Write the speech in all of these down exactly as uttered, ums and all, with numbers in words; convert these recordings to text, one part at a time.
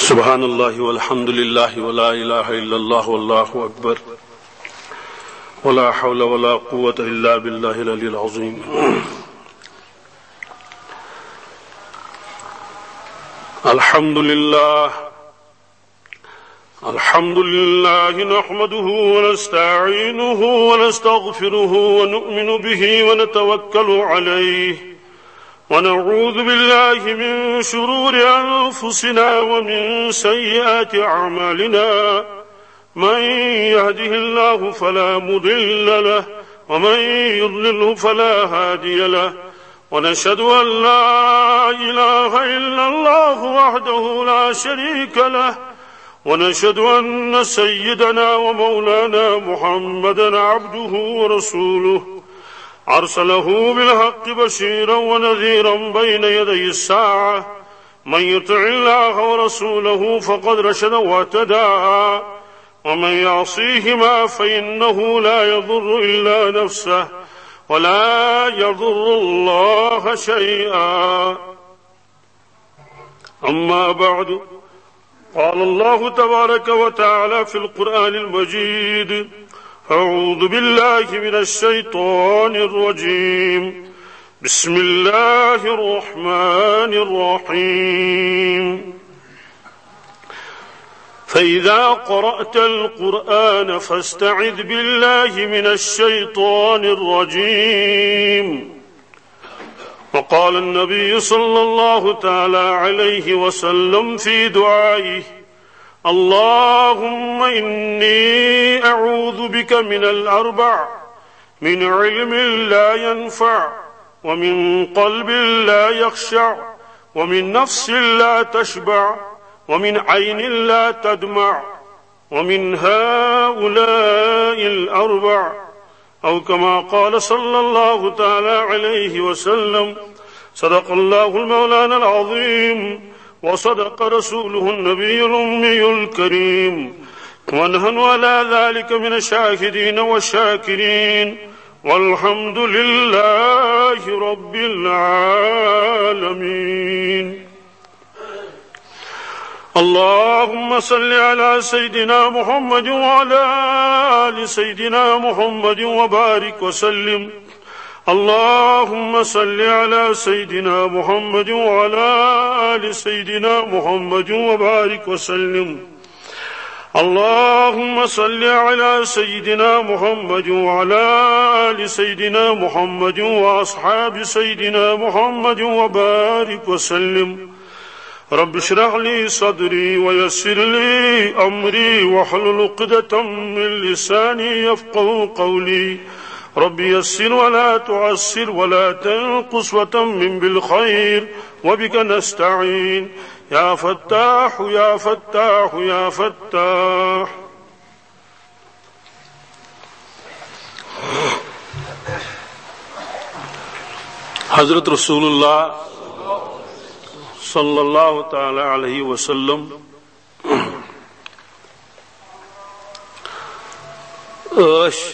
سبحان الله والحمد لله ولا إله إلا الله والله أكبر، ولا حول ولا قوة إلا بالله العلي العظيم. الحمد لله، الحمد لله نحمده ونستعينه ونستغفره ونؤمن به ونتوكل عليه، ونعوذ بالله من شرور أنفسنا ومن سيئات أعمالنا. من يهده الله فلا مضل له، ومن يضلله فلا هادي له، ونشهد أن لا إله إلا الله وحده لا شريك له، ونشهد أن سيدنا ومولانا محمدا عبده ورسوله، أرسله بالحق بشيرا ونذيرا بين يدي الساعة، من يطع الله ورسوله فقد رشد واهتدى، ومن يعصيهما فإنه لا يضر إلا نفسه ولا يضر الله شيئا. أما بعد، قال الله تبارك وتعالى في القرآن المجيد: أعوذ بالله من الشيطان الرجيم. بسم الله الرحمن الرحيم. فإذا قرأت القرآن فاستعذ بالله من الشيطان الرجيم. وقال النبي صلى الله تعالى عليه وسلم في دعائه: اللهم إني أعوذ بك من الأربع: من علم لا ينفع، ومن قلب لا يخشع، ومن نفس لا تشبع، ومن عين لا تدمع، ومن هؤلاء الأربع، أو كما قال صلى الله تعالى عليه وسلم. صدق الله المولانا العظيم، وصدق رسوله النبي الأمي الكريم، ونحن على ذلك من الشاهدين والشاكرين، والحمد لله رب العالمين. اللهم صل على سيدنا محمد وعلى آل سيدنا محمد وبارك وسلم. اللهم صل على سيدنا محمد وعلى آل سيدنا محمد وبارك وسلم. اللهم صل على سيدنا محمد وعلى آل سيدنا محمد وأصحاب سيدنا محمد وبارك وسلم. رب اشرح لي صدري ويسر لي أمري واحلل عقدة من لساني يفقهوا قولي. رب يسر ولا تعسر ولا تنقص وتمم بالخير، وبك نستعين. يا فتاح، يا فتاح، يا فتاح. حضرت رسول اللہ صلی اللہ تعالی علیہ وسلم ٲسۍ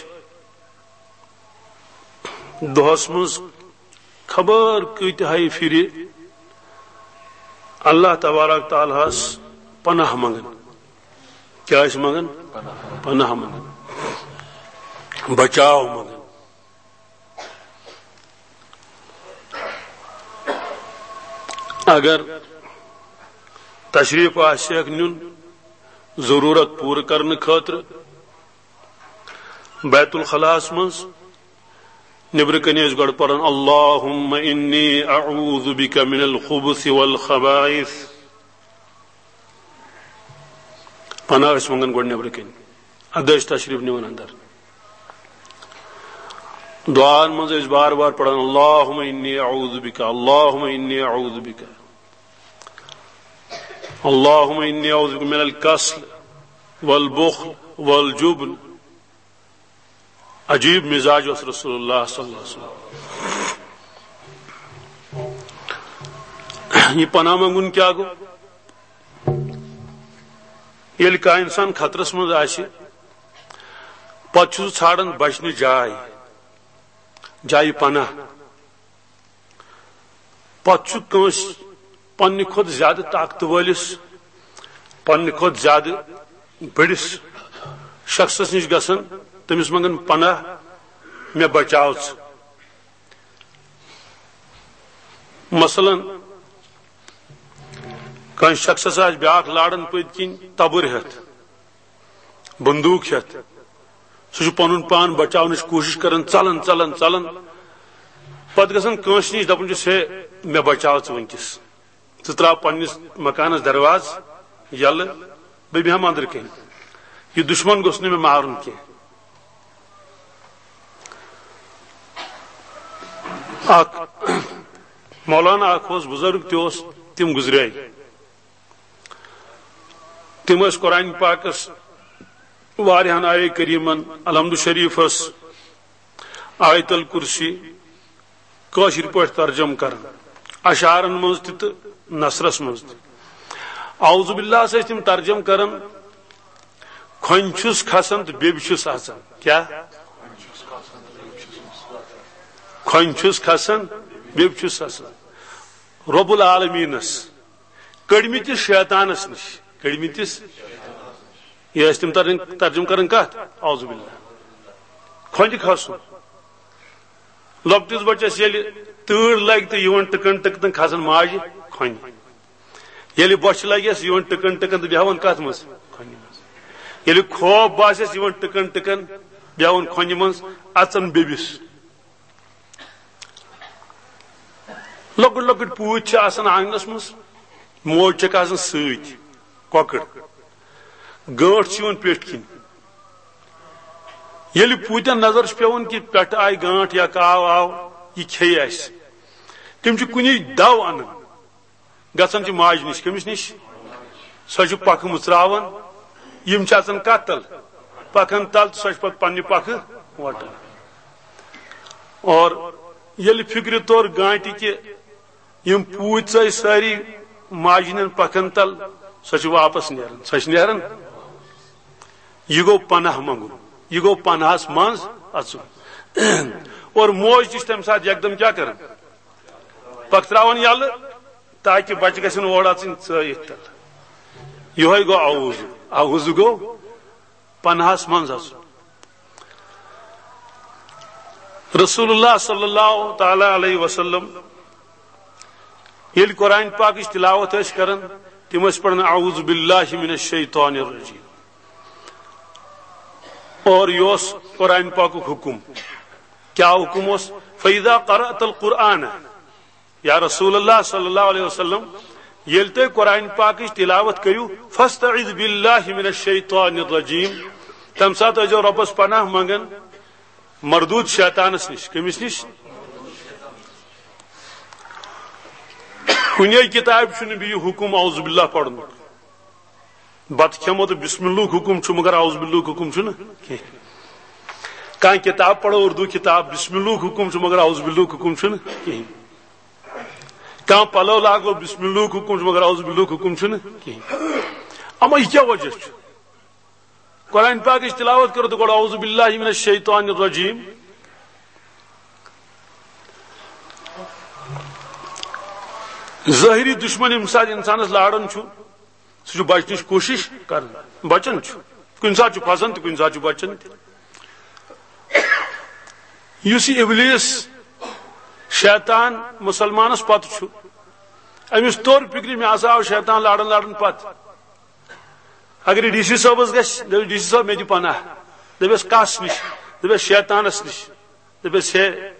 دۄہس منٛز خبر کۭتِہے پھرِ اللہ تبارک تعالیٰ ہس پناہ منگان۔ کیٛاہ ٲسۍ منگان؟ پناہ منگان، بچاو منگان۔ اگر تشریف آسہِ ہیکھ نیُن ضروٗرت پوٗرٕ کرنہٕ خٲطرٕ، بیت الخلاہس منٛز نیبرٕ کنہِ ٲسۍ گۄڈٕ پران: اللهم إني أعوذ بك من الخبث والخبائث۔ پناہ ٲسۍ منگان گۄڈٕ نیبرٕ کنہِ، ادٕ ٲسۍ تشریف نِوان اندر۔ دعاہن منٛز ٲسۍ بار بار پران: اللهم إني أعوذ بك، اللهم إني أعوذ بك، اللهم إني أعوذ بك من الكسل والبخل والجبن۔ عجیب مزاج اوس رسول اللہ صلی اللہ علیہ وسلم۔ یہ پناہ منگُن کیٛاہ گوٚو؟ ییٚلہِ کانٛہہ انسان خطرس منٛز آسہِ، پتہٕ چھُ سُہ ژھانڈان بچنٕچ جاے، جایہِ پناہ۔ پتہٕ چھُ کٲنٛسہِ پننہِ کھۄتہٕ زیادٕ طاقتہٕ وٲلِس پننہِ کھۄتہٕ زیادٕ بٔڑِس شخصس نِش گژھان، تٔمِس منٛگان پناہ، مےٚ بچاو ژٕ۔ مثلاً، کٲنٛسہِ شخصس آسہِ بیٛاکھ لاران پٔتۍ کِنۍ تبٕر ہٮ۪تھ، بندوٗق ہٮ۪تھ، سُہ چھُ پنُن پان بچاونٕچ کوٗشِش کران، ژلان، ژلان، ژلان، پتہٕ گژھان کٲنٛسہِ نِش، دپان چھُس، ہے، مےٚ بچاو ژٕ وٕنکیٚس۔ ژٕ تراو پننِس مکانس دروازٕ یلہٕ، بہٕ بیٚہمہٕ أنٛدرٕ کنہِ۔ یہِ دُشمن گوٚژھ نہٕ مےٚ مارُن کینٛہہ۔ اکھ مولانا اکھ اوس، بزرگ تہِ اوس، تِم گُزرے۔ تِم ٲسۍ قرآن پاکس واریاہن آیے کریمن، الحمد شریفس، آیت الکرسی کٲشِر پٲٹھۍ ترجمہٕ کران، اشعارن منٛز تہِ تہٕ نثرس منٛز تہِ۔ اعوذ باللہ ٲسۍ تِم ترجمہٕ کران، کھۄنہِ چھُس کھسان تہٕ بیٚبہِ چھُس اژان۔ کیٛاہ؟ کھۄنہِ چھُس کھسان، بیٚبہِ چھُس اژان۔ رب العالمینس کٔڑمٕتِس شیطانس نِش، کٔڑمٕتِس، یہِ ٲسۍ تِم ترجم-، ترجمہٕ کران کتھ؟ اعوذ باللہ۔ کھۄنہِ کھسُن۔ لۄکٹِس بچس ییٚلہِ تۭر لگہِ تہٕ یِوان ٹٕکن ٹٕکن کھسان ماجہِ کھۄنہِ۔ ییٚلہِ بۄچھِ لگٮ۪س، یِوان ٹٕکن ٹٕکن تہٕ بیہوان کتھ منٛز؟ کھۄنہِ منٛز۔ ییٚلہِ خوف باسٮ۪س، یِوان ٹٕکن ٹٕکن، بیہوان کھۄنہِ منٛز، اژان بیٚبِس۔ لۄکٕٹۍ لۄکٕٹۍ پوٗتۍ چھِ آسان آنگنس منٛز، موج چھکھ آسان سۭتۍ، کۄکٕر، گٲنٹھ چھِ یِوان پیٹھۍ کِنۍ۔ ییٚلہِ پوٗتٮ۪ن نظر چھِ پٮ۪وان کہِ پٮ۪ٹھٕ آیہِ گانٹھ یا کاو آو، یہِ کھیٚیہِ اَسہِ، تِم چھِ کُنی دو اَنان، گژھان چھِ ماجہِ نِش۔ کٔمِس نِش؟ سۄ چھِ پکھٕ مُژراوان، یِم چھِ اژان کتھ تل؟ پکھن تل، تہٕ سۄ چھِ پتہٕ پننہِ پکھٕ وٹان۔ اور ییٚلہِ فکرِ توٚر گانٹہِ کہِ یِم پوٗتۍ ژٲے سٲری ماجہِ ہٕنٛدٮ۪ن پکھن تل، سۄ چھِ واپس نیران۔ سۄ چھِ نیران۔ یہِ گوٚو پناہ منٛگُن، یہِ گوٚو پناہس منٛز اژُن۔ اور موج تہِ چھِ تمہِ ساتہٕ یکدم کیٛاہ کران؟ پکھ تراوان یلہٕ، تاکہِ بچہِ گژھن اورٕ اژٕنۍ ژٲیِتھ تل۔ یِہوٚے گوٚو اعوذ۔ اعوذ گوٚو پناہس منٛز اژُن۔ رسول اللہ صلی اللہ تعالی علیہ وسلم ییٚلہِ قرآن پاکٕچ تلاوت ٲسۍ کران، تِم ٲسۍ پران اعوذ باللہ من الشیطان الرجیم۔ اور یہِ اوس قرآن پاکُک حکم۔ کیٛاہ حکم اوس؟ فَإِذَا قَرَأْتَ الْقُرْآنَ، یا رسول اللہ صلی اللہ علیہ وسلم، ییٚلہِ تُہۍ قرآن پاکٕچ تلاوت کٔرِو، فَاسْتَعِذْ بِاللَّهِ مِنَ الشَّيْطَانِ الرَّجِيمِ، تَمہِ ساتہٕ ٲسۍزیو رۄبَس پناہ منٛگان مردوٗد شیطانَس نِش۔ کٔمِس نِش؟ کُنے کِتابہِ چھُنہٕ بیٚیہِ حُکُم اعوذ باللہ پَرنُک۔ بتہٕ کھٮ۪مو تہٕ بسم اللہُک حُکُم چھُ، مگر اعوذ باللہُک حُکُم چھُنہٕ کینٛہہ۔ کانٛہہ کِتاب پَرو، اردو کِتاب، بسم اللہُک حُکُم چھُ، مگر اعوذ باللہُک حُکُم چھُنہٕ کِہیٖنۍ۔ کانٛہہ پَلو لاگو، بسم اللہُک حُکُم چھُ، مگر اعوذ باللہُک حُکُم چھُنہٕ کِہیٖنۍ۔ اما یہِ کیٛاہ وجہ چھُ؟ قرآن پاکٕچ تلاوت کٔرِو تہٕ گۄڈٕ اعوذ باللہ من الشیطان الرجیم۔ ظٲہری دشمن ییٚمہِ ساتہٕ انسانس لاران چھُ، سُہ چھُ بچنٕچ کوٗشِش کران، بچان چھُ، کُنہِ ساتہٕ چھُ پھسان تہٕ کُنہِ ساتہٕ چھُ بچان تہِ۔ یُس یہِ ابلیس شیطان مسلمانس پتہٕ چھُ، أمِس توٚر فکرِ، مےٚ ہسا آو شیطان لاران لاران پتہٕ۔ اگر یہِ ڈی سی صٲبس گژھِ، دپہِ، "ڈی سی صٲب، مےٚ دِ پناہ"، دپٮ۪س، "کس نِش؟" دپٮ۪س، "شیطانس نِش"۔ دپٮ۪س، "ہے،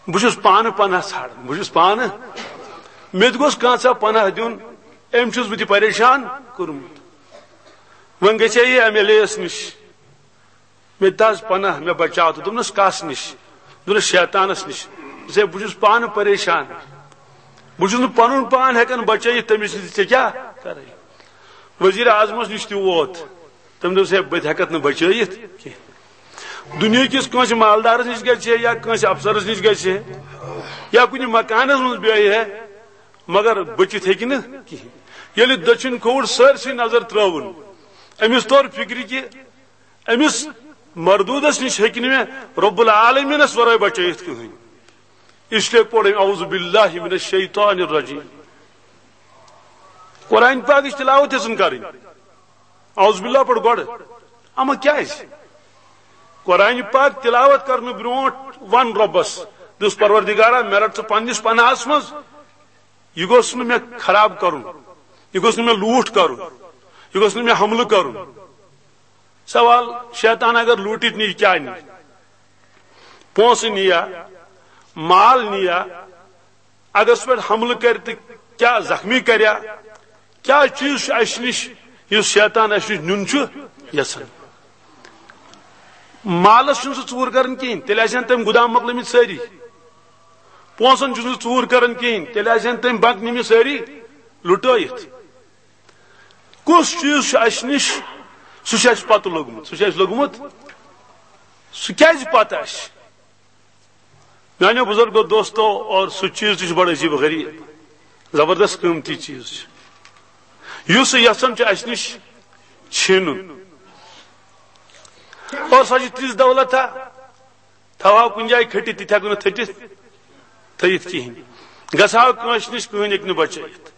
بہٕ چھُس پانہٕ پناہ ژھانڈان، بہٕ چھُس پانہٕ، مےٚ تہِ گوٚژھ کانٛژھا پناہ دیُن، أمۍ چھُس بہٕ تہِ پریشان کوٚرمُت۔ وۄنۍ گژھِ ہے یہِ ایم ایل اے یس نِش۔" مےٚ دِژ پناہ، مےٚ بچاو تہٕ دوٚپنس، "کس نِش؟" دوٚپنس، "شیطانس نِش۔" دوٚپُس، "ہے، بہٕ چھُس پانہٕ پریشان، بہٕ چھُس نہٕ پنُن پان ہٮ۪کان بچٲیِتھ، تٔمِس نِش ژےٚ کیٛاہ کرے؟" وزیر اعظمس نِش تہِ ووت، تٔمۍ دوٚپُس، "ہے، بہٕ تہِ ہٮ۪کتھ نہٕ بچٲیِتھ کینٛہہ۔" دُنیہٕ کِس کٲنٛسہِ مالدارس نِش گژھِ ہے یا کٲنٛسہِ افسرس نِش گژھِ ہے یا کُنہِ مکانس منٛز بیٚہہِ ہے، مگر بٔچِتھ ہیٚکہِ نہٕ کِہیٖنۍ۔ ییٚلہِ دٔچھِنۍ کھووُر سٲرسٕے نظر ترٲوٕن، أمِس توٚر فِکرِ کہِ أمِس مردوٗدس نِش ہیٚکہِ نہٕ مےٚ رب العالمینس ورٲے بچٲیِتھ کٕہٕنۍ۔ اس لیے پوٚر أمۍ اعوذ باللہ من الشیطان الرجیم۔ قرآن پاکٕچ تلاوت یژھن کرٕنۍ، اعوذ باللہ پٲٹھۍ گۄڈٕ۔ اما کیازِ؟ قرآن پاک تلاوت کرنہٕ برونٹھ ون رۄبس، دوٚپُس، پروردگارا، مےٚ رٹ ژٕ پننِس پناہس منٛز، یہِ گوٚژھ نہٕ مےٚ خراب کرُن، یہِ گوٚژھ نہٕ مےٚ لوٗٹھ کرُن، یہِ گوٚژھ نہٕ مےٚ حملہٕ کرُن۔ سوال، شیطان اگر لوٗٹِتھ نِیہِ، کیٛاہ نِیہِ؟ پونٛسہٕ نِیا، مال نِیا، اگر سُہ پٮ۪ٹھ حملہٕ کرِ تہٕ کیٛاہ زخمی کریا؟ کیٛاہ چیٖز چھُ اَسہِ نِش یُس شیطان اَسہِ نِش نیُن چھُ یژھان؟ مالس چھُنہٕ سُہ ژوٗر کران کِہیٖنۍ، تیٚلہِ آسہِ ہن تٔمۍ گُدام مۄکلٲمٕتۍ سٲری۔ پونٛسن چھُنہٕ سُہ ژوٗر کران کِہیٖنۍ، تیٚلہِ آسہِ ہن تٔمۍ بنک نِمٕتۍ سٲری لُٹٲیِتھ۔ کُس چیٖز چھُ اَسہِ نِش؟ سُہ چھُ اَسہِ پتہٕ لوٚگمُت، سُہ چھُ اَسہِ لوٚگمُت۔ سُہ کیٛازِ پتہٕ اَسہِ؟ میانیو بزرگو، دوستو، اور سُہ چیٖز تہِ چھُ بڑٕ عجیب و غریب، زبردست قۭمتی چیٖز چھُ، یُس سُہ یژھان چھُ اَسہِ نِش چھینُن۔ اور سۄ چھِ تِژھ دولت ہا، تھاوہاو کُنہِ جایہِ کھٔٹِتھ، تہِ تہِ ہٮ۪کو نہٕ تھٔٹِتھ، تھٲیِتھ کِہیٖنۍ۔ گژھہاو کٲنٛسہِ نِش، کٕہٕنۍ ہیٚکہِ نہٕ بچٲیِتھ۔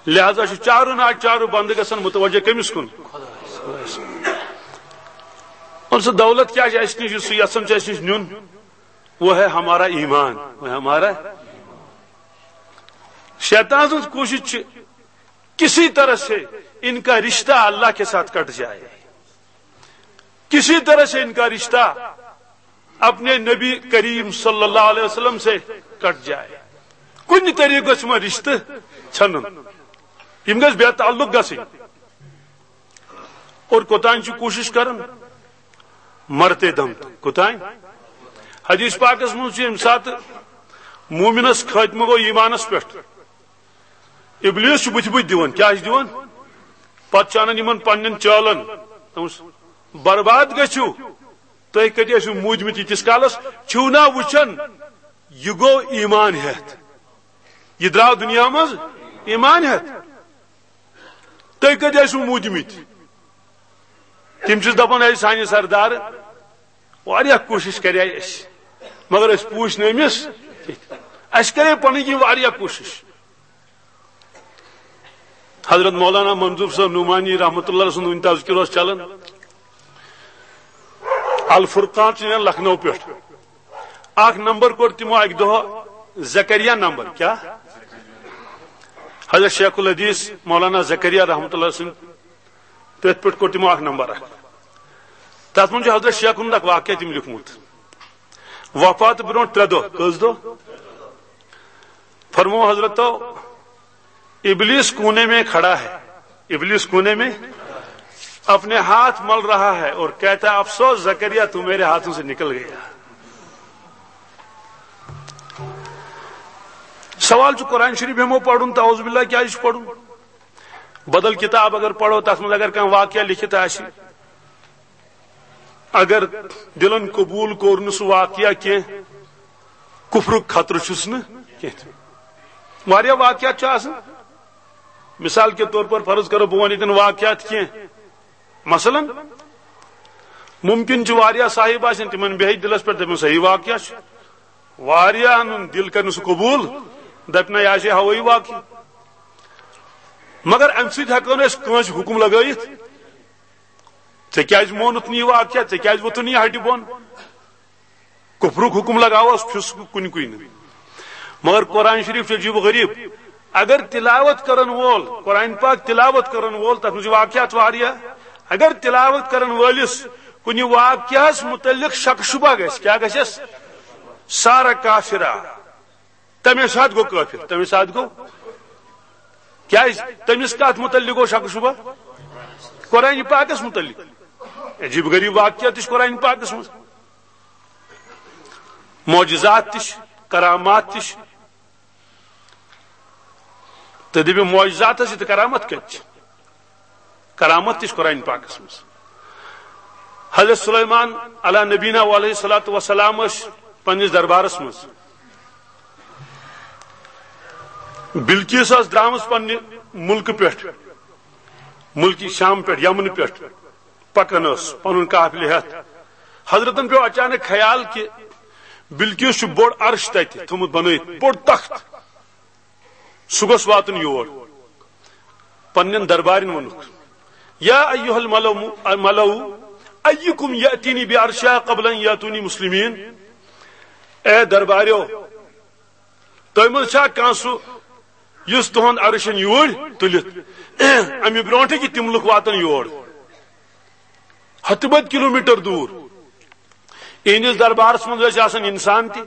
لہذا چھُ چارو ناچارو بندٕ گژھان متوجہ کٔمِس کُن؟ اور سُہ دولت کیٛاہ چھِ اَسہِ نِش، یُس سُہ یژھان چھُ اَسہِ نِش نیُن؟ وہ ہے ہمارا ایمان، وہ ہے ہمارا۔ شیطان سٕنٛز کوٗشِش چھِ کسی طرح سے ان کا رشتہ اللہ کے ساتھ کٹ جائے، کسی طرح سے ان کا رشتہ اپنے نبی کریم صلی اللہ علیہ وسلم سے کٹ جائے۔ کُنہِ طریقہٕ گژھِ یِمن رشتہٕ ژھٮ۪نُن، یِم گژھِ بے تعلق گژھٕنۍ۔ اور کوٚتام چھِ کوٗشِش کران؟ مرتے دم تک۔ کوٚتام؟ حدیث پاکس منٛز چھُ ییٚمہِ ساتہٕ مومنس خٲتمہٕ گوٚو ایٖمانس پٮ۪ٹھ، ابلیس چھُ بُتھِ بُتھِ دِوان۔ کیٛاہ چھُ دِوان؟ پتہٕ چھُ انان یِمن پننٮ۪ن چٲلن، دوٚپمَس، برباد گٔژھِو، تُہۍ کتہِ ٲسِو موٗدمٕتۍ ییٖتِس کالس؟ چھِو نا وٕچھان، یہِ گوٚو ایمان ہٮ۪تھ، یہِ درٛاو دُنیا منٛز ایمان ہٮ۪تھ، تُہۍ کتہِ ٲسِو موٗدمٕتۍ؟ تِم چھِس دپان، اے سانہِ سردار، واریاہ کوٗشِش کرے اَسہِ، مگر أسۍ پوٗچھ نہٕ أمِس کینٛہہ۔ اَسہِ کرے پنٕنۍ کِنۍ واریاہ کوٗشِش۔ حضرت مولانا منظور صٲب نعمانی رحمتہ اللہ سُنٛد وُنہِ تذکرٕ اوس چلان۔ الفرقان چھُ نیران لکھنؤ پٮ۪ٹھ۔ اکھ نمبر کوٚر تِمو اکہِ دۄہ زکریا نمبر۔ کیٛاہ؟ حضرت شیخ الحدیث مولانا زکریا رحمتہ اللہ سٕنٛدِ تٔتھۍ پٮ۪ٹھ کوٚر تِمو اکھ نمبر اکھ۔ تتھ منٛز چھُ حضرت شیخ ہُنٛد اکھ واقعہ تٔمۍ لیوٗکھمُت۔ وفات برونٛٹھ ترٛےٚ دۄہ، کٔژ دۄہ؟ فرمو حضرتو، ابلیس کونے میں کھڑا ہے، ابلیس کونے میں اپنے ہاتھ مل رہا ہے اور کہتا ہے، افسوس زکریا، تو میرے ہاتھوں سے نکل گیا۔ سوال چھُ، قرآن شریف ہٮ۪مو پرُن، تعوذ باللہ کیٛازِ چھُ پرُن؟ بدل کتاب اگر پرو، تتھ منٛز اگر کانٛہہ واقعہ لیکھِتھ آسہِ، اگر دلن قبول کوٚر نہٕ سُہ واقعہ کینٛہہ، کفرُک خطرٕ چھُس نہٕ کینٛہہ۔ واریاہ واقعات چھِ آسان، مثال کے طور پر فرض کرو، بہٕ وَنہٕ ییٚتٮ۪ن واقعات کینٛہہ۔ مثلاً، ممکن چھُ واریاہ صاحب آسن، تِمن بیٚہہِ دِلس پٮ۪ٹھ، دَپن، صحیح واقعہ چھُ۔ واریاہن ہُنٛد دِل کرِ نہٕ سُہ قبوٗل، دَپہِ، نہ، یہِ آسہِ ہوٲیی واقعہٕ۔ مگر اَمہِ سۭتۍ ہٮ۪کو نہٕ أسۍ کٲنٛسہِ حُکُم لگٲیِتھ، ژےٚ کیٛازِ مونُتھ نہٕ یہِ واقعہ، ژےٚ کیٛازِ ووٚتُتھ نہٕ یہِ ہٹہِ بۄن؟ کفرُک حکم لگاوس فسق کُنہِ کُنہِ۔ مگر قرآن شریف چھُ عجیب و غریب۔ اگر تلاوت کرن وول، قرآن پاک تلاوت کرن وول، تتھ منٛز چھِ واقعات واریاہ۔ اگر تلاوت کرن وٲلِس کُنہِ واقعس متعلق شک شبہ گژھِ، کیٛاہ گژھٮ۪س؟ صار کافرا۔ تمے ساتہٕ گوٚو کٲفر، تمے ساتہٕ گوٚو۔ کیٛازِ؟ تٔمِس کتھ متعلق گوٚو شک شبہ؟ قرآن پاکس متعلق۔ عجیب غریب واقعہ تہِ چھِ قرآن پاکس منٛز۔ معجزات تہِ چھِ، کرامات تہِ چھِ۔ تہٕ دٔپِو، معجزات ٲسۍ تہٕ کرامت کتہِ چھِ؟ کرامت تہِ چھِ قرآن پاکس منٛز۔ حضرت سلیمان علی نبینا علیہ الصلوۃ والسلام ٲسۍ پننِس دربارس منٛز۔ بلقیس ٲس درٛامٕژ پننہِ مُلکہٕ پٮ۪ٹھ، مُلکہِ شام پٮ۪ٹھ، یمنہٕ پٮ۪ٹھ۔ پکان ٲس پنُن قافلہٕ ہٮ۪تھ۔ حضرتن پیوٚو اچانک خیال کہِ بلقیس چھُ بوٚڑ عرش تتہِ تھوٚمُت بنٲیِتھ، بوٚڑ تخت، سُہ گوٚژھ واتُن یور۔ پننٮ۪ن دربارٮ۪ن ووٚنُکھ، یا ایھا الملو، ملو، ایکم یاتینی بعرشہا قبل ان یاتونی مسلمین۔ اے درباریو، تۄہہِ منٛز چھا کانٛہہ سُہ یُس تُہُنٛد عرش انہِ یوٗرۍ تُلِتھ؟ امہِ برونٛٹھٕے کہِ تِم لُکھ واتن یور، ہتہٕ بٔدۍ کلومیٹر دوٗر۔ اِہنٛدِس دربارس منٛز ٲسۍ آسان انسان تہِ،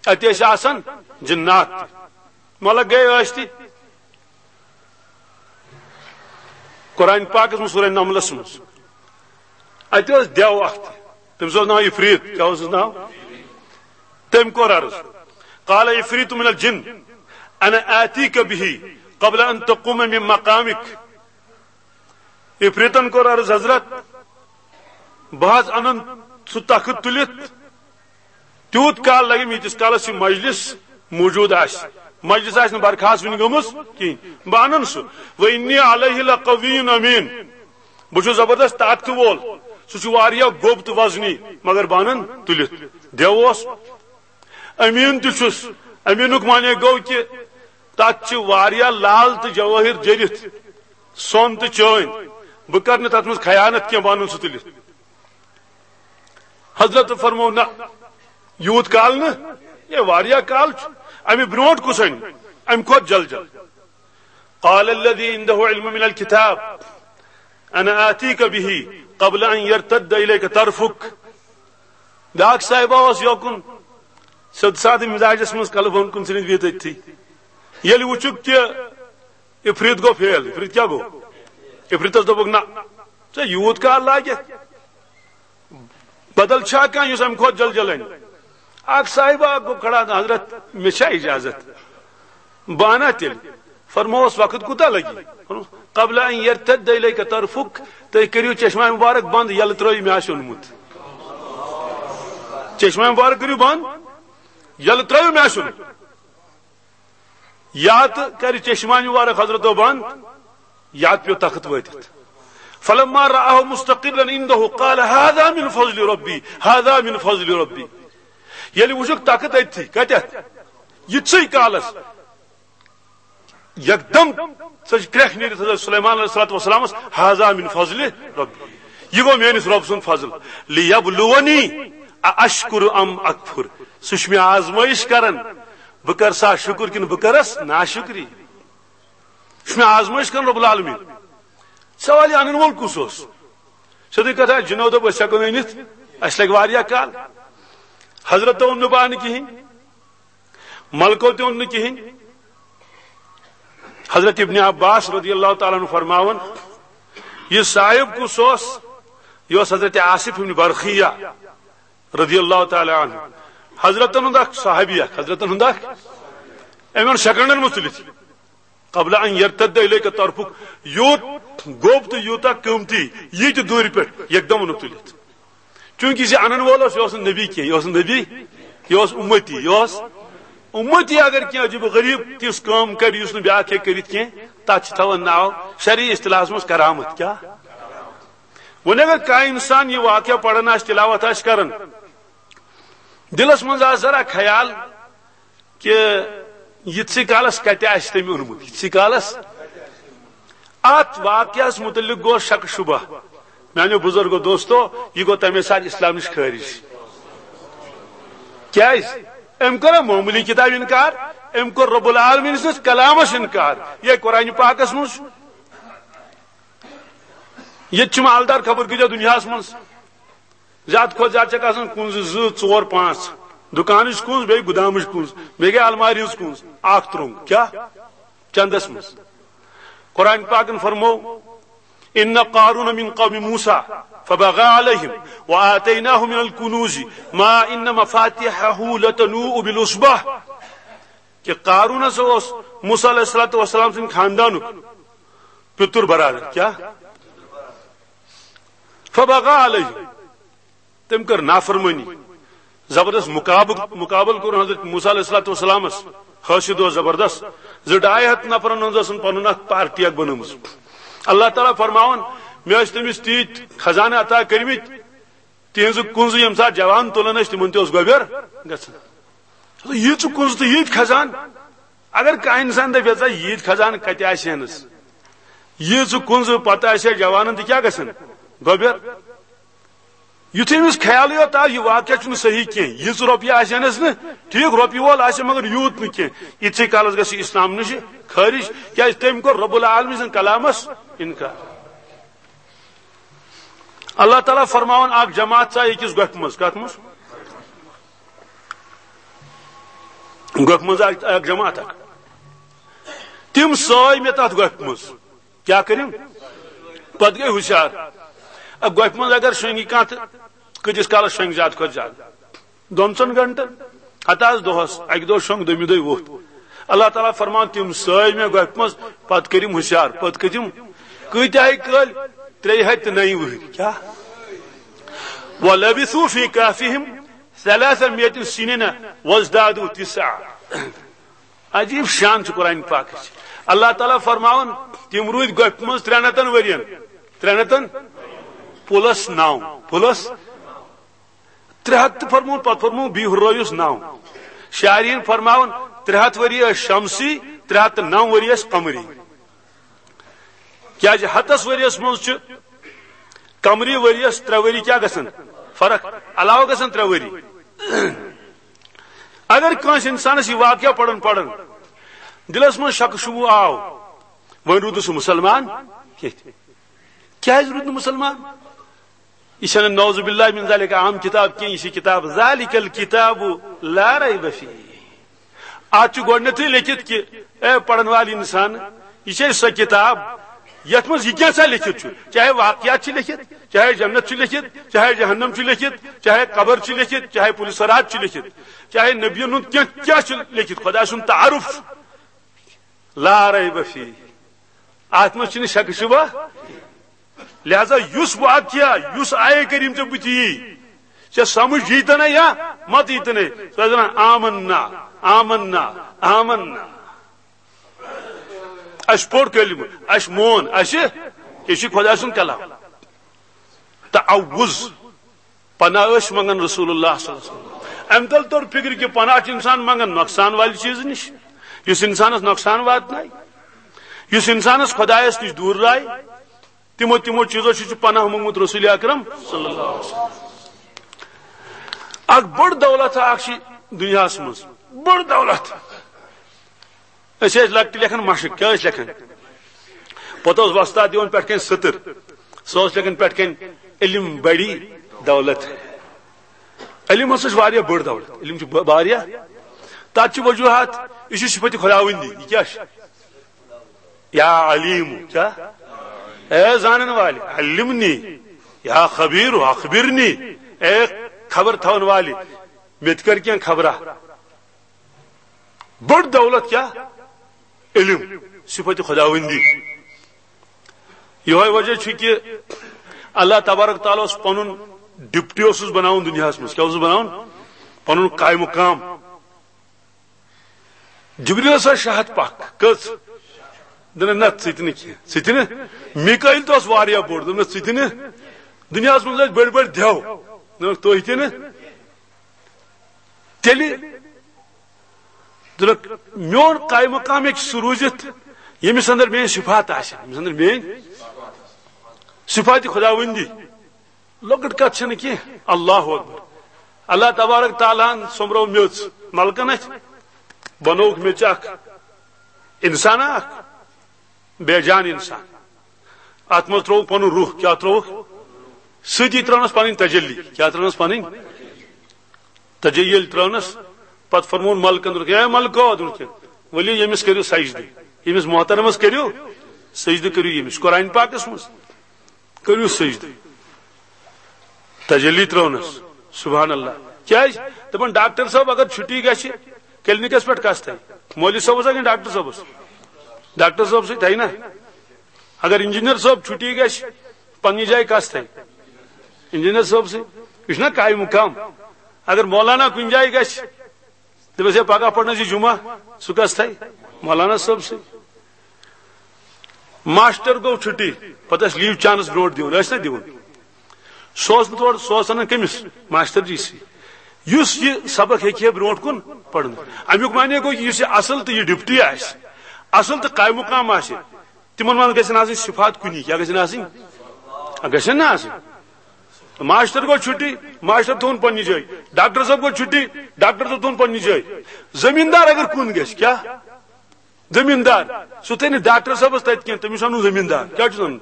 اتہِ ٲسۍ آسان جنات تہِ۔ مطلب گٔے ٲسۍ تہِ۔ قرآن پاکس منٛز سورہ نملس منٛز اتہِ اوس دیو اکھ تہِ، تٔمِس اوس ناو عفریت۔ کیٛاہ اوسُس ناو؟ تٔمۍ کوٚر عرض، قال عفریت من الجن انا آتیک به قبل ان تقوم من مقامک۔ عفریتن کوٚر عرض، حضرت، بہٕ حظ انن سُہ تخت تُلِتھ، تیوٗت کال لگہِ مےٚ، ییٖتِس کالس یہِ مجلس موجود آسہِ۔ مجلس آسہِ نہٕ برخاست وُنہِ گٔمٕژ کِہینۍ، بہٕ انن سُہ۔ وانی علیہ لقوی امین، بہٕ چھُس زبردست طاقتہٕ وول، سُہ چھُ واریاہ گوٚب تہٕ وزنی، مگر بہٕ انن تُلِتھ۔ دیو اوس، امین تہِ چھُس۔ امینُک معنی گوٚو کہِ تتھ چھِ واریاہ لال تہٕ جوٲہِر جٔرِتھ، سۄن تہٕ چٲنۍ۔ بہٕ کرٕ نہٕ تتھ منٛز خیانت کینٛہہ، بہٕ انن سُہ تُلِتھ۔ حضرت فرمو، نہ، یوٗت کال نہٕ، یہِ واریاہ کال چھُ۔ امہِ برونٛٹھ کُس انہِ؟ امہِ کھۄتہٕ جل جل۔ قال الذي عنده علم من الكتاب انا آتيك به قبل ان يرتد اليك طرفك۔ بیاکھ صاحبہ اوس یوکُن سیوٚد سادٕ مزاجس منٛز، کلہٕ بۄن کُن ژھٕنِتھ بِہِتھ أتھی۔ ییٚلہِ وُچھُکھ کہِ عفریت گوٚو فیل، عفریت کیٛاہ گوٚو؟ عفریتس دوٚپُکھ، نہ، ژےٚ یوٗت کال لاگہِ؟ بدل چھا کانٛہہ یُس امہِ کھۄتہٕ جل جل انہِ؟ اکھ صاحبہ اکھ گوٚو کھڑا، حضرت، مےٚ چھا اجازت؟ بہٕ انہٕ تیٚلہِ۔ فرمووس، وقت کوٗتاہ لگہِ؟ فرمووس، قبل ان یرتد الیک طرفک، تُہۍ کٔرِو چشمہ مبارک بند، یلہٕ ترٲیِو، مےٚ آسہِ اوٚنمُت۔ چشمہ مبارک کٔرِو بند، یلہٕ ترٲیِو، مےٚ آسہِ اوٚنمُت۔ یا تہٕ کرِ چشمہ مبارک حضرتو بند، یا تہٕ پیوٚو تخت وٲتِتھ۔ فلما رآه مستقرا عنده قال هذا من فضل ربي، هذا من فضل ربي۔ ییٚلہِ وُچھُکھ تخت أتھی، کتٮ۪تھ؟ یِتھسٕے کالس یکدم سۄ چھِ کرٛٮ۪کھ نیٖرِتھ حضرت سلیمان علیہ الصلوۃ والسلامس، هذا من فضل ربي، یہِ گوٚو میٲنِس رۄب سُنٛد فضل۔ لیبلونی ااشکر ام اکفر، سُہ چھُ مےٚ آزمٲیش کران، بہٕ کرٕ سا شُکر کِنہٕ بہٕ کرس ناشُکری۔ یہِ چھُ مےٚ آزمٲیش کران رب العالمین۔ سوال، یہِ انن وول کُس اوس؟ سیوٚدُے کتھا، جنو دوٚپ، أسۍ ہٮ۪کو نہٕ أنِتھ، اَسہِ لگہِ واریاہ کال۔ حضرت اوٚن نہٕ پانہٕ کِہینۍ، ملکو تہِ اوٚن نہٕ کِہینۍ۔ حضرت ابن عباس رضی اللہ تعالیٰ عنہ فرماوان، یہِ صاحب کُس اوس؟ یہِ اوس حضرت آصف ابن برخیہ رضی اللہ تعالیٰ عنہ، حضرتن ہُنٛد اکھ صحابی اکھ، حضرتن ہُنٛد اکھ۔ أمۍ اوٚن سیکنڈن منٛز تُلِتھ۔ قبل ان یرتد الیک طرفک، یوٗت گوٚب تہٕ یوٗتاہ قۭمتی، یہِ تہِ دوٗرِ پٮ۪ٹھ یکدم اوٚنُکھ تُلِتھ۔ چوٗنٛکہِ یہِ انن وول اوس، یہِ اوس نہٕ نبی کینٛہہ، یہِ اوس نہٕ نبی، یہِ اوس اُمتی، یہِ اوس اُمتی۔ اگر کینٛہہ عجیب و غریب تِژھ کٲم کرِ، یُس نہٕ بیٛاکھ ہیٚکہِ کٔرِتھ کینٛہہ، تتھ چھِ تھاوان ناو شرعی اصطلاحس منٛز کرامت۔ کیٛاہ؟ وۄنۍ اگر کانٛہہ انسان یہِ واقعہ پران آسہِ، تلاوت آسہِ کران، دلس منٛز آسہِ ذرا خیال، کہِ یِتھسٕے کالس کتہِ آسہِ تٔمۍ اوٚنمُت، یِتھسٕے کالس۔ اتھ واقعس متعلق گوٚو شک شبہ۔ میانیو بزرگو، دوستو، یہِ گوٚو تمے ساتہٕ اسلام نِش خٲرج۔ کیازِ؟ أمۍ کوٚر معموٗلی کتاب انکار، أمۍ کوٚر رب العالمین سٕنٛدِس کلامس انکار۔ یہِ قرآن پاکس منٛز چھُ۔ ییٚتہِ چھِ مالدار خبر کۭتیاہ دُنیاہس منٛز۔ زیادٕ کھۄتہٕ زیادٕ چھکھ آسان کُنزٕ زٕ، ژور، پانٛژھ۔ دُکانٕچ کُنز، بیٚیہِ گُدامٕچ کُنز، بیٚیہِ گٔے المارِ ہٕنٛز کُنز۔ اکھ ترٛوٚنٛگ۔ کیٛاہ؟ چندس منٛز۔ قرآن پاکن فرموو، ان قارون من قوم موسیٰ فبغى عليهم وآتيناه من الكنوز ما ان مفاتحه لتنوء بالعصبة۔ کہ قارون ہسا اوس موسیٰ علیہ الصلوۃ والسلام سٕنٛدِ خاندانُک پِتُر برادر۔ کیٛاہ؟ فبغى عليهم۔ تٔمۍ کٔر نافرمٲنی، زبردست مقابل، مقابل کوٚر حضرت موسیٰ علیہ الصلوۃ والسلامس۔ حٲسِد اوس زبردست۔ زٕ ڈاے ہتھ نفرن ہٕنٛز ٲسن پنُن اکھ پارٹی اکھ بنٲومٕژ۔ اللہ تعالیٰ فرماوان، مےٚ ٲسۍ تٔمِس تیٖتۍ خزانہٕ عطا کٔرمٕتۍ، تِہنٛزٕ کُنزٕ ییٚمہِ ساتہٕ جوان تُلان ٲسۍ، تِمن تہِ اوس گۄبیر گژھان۔ ییٖژٕ کُنزٕ تہٕ ییٖتۍ خزانہٕ، اگر کانٛہہ انسان دپہِ، ییٖژاہ ییٖتۍ خزانہٕ کتہِ آسہِ ہنس؟ ییٖژٕ کُنزٕ پتہٕ آسہِ ہا جوانن تہِ کیٛاہ گژھن؟ گۄبٮ۪ر۔ یُتھُے أمِس خیالٕے یوت آو، یہِ واقعہ چھُنہٕ صحیح کینٛہہ، ییٖژٕ رۄپیہِ آسہِ ہنس نہٕ، ٹھیٖک، رۄپیہِ وول آسہِ مگر یوٗت نہٕ کینٛہہ، یِتھسٕے کالس گژھِ یہِ اسلام نِش خٲرج، کیٛازِ تٔمۍ کوٚر رب العالمین سٕنٛدِ کلامس انکار۔ اللہ تعالیٰ فرماوان، اکھ جماعت ژایہِ أکِس گۄپھِ منٛز۔ کتھ منٛز؟ گۄپھِ منٛز اکھ، اکھ جماعت اکھ۔ تِم ژایہِ مےٚ تتھ گۄپھِ منٛز۔ کیٛاہ کٔرِم؟ پتہٕ گٔے ہُشار۔ اکھ گۄپھِ منٛز اگر شۄنٛگہِ کانٛہہ تہٕ کۭتِس کالس شۄنٛگہِ زیادٕ کھۄتہٕ زیادٕ؟ دۄن ژۄن گھنٹن۔ ہتہٕ حظ دۄہس، اکہِ دۄہ شۄنٛگ، دوٚیمہِ دۄہہِ ووٚتھ۔ اللہ تعالیٰ فرمان، تِم ژایہِ مےٚ گۄپھِ منٛز، پتہٕ کٔرِم ہُشار، پتہٕ کٔرِم کۭتیاہ کٲلۍ؟ ترٛیٚیہِ ہتہِ تہٕ نَیہِ وُہٕرۍ۔ کیٛاہ؟ وَلَبِثُوا فِي كَهْفِهِمْ ثَلَاثَ مِائَةٍ سِنِينَ وَازْدَادُوا تِسْعًا۔ عجیب شان چھُ قرآن پاکٕچ۔ اللہ تعالیٰ فرماوان، تِم روٗدۍ گۄپھِ منٛز ترٛٮ۪ن ہتن ؤرین، ترٛٮ۪ن ہتن پلس نو، پلس ترٛےٚ ہتھ تہٕ فرمووُن، پتہٕ فرمووُن بیٚیہِ ہُررٲوِس نو۔ شارحیٖن فرماوان، ترٛےٚ ہتھ ؤری ٲسۍ شمسی، ترٛےٚ ہتھ تہٕ نو ؤری ٲسۍ قمری۔ کیٛازِ ہتس ؤریس منٛز چھُ قمری ؤریس ترٛےٚ ؤری کیٛاہ گژھان؟ فرق، علاوٕ گژھان ترٛےٚ ؤری۔ اگر کٲنٛسہِ انسانس یہِ واقعہ پران پران دلس منٛز شک شبہٕ آو، وۄنۍ روٗدُس مسلمان کینٛہہ۔ کیٛازِ روٗد نہٕ مسلمان؟ یہِ چھنہٕ نعوذ باللہ من ذالک عام کتاب کینٛہہ، یہِ چھِ کتاب ذالک الکتاب لا ریب فیہ۔ اتھ چھُ گۄڈٕنیتھٕے لیکھِتھ کہِ، اے پرن وٲلۍ انسان، یہِ چھے سۄ کتاب یتھ منٛز یہِ کینٛژھا لیکھِتھ چھُ، چاہے واقعات چھِ لیکھِتھ، چاہے جنت چھُ لیکھِتھ، چاہے جہنم چھُ لیکھِتھ، چاہے قبر چھُ لیکھِتھ، چاہے پُلہِ صراط چھُ لیکھِتھ، چاہے نبین ہُنٛد کینٛہہ کیٛاہ چھُ لیکھِتھ، خۄداے سُنٛد تعارُف۔ لا ریب فیہ، اتھ منٛز چھُنہٕ شک شبہ۔ لہذا یُس واقعہ، یُس آیے کریم ژےٚ بُتھِ یی، ژےٚ سمجھ یی تہ نہ یا مت یی تہ نہ، ژٕ ٲسۍ ونان، "آمنا، آمنا، آمنا۔" اسہِ پوٚر کلمہٕ، اسہِ مون، اسہِ، یہِ چھُ خۄداے سُنٛد کلام۔ تعوذ، پناہ ٲسۍ منگان رسول اللہ صلی اللہ علیہ وسلم۔ امہِ تل توٚر فکر کہِ پناہ چھُ انسان منگان نۄقصان والہِ چیٖزٕ نِش، یُس انسانس نۄقصان واتنایہِ، یُس انسانس خۄدایس نِش دوٗر لایہِ۔ تِمو، تِمو چیٖزو چھُ، چھُ پناہ موٚنگمُت رسول اکرم صلی اللہ علیہ وسلم۔ اکھ بٔڑ دولت اکھ چھِ دُنیاہس منٛز، بٔڑ دولت۔ أسۍ ٲسۍ لۄکٹہِ لیکھان مشق، کیٛاہ ٲسۍ لیکھان؟ پتہٕ اوس وۄستاد دِوان پٮ۪ٹھ کَنۍ سٔتٕر، سُہ اوس لیکھان پٮ۪ٹھ کَنۍ، "علم بڑی دولت ہے۔" علم ہسا چھِ واریاہ بٔڑ دولت، علم چھِ ب-، واریاہ۔ تَتھ چھِ وجوہات، یہِ چھِ صفت خداوندی، یہِ کیٛاہ چھِ؟ یا علیم، کیٛاہ؟ اے زانن والے، علمنی، یا خبیر، اخبرنی، اے خبر تھاون والے، مےٚ تہِ کر کینٛہہ خبرا۔ بٔڑ دولت کیٛاہ؟ علم، صفت خداوندی۔ یہوے وجہ چھُ کہ اللہ تبارک تعالیٰ اوس پنُن ڈپٹی اوسُس بناوُن دُنیاہس منٛز۔ کیٛاہ اوسُس بناوُن؟ پنُن قائم مقام۔ جبریلس ٲس شاہت پکھ۔ کٔژ؟ دوٚپُن، "نہ، ژٕ تہِ نہٕ کینٛہہ، ژٕ تہِ نہٕ۔" میکائیل تہِ اوس واریاہ بوٚڑ، دوٚپُن، "ژٕ تہِ نہٕ۔" دُنیاہس منٛز ٲسۍ بٔڑۍ بٔڑۍ دٮ۪و، دوٚپُکھ، "تُہۍ تہِ نہٕ۔" تیٚلہِ دوٚپُکھ، "میون قائم مقام ہیٚکہِ سُہ روٗزِتھ، ییٚمِس اندر میٲنۍ صفات آسن، ییٚمِس اندر میٲنۍ صفات خداوندی۔" لۄکٕٹ کتھ چھنہٕ کینٛہہ۔ اللہ اکبر۔ اللہ تبارک تعالیٰ ہن سوٚمبرٲو میٚژ ملکن اتھِ، بنووُکھ میٚژِ اکھ انسان اکھ، بے جان انسان۔ اتھ منٛز ترٛووُکھ پنُن روح۔ کیٛاہ ترٛووُکھ؟ سۭتی ترٛٲونس پنٕنۍ تجلی۔ کیٛاہ ترٛٲونس پنٕنۍ؟ تجلی ییٚلہِ ترٛٲونس، پتہٕ فرمووُن ملکن، دوٚپُکھ، "اے ملکو"، دوٚپُکھ، "ؤلِو ییٚمِس کٔرِو سجدٕ، ییٚمِس محترمس کٔرِو سجدٕ، کٔرِو ییٚمِس۔" قرآن پاکس منٛز۔ کٔرِو سجدٕ۔ تجلی ترٲونس۔ سبحان اللہ۔ کیٛازِ؟ دپان، ڈاکٹر صٲب اگر چھُٹی گژھِ کلینکس پٮ۪ٹھ، کس تھایہِ؟ مولوی صٲبس ہا کِنہٕ ڈاکٹر صٲبس؟ ڈاکٹر صٲب سۭتۍ تھایہِ نا۔ اگر انجینئر صٲب چھُٹی گژھِ پننہِ جایہِ، کس تھایہِ؟ انجینئر صٲب سۭتۍ۔ یہِ چھُنہ قائم مقام۔ اگر مولانا کُنہِ جایہِ گژھِ، دپس، "ہے، پگاہ پرنس یہِ جمعہ"، سُہ کس تھایہِ؟ مولانا صٲب سۭتۍ۔ ماسٹر گوٚو چھُٹی، پتہٕ ٲسۍ لیو چانس برونٛٹھ دِوان، ٲسۍ نا دِوان؟ سُہ اوس نہٕ تورٕ، سُہ اوس انان کٔمِس؟ ماسٹر جی سی۔ یُس یہِ سبق ہیٚکہِ ہے برونٛٹھ کُن پرنٲوِتھ۔ امیُک معنی گوٚو، یُس یہِ اصل تہٕ یہِ ڈپٹی آسہِ، اصل تہٕ قائم مقام آسہِ، تِمن منٛز گژھن آسٕنۍ صفات کُنی۔ کیٛاہ گژھن آسٕنۍ؟ گژھن نہ آسٕنۍ۔ ماسٹر گوٚو چھُٹی، ماسٹر تھوٚوُن پننہِ جایہِ۔ ڈاکٹر صٲب گوٚو چھُٹی، ڈاکٹر صٲب تھوٚوُن پننہِ جایہِ۔ زٔمیٖندار اگر کُن گژھِ، کیٛاہ؟ زٔمیٖندار۔ سُہ تھٲے نہٕ ڈاکٹر صٲبس تتہِ کینٛہہ، تٔمِس وَنُن زٔمیٖندار۔ کیٛاہ چھُس وَنُن؟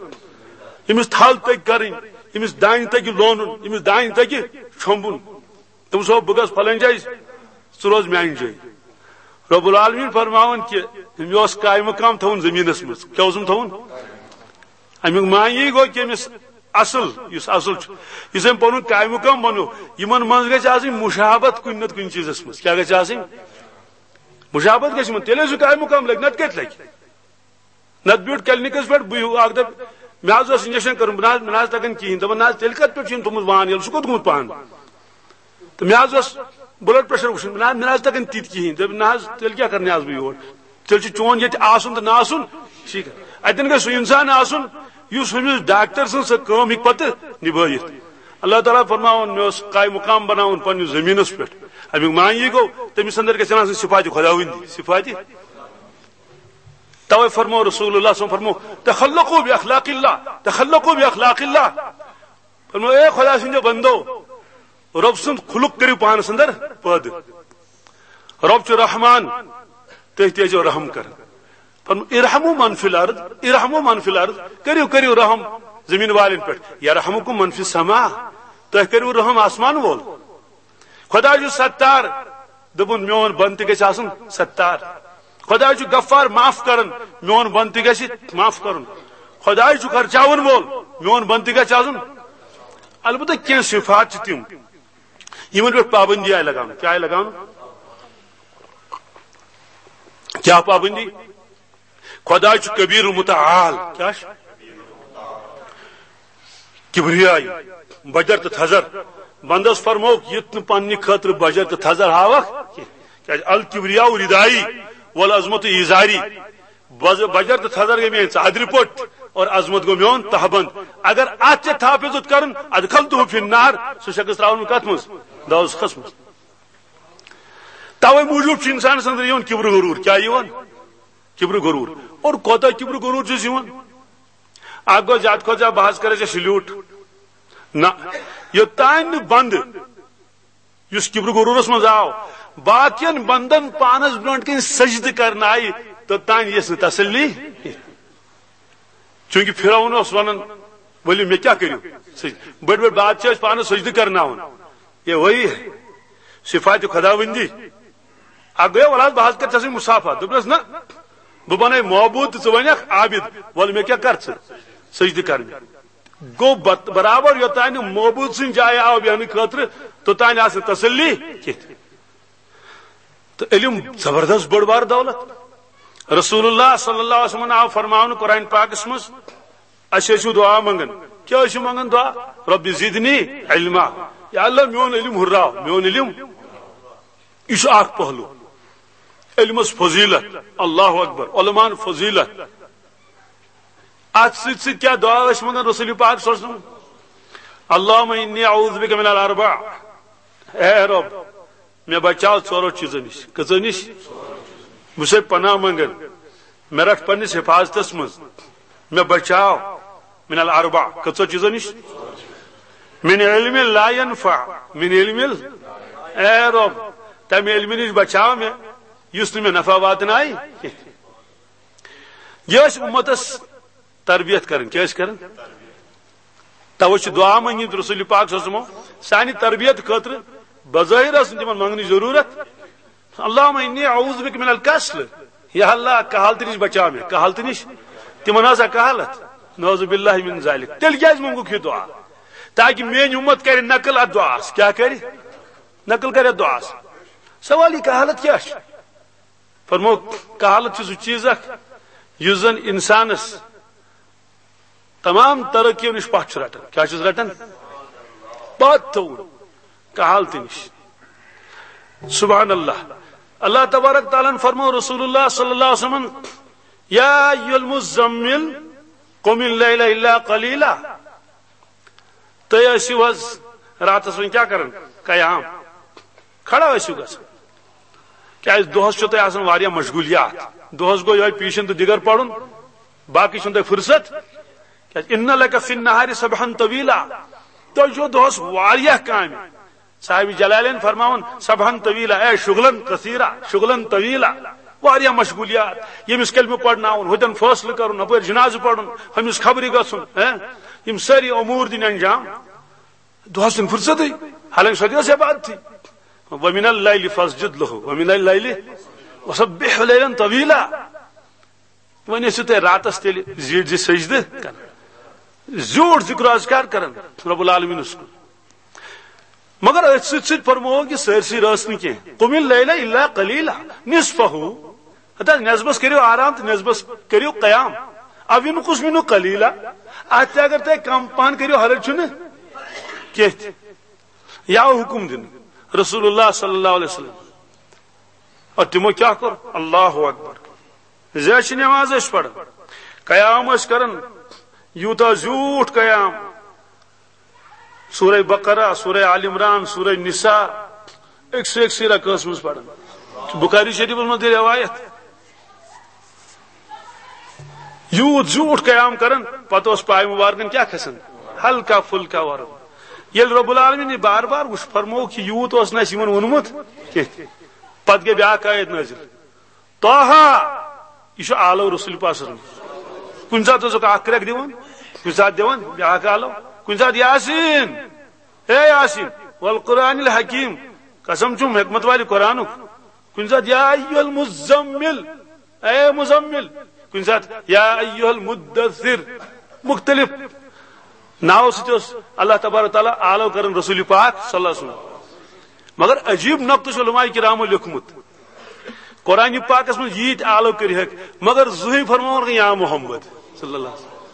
ییٚمِس تھل تگہِ کرٕنۍ، ییٚمِس دانہِ تگہِ لونُن، ییٚمِس دانہِ تگہِ چھۄمبُن۔ تٔمِس ووٚن، بہٕ گژھٕ فلٲنۍ جایہِ، ژٕ روز میانہِ جایہِ۔ رب العالمین فرماوان کہِ مےٚ اوس قائم مقام تھاوُن زٔمیٖنس منٛز۔ کیٛاہ اوسُم تھاوُن؟ اَمیُک معنی یی گوٚو کہِ أمِس اصل، یُس اصل چھُ، یُس أمۍ پنُن قائم مقام بنوو، یِمن منٛز گژھِ آسٕنۍ مشابت کُنہِ نتہٕ کُنہِ چیٖزس منٛز۔ کیٛاہ گژھِ آسٕنۍ؟ مشابت گژھِ یِمن، تیٚلہِ ٲسِو قائم مقام لگہِ، نتہٕ کتہِ لگہِ؟ نتہٕ بیوٗٹھ کلینکس پٮ۪ٹھ، بہٕ اکھ دۄہ، مےٚ حظ اوس انجیکشن کرُن، بہٕ نہ حظ، مےٚ نہ حظ تگان کِہینۍ۔ دپان، نہ حظ، تیٚلہِ کتھ پٮ۪ٹھ چھُ أمۍ تھوٚمُت وان ییٚلہِ، سُہ کوٚت گوٚمُت پان؟ تہٕ مےٚ حظ اوس بلڈ پریشر وٕچھُن، نہ حظ، مےٚ نہ حظ تگان تِتہِ کِہینۍ۔ دوٚپُن، نہ حظ، تیٚلہِ کیٛاہ کرنہِ آس بہٕ یور؟ تیٚلہِ چھُ چون ییٚتہِ آسُن تہٕ نہ آسُن۔ ٹھیٖک۔ اتٮ۪ن گژھِ سُہ انسان آسُن، یُس ہُمِس ڈاکٹر سٕنٛز سۄ کٲم ہیٚکہِ پتہٕ نبٲوِتھ۔ اللہ تعالیٰ فرماوان، مےٚ اوس قائم مقام بناوُن پننِس زٔمیٖنس پٮ۪ٹھ۔ امیُک معنی یی گوٚو، تٔمِس اندر گژھن آسٕنۍ صفات خداوندی، صفات۔ توے فرمو رسول اللہ صلی اللہ علیہ وسلم فرمو، تخلقوا باخلاق اللہ، تخلقوا باخلاق اللہ۔ فرمو، اے خدا سٕنٛدیو بندو، رب سُنٛد خلق کٔرِو پانس اندر پٲدٕ۔ رب چھُ رحمان، تُہۍ تہِ ٲسۍزیو رحم کران۔ فرمو، ارحموا من فی الارض، ارحموا من فی الارض، کٔرِو، کٔرِو رحم زمین والٮ۪ن پٮ۪ٹھ۔ یرحمکم من فی السماء، تُہۍ کٔرِو رحم آسمان وول۔ خدا چھُ ستار، دوٚپُن، میون بندٕ تہِ گژھِ آسُن ستار۔ خدا چھُ غفار، معاف کران، میون بندٕ تہِ گژھِ معاف کرُن۔ خدا چھُ خرچاون وول، میون بندٕ تہِ گژھِ آسُن۔ البتہ کینٛہہ صفات چھِ تِم، یِمن پٮ۪ٹھ پابندی آیہِ لگاونہٕ۔ کیٛاہ آیہِ لگاونہٕ؟ کیٛاہ پابندی؟ خدا چھُ کبیر المتعال۔ کیٛاہ چھُ؟ کبریائی، بجر تہٕ تھزر۔ بندس فرمووُکھ، یُتھ نہٕ پننہِ خٲطرٕ بجر تہٕ تھزر ہاوکھ کینٛہہ۔ کیٛازِ الکبریاء ردائی والعظمت ازاری۔ بز-، بجر تہٕ تھزر گٔے میٲنۍ ژادرِ پٔٹ اور عظمت گوٚو میون تہبند۔ اگر اتھ تہِ تحفظ کرُن، ادخلتہ فی النار، سُہ شخص ترٛاوُن کتھ منٛز؟ دوزخس منٛز۔ توے موٗجوٗب چھُ انسانس اندر یِوان کبر غرور۔ کیٛاہ یِوان؟ کبر غرور۔ اور کوتاہ کبر غرور چھُس یِوان؟ اکھ گوٚو زیادٕ کھۄتہٕ زیادٕ بہٕ حظ کرے ژےٚ سلیوٹ۔ نہ، یوٚتام نہٕ بندٕ یُس کبر غرورس منٛز آو، باقین بندن پانس برونٛٹھ کنہِ سجدٕ کرنہٕ آیہِ، توٚتام یِیَس نہٕ تسلی۔ چونکہ فرعون اوس ونان، ؤلِو مےٚ کیٛاہ کٔرِو؟ سجدٕ۔ بٔڑۍ بٔڑۍ بادشاہ ٲسۍ پانس سجدٕ کرناوان۔ یہ وہی ہے، صفات خداوندی۔ اکھ گوٚو، وَلہٕ حظ، بہٕ حظ کرٕ ژےٚ سۭتۍ مصافحہ۔ دوٚپنَس، نہ، بہٕ بنَے معبوٗد تہٕ ژٕ بنَکھ عابد۔ وَلہٕ مےٚ کیٛاہ کر ژٕ؟ سجدٕ کر مےٚ۔ گوٚو بت-، برابر یوٚتام نہٕ معبوٗد سٕنٛدِ جایہِ آو بیٚہنہٕ خٲطرٕ، توٚتام آسہِ نہٕ تسلی کینٛہہ۔ تہٕ علم زبردست بٔڑ بار دولت۔ رسول اللہ صلی اللہ علیہ وسلم آو فرماونہٕ قرآن پاکس منٛز، اسہِ ٲسِو دعا منٛگان۔ کیٛاہ ٲسِو منٛگان دعا؟ رب زدنی علما۔ یا اللہ، میون علم ہُراو، میون علم۔ یہِ چھُ اکھ پہلو۔ علمس فضیلت، اللہ اکبر، علماہن فضیلت۔ اتھ سۭتۍ سۭتۍ کیٛاہ دعا ٲسۍ منٛگان رسول پاک صلی اللہ علیہ وسلم؟ اللہم انی اعوذ بک من الاربع۔ اے رب، مےٚ بچاو ژورو چیٖزو نِش۔ کٔژو نِش؟ بہٕ چھُسے پناہ منٛگان، مےٚ رٹھ پننِس حفاظتس منٛز، مےٚ بچاو من الاربع۔ کٔژو چیٖزو نِش؟ من علم لا ينفع، من علم ال-، اے رب، تمہِ علمہٕ نِش بچاو مےٚ یُس نہٕ مےٚ نفع واتنایہِ کینٛہہ۔ یہِ ٲسۍ اُمتس تربیت کرٕنۍ۔ کیٛاہ ٲسۍ کران؟ توے چھُ دعا منٛگِتھ رسول پاک صلی اللہ علیہ وسلمو سانہِ تربیت خٲطرٕ۔ بظٲہر ٲس نہٕ تِمن منٛگنٕچ ضروٗرت۔ اللہم انی اعوذ بک من الکسل۔ یا اللہ، کہالتہٕ نِش بچاو مےٚ، کہالتہٕ نِش۔ تِمن ٲسا کہالت؟ نعوذ باللہ من ذالک۔ تیٚلہِ کیٛازِ منٛگُکھ یہِ دعا؟ تاکہِ میٲنۍ اُمت کرِ نقل اتھ دعاہس۔ کیٛاہ کرِ؟ نقل کرِ اتھ دعاہس۔ سوال، یہِ کہالت کیٛاہ چھِ؟ فرمو، کہالت چھُ سُہ چیٖز اکھ یُس زن انسانس تمام ترقیو نِش پتھ چھُ رٹان۔ کیٛاہ چھُس رٹان؟ پتھ تھوٚوُن کہالتہٕ نِش۔ سبحان اللہ۔ اللہ تبارک تعالیٰ ہن فرمو رسول اللہ صلی اللہ علیہ وسلم، یا ایھا المزمل قم اللیل الا قلیلا۔ تُہۍ ٲسِو حظ راتس وۄنۍ کیٛاہ کران؟ قیام، کھڑا ٲسِو گژھان۔ کیٛازِ دۄہس چھُو تۄہہِ آسان واریاہ مشغولیات۔ دۄہس گوٚو یِہوٚے پیشن تہٕ دِگر پرُن، باقٕے چھُنہٕ تۄہہِ فرصت۔ کیٛازِ؟ ان لک فی النہار سبحا طویلا، تۄہہِ چھو دۄہس واریاہ کامہِ۔ صاحب جلالین فرماوان، سبحا طویلا، اے شغلن کثیرا، شغلن طویلا، واریاہ مشغولیات۔ ییٚمِس کلمہٕ پرناوُن، ہُتٮ۪ن فٲصلہٕ کرُن، ہُپٲرۍ جنازٕ پرُن، ہُمِس خبرِ گژھُن، ہیں؟ یِم سٲری امور دِنۍ انجام دۄہس چھُنہٕ فرصتٕے، حالانکہ سۄ تہِ ٲس عبادتٕے۔ ومن اللیل فاسجد لہ، ومن اللیل وسبح لیلا طویلا۔ وۄنۍ ٲسِو تُہۍ راتس تیٚلہِ زیٖٹھ زِ سجدٕ کران، زیوٗٹھ ذکر و اذکار کران رب العالمینس کُن۔ مگر أتھۍ سۭتۍ سۭتۍ فرمووُکھ یہِ سٲرسٕے رٲژ نہٕ کینٛہہ، قم اللیل الا قلیلا نصفہ۔ ہتا نصفس کٔرِو آرام تہٕ نصفس کٔرِو قیام۔ او انقص منہ قلیلا، اتھ تہِ اگر تُہۍ کم پہن کٔرِو، حرج چھُنہٕ کینٛہہ تہِ۔ یا حکم دِنہٕ رسول اللہ صلی اللہ علیہ وسلم۔ اور تِمو کیٛاہ کوٚر؟ اللہ اکبر۔ زِ اَسہِ چھِ نماز أسۍ پران، قیام أسۍ کران، یوٗتاہ زیوٗٹھ قیام۔ سورہ بقرہ، سورہ آل عمران، سورہ نساء، أکسٕے أکسٕے رکٲژ منٛز پران۔ بخاری شریفس منٛز تہِ روایت۔ یوٗت زیوٗٹھ قیام کران، پتہٕ اوس پایہِ مُبارکن کیٛاہ کھسان؟ ہلکا پھلکا ورُن۔ ییٚلہِ رب العالمین یہِ بار بار وٕچھ، فرمووُکھ، یہِ یوٗت اوس نہٕ اَسہِ یِمن ووٚنمُت کینٛہہ۔ پتہٕ گٔے بیٛاکھ آیت نٲزِل، طٰہٰ، یہِ چھُ آلو رسول پاک صلی اللہ علیہ وسلم۔ کُنہِ ساتہٕ اوسُکھ اکھ کرٛٮ۪کھ دِوان، کُنہِ ساتہٕ دِوان بیٛاکھ آلو، کُنہِ ساتہٕ یاسین، اے یاسین، والقرآن الحکیم، قسم چھُم حکمت والہِ قرآنُک۔ کُنہِ ساتہٕ یا ایھا المزمل، اے مزمل، کُنہِ ساتہٕ یا ایھا المدثر، مختلف ناوو سۭتۍ اوس اللہ تبارک و تعالیٰ آلو کران رسول پاک صلی اللہ علیہ وسلم۔ مگر عجیب نقطہٕ چھُ علماء کرامو لیوٚکھمُت، قرآن پاکس منٛز ییٖتۍ آلو کٔرۍ ہیٚکھ، مگر زٕہٕے فرماوُن نہٕ یا محمد صلی اللہ علیہ وسلم۔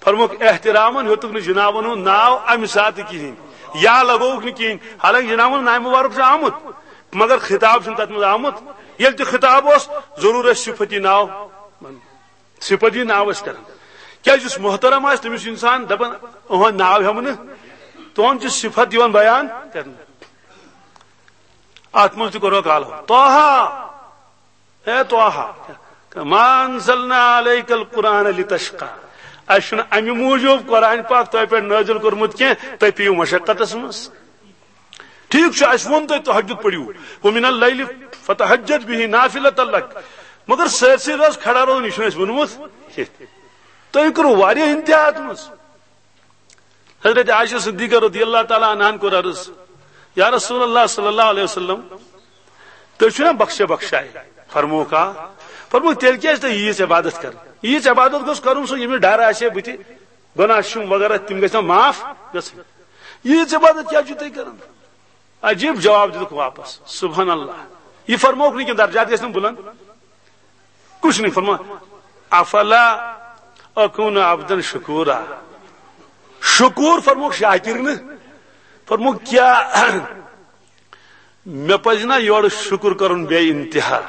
فرمووُکھ احترامن ہیوٚتُکھ نہٕ جنابن ہُنٛد ناو امہِ ساتہٕ کِہینۍ، یا لگووُکھ نہٕ کِہینۍ، حالانکہ جنابن ناوِ مبارک چھُ آمُت، مگر خطاب چھُنہٕ تتھ منٛز آمُت۔ ییٚلہِ تہِ خطاب اوس، ضروٗر ٲسۍ صفتی ناو، صفتی ناو ٲسۍ کران۔ کیازِ یُس محترم آسہِ، تٔمِس چھُ انسان دپان، "اُہُنٛد ناو ہٮ۪مہٕ نہٕ، تُہُنٛد چھُ صفت یِوان بیان کرنہٕ۔" اتھ منٛز تہِ کوٚرُکھ آلو، طٰہٰ، اے طٰہٰ، ما انزلنا علیک القرآن لتشقیٰ۔ اسہِ چھُنہٕ امہِ موٗجوٗب قرآن پاک تۄہہِ پٮ۪ٹھ نٲزِل کوٚرمُت کینٛہہ، تُہۍ پیٚیِو مشقتس منٛز۔ ٹھیک چھُ، اسہِ ووٚن تۄہہِ تہجد پٔرِو، ومن اللیل فتہجد بہ نافلۃ لک، مگر سٲرسٕے رٲژ کھڑا روزُن، یہِ چھُنہٕ اسہِ ووٚنمُت کینٛہہ۔ تۄہہِ کوٚروٕ واریاہ انتہا اتھ منٛز۔ حضرت عائشہ صدیقہ رضی اللہ تعالیٰ عنہن کوٚر عرض، یا رسول اللہ صلی اللہ علیہ وسلم، تُہۍ چھِو نا بخشے بخشائے؟ فرمووُکھ، آ۔ فرمووُکھ، تیٚلہِ کیٛازِ تۄہہِ ییٖژ عبادت کرٕنۍ؟ ییٖژ عبادت گوٚژھ کرُن سُہ، ییٚمِس ڈر آسہِ ہے بٕتھِ گۄناہ چھُم وغیرہ، تِم گژھن معاف گژھٕنۍ۔ ییٖژ عبادت کیٛازِ چھِو تُہۍ کران؟ عجیب جواب دِتُکھ واپس، سبحان اللہ۔ یہِ فرمووُکھ نہٕ کینٛہہ، درجات گژھن بلند۔ کچھ نہیں فرما، افلا اکون عبدا شکورا۔ شکور فرمووُکھ شاکر نہٕ۔ فرمووُکھ کیٛاہ مےٚ پزِ نا یورٕ شُکُر کرُن بے انتہا؟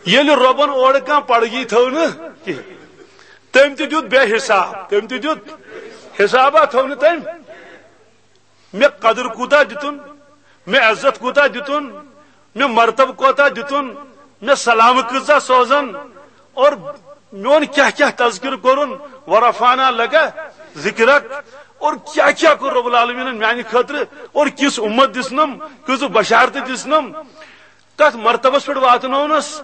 ییٚلہِ رۄبن اورٕ کانٛہہ پڑگی تھٲو نہٕ کینٛہہ، تٔمۍ تہِ دیُت بے حساب، تٔمۍ تہِ دیُت حسابا تھٲو نہٕ تٔمۍ۔ مےٚ قدر کوٗتاہ دِتُن، مےٚ عزت کوٗتاہ دِتُن، مےٚ مرتبہٕ کوٗتاہ دِتُن، مےٚ سلامہٕ کۭژاہ سوزن، اور میون کیٛاہ کیٛاہ تذکرٕ کوٚرُن، ورفعنا لک ذکرک، اور کیٛاہ کیٛاہ کوٚر رب العالمیٖنن میانہِ خٲطرٕ، اور کِژھ اُمت دِژنم، کۭژٕ بشارتہٕ دِژنم، کتھ مرتبس پٮ۪ٹھ واتنوونس،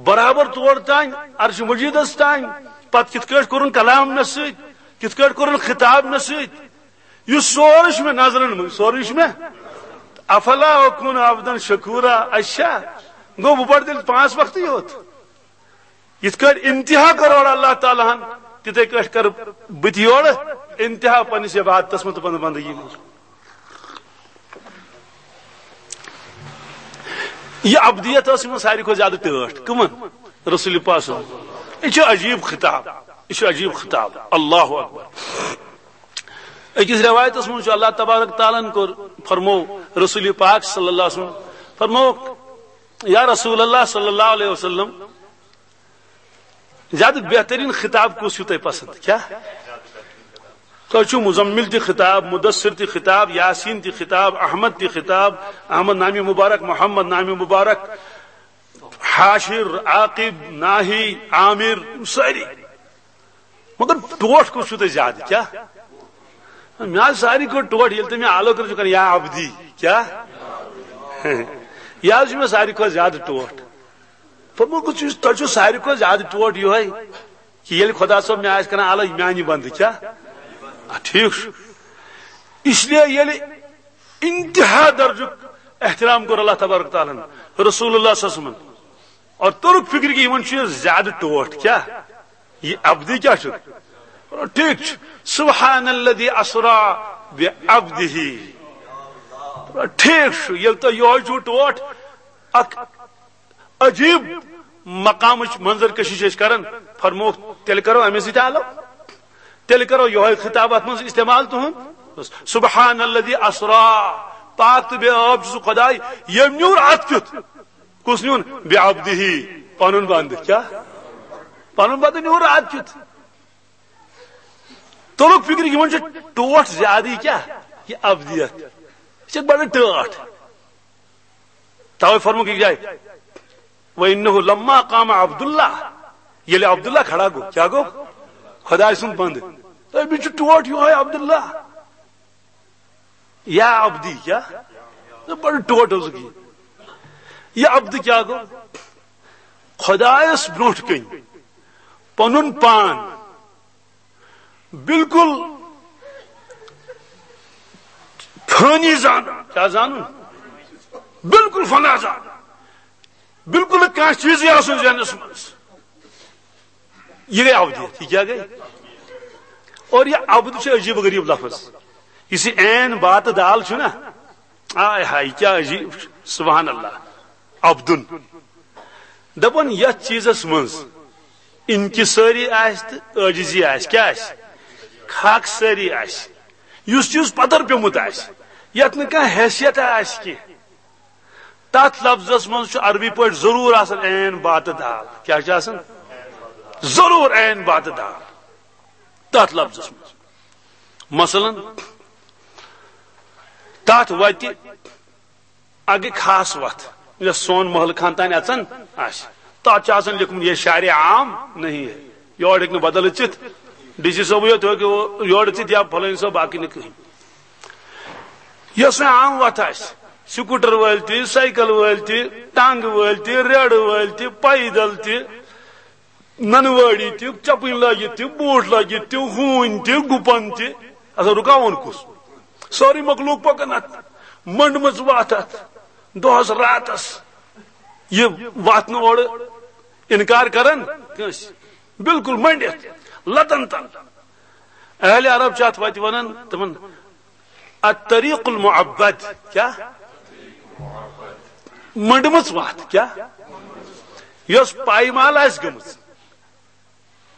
برابر تور تام، عرش مجیدس تام، پتہٕ کِتھ کٲٹھۍ کوٚرُن کلام مےٚ سۭتۍ، کِتھ کٲٹھۍ کوٚرُن خطاب مےٚ سۭتۍ، یہِ سورُے چھُ مےٚ نظرن منٛز، سورُے چھُ مےٚ۔ افلا اکون عبدا شکورا، اچھا، گوٚو بہٕ پرٕ تیٚلہِ پانٛژھ وقتٕے یوت۔ یِتھ کٲٹھۍ انتہا کٔر اورٕ اللہ تعالیٰ ہن، تِتھے کٲٹھۍ کٔر بہٕ تہِ یورٕ انتہا پننِس عبادتس منٛز تہٕ پننہِ بندگی منٛز۔ یہِ ابدیت ٲس یِمن ساروی کھۄتہٕ زیادٕ ٹٲٹھ۔ کٕمن؟ رسول پاک صلی اللہ علیہ وسلم۔ یہِ چھُ عجیب خطاب، یہِ چھُ عجیب خطاب۔ اللہ اکبر۔ أکِس روایتس منٛز چھُ اللہ تبارک تعالیٰ ہن کوٚر، فرموو رسول پاک صلی اللہ علیہ وسلم، فرموو، یا رسول اللہ صلی اللہ علیہ وسلم، زیادٕ بہترین خطاب کُس چھُو تۄہہِ پسند؟ کیٛاہ؟ تۄہہِ چھُو مزمل تہِ خطاب، مدثر تہِ خطاب، یاسین تہِ خطاب، احمد تہِ خطاب، احمد نامی مبارک، محمد نامی مبارک، حاشر، عاقب، ناہی، عامر، یِم سٲری۔ مگر ٹوٹھ کُس چھُو تۄہہِ زیادٕ؟ کیٛاہ؟ مےٚ حظ ساروی کھۄتہٕ ٹوٹھ، ییٚلہِ تُہۍ مےٚ آلو کٔرِو چھُ کران، یا عبدی، کیٛاہ؟ یہِ حظ چھُ مےٚ ساروی کھۄتہٕ زیادٕ ٹوٹھ۔ فرموو، کُس چھُ، تۄہہِ چھُو ساروی کھۄتہٕ زیادٕ ٹوٹھ یِہوٚے کہِ ییٚلہِ خۄدا صٲب مےٚ آسہِ کران آلو، میٛانہِ بندٕ، کیٛاہ؟ آ، ٹھیٖک چھُ۔ اس لیے ییٚلہِ انتہا درجُک احترام کوٚر اللہ تبارک تعالیٰ ہن، رسول اللہ صلی اللہ علیہ وسلم، اور توٚرُکھ فکر کہِ یِمن چھُ یہِ زیادٕ ٹوٹھ۔ کیٛاہ؟ یہِ عبدی کیٛاہ چھُ؟ ٹھیٖک چھُ۔ سبحان الذی اسرا بعبدہ۔ ٹھیٖک چھُ، ییٚلہِ تۄہہِ یِہوٚے چھُو ٹوٹھ، اکھ عجیٖب مقامٕچ منظر کشی چھِ أسۍ کران، فرمووُکھ، تیٚلہِ کرو أمِس سۭتۍ آلو، تیٚلہِ کرو یِہوٚے خطاب اتھ منٛز استعمال تُہُنٛد۔ سبحان الذی اسرا، پاک تہٕ بے عٲب چھُ سُہ خۄداے، ییٚمۍ نیوٗر اتھ کیُتھ۔ کُس نیوٗن؟ بعبدہ، پنُن بندٕ۔ کیٛاہ؟ پنُن بندٕ نیوٗر اتھ کیُتھ۔ توٚرُکھ فکر، یِمن چھُ ٹوٹھ زیادٕ۔ یہِ کیٛاہ؟ یہِ عبدیت۔ یہِ چھِ بڑٕ ٹٲٹھ۔ توے فرمووُکھ یہِ جاے، وَإِنَّهُ لَمَّا قَامَ عَبْدُ اللَّهِ، ییٚلہِ عبداللہ کھڑا گوٚو، کیٛاہ گوٚو؟ خۄداے سُنٛد بندٕ۔ أمِس چھُ ٹوٹھ یِہوٚے عبداللہ۔ یا عبدی، کیٛاہ؟ نہ، بڑٕ ٹوٹھ اوسُکھ یہِ۔ یہِ عبدٕ کیٛاہ گوٚو؟ خۄدایس برونٛٹھ کَنۍ پنُن پان بالکل فانی زانُن۔ کیٛاہ زانُن؟ بالکل فنا زانُن۔ بالکل نہٕ کانٛہہ چیٖزٕے آسُن ذہنس منٛز۔ یہِ گٔے عبدیت۔ یہِ کیٛاہ گٔے؟ اور یہِ عبد چھُ عجیٖب و غریٖب لفظ۔ یُس یہِ عین با تہٕ دال چھُ نا، آے ہاے، کیٛاہ عجیٖب چھُ۔ سبحان اللہ۔ عبدُن۔ دَپان یَتھ چیٖزَس منٛز انکسٲری آسہِ تہٕ عٲجزی آسہِ، کیٛاہ آسہِ؟ خاکسٲری آسہِ۔ یُس چیٖز پَتَر پیوٚمُت آسہِ، یَتھ نہٕ کانٛہہ حیثیت آسہِ کینٛہہ، تَتھ لفظَس منٛز چھُ عربی پٲٹھۍ ضروٗر آسان عین با تہٕ دال۔ کیٛاہ چھُ آسان؟ ضروٗر عین با تہٕ دال تَتھ لفظَس منٛز۔ مثلاً، تَتھ وَتہِ اکھ گٔے خاص وتھ، یۄس سون محلہٕ خان تام اژان آسہِ۔ تتھ چھُ آسان لیوٗکھمُت، "یہ شارع عام نہیں ہے"، یور ہیٚکہِ نہٕ بدل أژِتھ، ڈی سی صٲبٕے یوت ہیٚکہِ یور أژِتھ یا فلٲنۍ صٲب، باقٕے نہٕ کٕہٕنۍ۔ یۄس وۄنۍ عام وتھ آسہِ، سکوٹر وٲلۍ تہِ، سایکل وٲلۍ تہِ، ٹانگہٕ وٲلۍ تہِ، ریڑٕ وٲلۍ تہِ، پیدل تہِ، ننہٕ وٲڑی تہِ، چپٕنۍ لٲگِتھ تہِ، بوٗٹھ لٲگِتھ تہِ، ہوٗنۍ تہِ، گُپن تہِ۔ اچھا، رُکاوُن کُس؟ سٲرٕے مخلوق پکان اتھ منڈمٕژ وتھ اتھ دۄہس راتس۔ یہِ وتھ نہٕ اورٕ انکار کران کٲنٛسہِ، بالکل منڈِتھ لتن تل۔ اہل عرب چھِ اتھ وتہِ ونان، تِمن الطریق المعبد۔ کیٛاہ؟ منڈمٕژ وتھ۔ کیٛاہ؟ یۄس پایمال آسہِ گٔمٕژ۔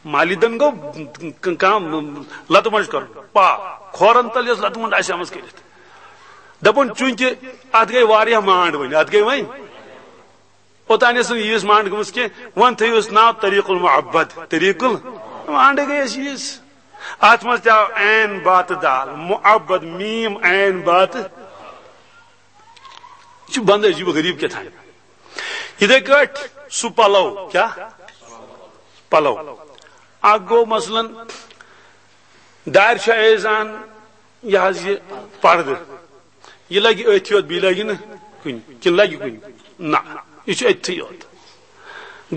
مالیدن گوٚو ک-، کانٛہہ لتہٕ منٛڈ کرُن، پا کھورن تل یۄس لتہٕ منٛڈ آسہِ آمٕژ کٔرِتھ۔ دپُن چوٗنٛکہِ اتھ گٔے واریاہ مانڈ وۄنۍ، اتھ گٔے وۄنۍ۔ اوٚتانۍ ٲس نہٕ ییٖژ مانڈ گٔمٕژ کینٛہہ، وۄنۍ تھٲیِو أسۍ ناو طریق المعبد، طریق ال-، مانڈ گٔے اَسہِ ییٖژ۔ اتھ منٛز تہِ آو عین با تہٕ دال، معبد، میٖم عین با تہٕ، یہِ چھُ بندٕ عجیٖب و غریٖب کیٛاہ تام۔ یِتھے کٲٹھۍ سُہ پلو، کیٛاہ؟ پلو۔ اکھ گوٚو مثلاً دارِ چھُ ایزان، یہِ حظ یہِ پردٕ، یہِ لگہِ أتھۍ یوت، بیٚیہِ لگہِ نہٕ کُنہِ، کِنہٕ لگہِ کُنہِ؟ نہ، یہِ چھُ أتھی یوت۔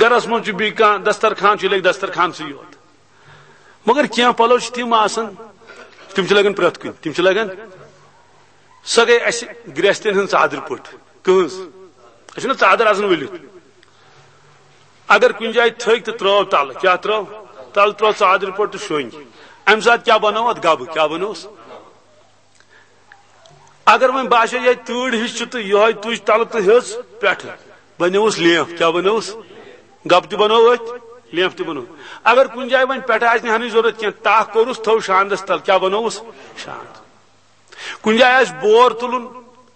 گرس منٛز چھُ بیٚیہِ کانٛہہ دسترخوان چھُ، یہِ لگہِ دسترخوانسٕے یوت۔ مگر کینٛہہ پلو چھِ تِم آسان، تِم چھِ لگان پرٛٮ۪تھ کُنہِ، تِم چھِ لگان۔ سۄ گٔے اسہِ گرٛٮ۪ستٮ۪ن ہٕنٛز ژادرِ پٔٹ۔ کٕہٕنٛز؟ اسہِ چھُنہ ژادر آسان ؤلِتھ۔ اگر کُنہِ جایہِ تھٔکۍ تہٕ ترٛٲو تلہٕ، کیٛاہ ترٛٲو؟ تلہٕ ترٛٲو ژادرِ پٔٹ تہٕ شۄنٛگۍ۔ امہِ ساتہٕ کیٛاہ بنوو اتھ؟ گبہٕ۔ کیٛاہ بنووُس؟ اگر وۄنۍ باسیو یہِ تۭر ہِش چھِ تہٕ یِہوٚے تُج تلہٕ تہٕ ہیٚژ پٮ۪ٹھٕ، بنیووُس لیف۔ کیٛاہ بنووُس؟ گبہٕ تہِ بنوو أتھۍ، لیف تہِ بنوو۔ اگر کُنہِ جایہِ وۄنۍ پٮ۪ٹھٕ آسہِ نہٕ ہنٕچ ضروٗرت کینٛہہ، تاکھ کوٚرُس، تھوٚو شاندس تل، کیٛاہ بنووُس؟ شاند۔ کُنہِ جایہِ آسہِ بور تُلُن،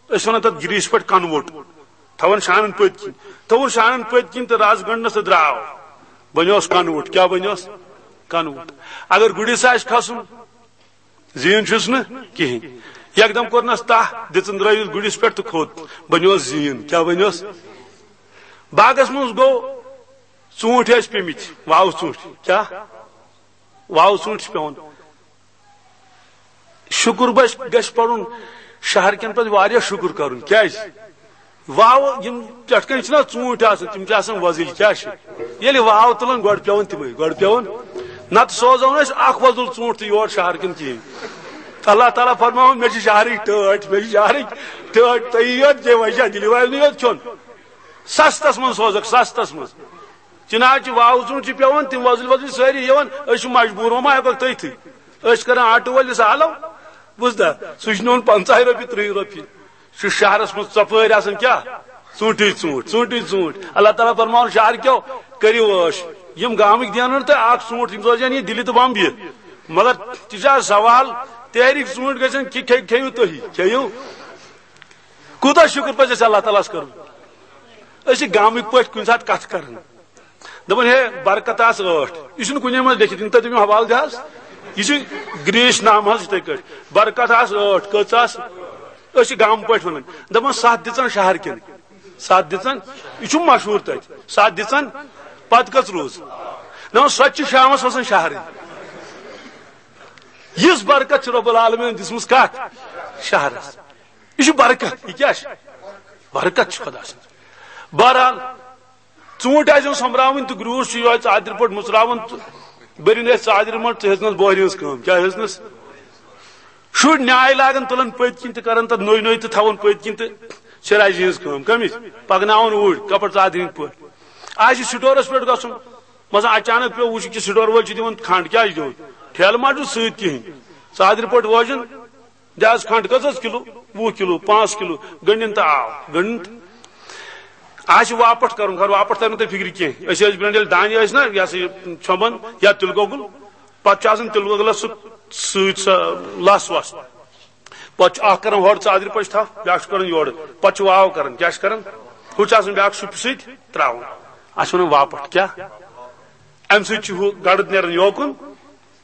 أسۍ وَنان تَتھ گِرٛیٖسہِ پٮ۪ٹھ کَنوُٹ، تھاوان شانَن پٔتۍ کِنۍ، تھوٚوُن شانَن پٔتۍ کِنۍ تہٕ رَز گٔنٛڈنَس تہٕ درٛاو، بَنیوس کَنوُٹ۔ کیٛاہ بَنیوس؟ کَنوُٹ۔ اگر گُرِس آسہِ کھَسُن، زیٖن چھُس نہٕ کِہیٖنۍ، یَکدَم کوٚرنَس تَہہ، دِژٕن درٛٲوِس گُرِس پٮ۪ٹھ تہٕ کھوٚت، بَنیوس زیٖن۔ کیٛاہ بَنیوس؟ باغس منٛز گوٚو، ژوٗنٛٹھۍ ٲسۍ پیٚمٕتۍ، واوٕ ژوٗنٛٹھۍ۔ کیٛاہ؟ واوٕ ژوٗنٛٹھۍ چھِ پٮ۪وان۔ شُکُر بس گژھِ پَرُن، شہر کٮ۪ن پَزِ واریاہ شُکُر کَرُن۔ کیٛازِ؟ واوٕ یِم پٮ۪ٹھ کَنۍ چھِنہ ژوٗنٛٹھۍ آسان، تِم چھِ آسان وۄزٕلۍ۔ کیٛاہ چھِ؟ ییٚلہِ واوٕ تُلان، گۄڈٕ پٮ۪وان تِمَے، گۄڈٕ پٮ۪وان۔ نَتہٕ سوزو نہٕ أسۍ اَکھ وۄزُل ژوٗنٛٹھ تہِ یور شہر کِنۍ کِہیٖنۍ۔ اللہ تعالیٰ فرماوان، مےٚ چھِ شہرٕکۍ ٹٲٹھۍ، مےٚ چھِ شہرٕکۍ ٹٲٹھۍ، تُہۍ یِیِو یوت، جے وجہ دِلہِ والنٕے یوت کھیوٚن۔ سَستَس منٛز سوزَکھ، سَستَس منٛز۔ چنانچہ واوٕ ژوٗنٛٹھۍ چھِ پٮ۪وان، تِم وۄزٕلۍ وۄزٕلۍ سٲری یِوان، أسۍ چھِ مجبوٗر، وۄنۍ ما ہٮ۪کَکھ تٔتھٕے۔ أسۍ چھِ کران آٹوٗ وٲلِس حالو، بوٗزتھا؟ سُہ چھُ نِوان پنٛژاہہِ رۄپیہِ، تٕرٛہہِ رۄپیہِ۔ سُہ چھُ شہرَس منٛز ژۄپٲرۍ آسان کیٛاہ؟ ژوٗنٛٹھٕے ژوٗنٛٹھۍ، ژوٗنٛٹھٕے ژوٗنٛٹھۍ۔ اللہ تعالیٰ فرماوان، شہر کیو، کٔرِو عٲش۔ یِم گامٕکۍ دِنو نہٕ تۄہہِ اَکھ ژوٗنٛٹھ، یِم سوزن یہِ دِلہِ تہٕ بمبیہِ۔ مگر تہِ چھُ آز سوال، تیرِکۍ ژوٗنٛٹھۍ گژھن کہِ کھے-، کھیٚیِو تُہی، کھیٚیِو۔ کوٗتاہ شُکُر پَزِ اَسہِ اللہ تعالیٰ ہَس کَرُن؟ أسۍ چھِ گامٕکۍ پٲٹھۍ کُنہِ ساتہٕ کَتھ کَران۔ دَپان، ہے، برکت آس ٲٹھ۔ یہِ چھُنہٕ کُنے منٛز لیٚکھِتھ، یِم تۄہہِ تٔمۍ حوالہٕ دِ حظ۔ یہِ چھُ گرٛیٖسۍ نامہٕ حظ یِتھَے کٲٹھۍ۔ برکت آس ٲٹھ۔ کٔژ آس؟ أسۍ چھِ گامہٕ پٲٹھۍ وَنان۔ دَپان، سَتھ دِژَن شہر کٮ۪ن۔ سَتھ دِژَن۔ یہِ چھُ مشہوٗر تَتہِ۔ سَتھ دِژَن۔ پَتہٕ کٔژ روٗز؟ دَپان، سۄ تہِ چھِ شامَس وَسان شہرٕے۔ یِژھ برکت چھِ رۄب العالمیٖن دِژمٕژ کَتھ؟ شہرَس۔ یہِ چھُ برکت۔ یہِ کیٛاہ چھُ؟ برکت چھِ خۄدا سٕنٛز۔ بہرحال، ژوٗنٛٹھۍ آسن سۄمبراوٕنۍ تہٕ گرٛوٗس چھُ یِہوٚے ژادرِ پٲٹھۍ مُژراوان تہٕ بٔرِن أسۍ ژادرِ منٛز، ژٕ ہیٚژنَس بوہرِ ہٕنٛز کٲم۔ کیٛاہ ہیٚژنَس؟ شُرۍ نیٛاے لاگان، تُلان پٔتۍ کِنۍ تہٕ کران تَتھ نوٚے نوٚے تہٕ تھاوان پٔتۍ کِنۍ تہٕ چھِ رَزِ ہٕنٛز کٲم۔ کٔمِس؟ پَکناوان اوٗرۍ، کَپَر ژادرِ ہٕنٛدۍ پٲٹھۍ۔ آسہِ سٹورَس پٮ۪ٹھ گژھُن، مثلاً اچانک پیوٚو، وٕچھ کہِ سٹور وٲلۍ چھِ دِوان کھنٛڈ، کیٛاہ چھِ دِوان؟ ٹھیلہٕ ما چھُ سۭتۍ کِہیٖنۍ؟ ژادرِ پٲٹھۍ ووزُن، دِ حظ کھنٛڈ، کٔژ حظ کِلوٗ؟ وُہ کِلوٗ، پانٛژھ کِلوٗ، گٔنٛڈِن تہٕ آو، گٔنٛڈِن تہٕ۔ آسہِ واپٹ کَرُن، خبر واپٹ تَرِ نہٕ تۄہہِ فِکرِ کینٛہہ۔ أسۍ ٲسۍ برٛونٛٹھ ییٚلہِ دانہِ ٲسۍ نہ، یہِ ہسا یہِ ژھۄمبان یا تِلہٕ گۄگُل، پَتہٕ چھُ آسان تِلہٕ گۄگلَس سُہ سۭتۍ سۄ لَس وَس۔ پَتہٕ چھُ اَکھ کَران ہورٕ ژادرِ پٔچ تھَپھ، بیٛاکھ چھُ کَران یورٕ۔ پَتہٕ چھُ واو کَران، کیٛاہ چھُ کَران؟ ہُہ چھُ آسان بیٛاکھ سُپہِ سۭتۍ ترٛاوُن۔ اَتھ چھِ وَنان واپٹ۔ کیٛاہ؟ اَمہِ سۭتۍ چھُ ہُہ گَڑُد نیران یوکُن،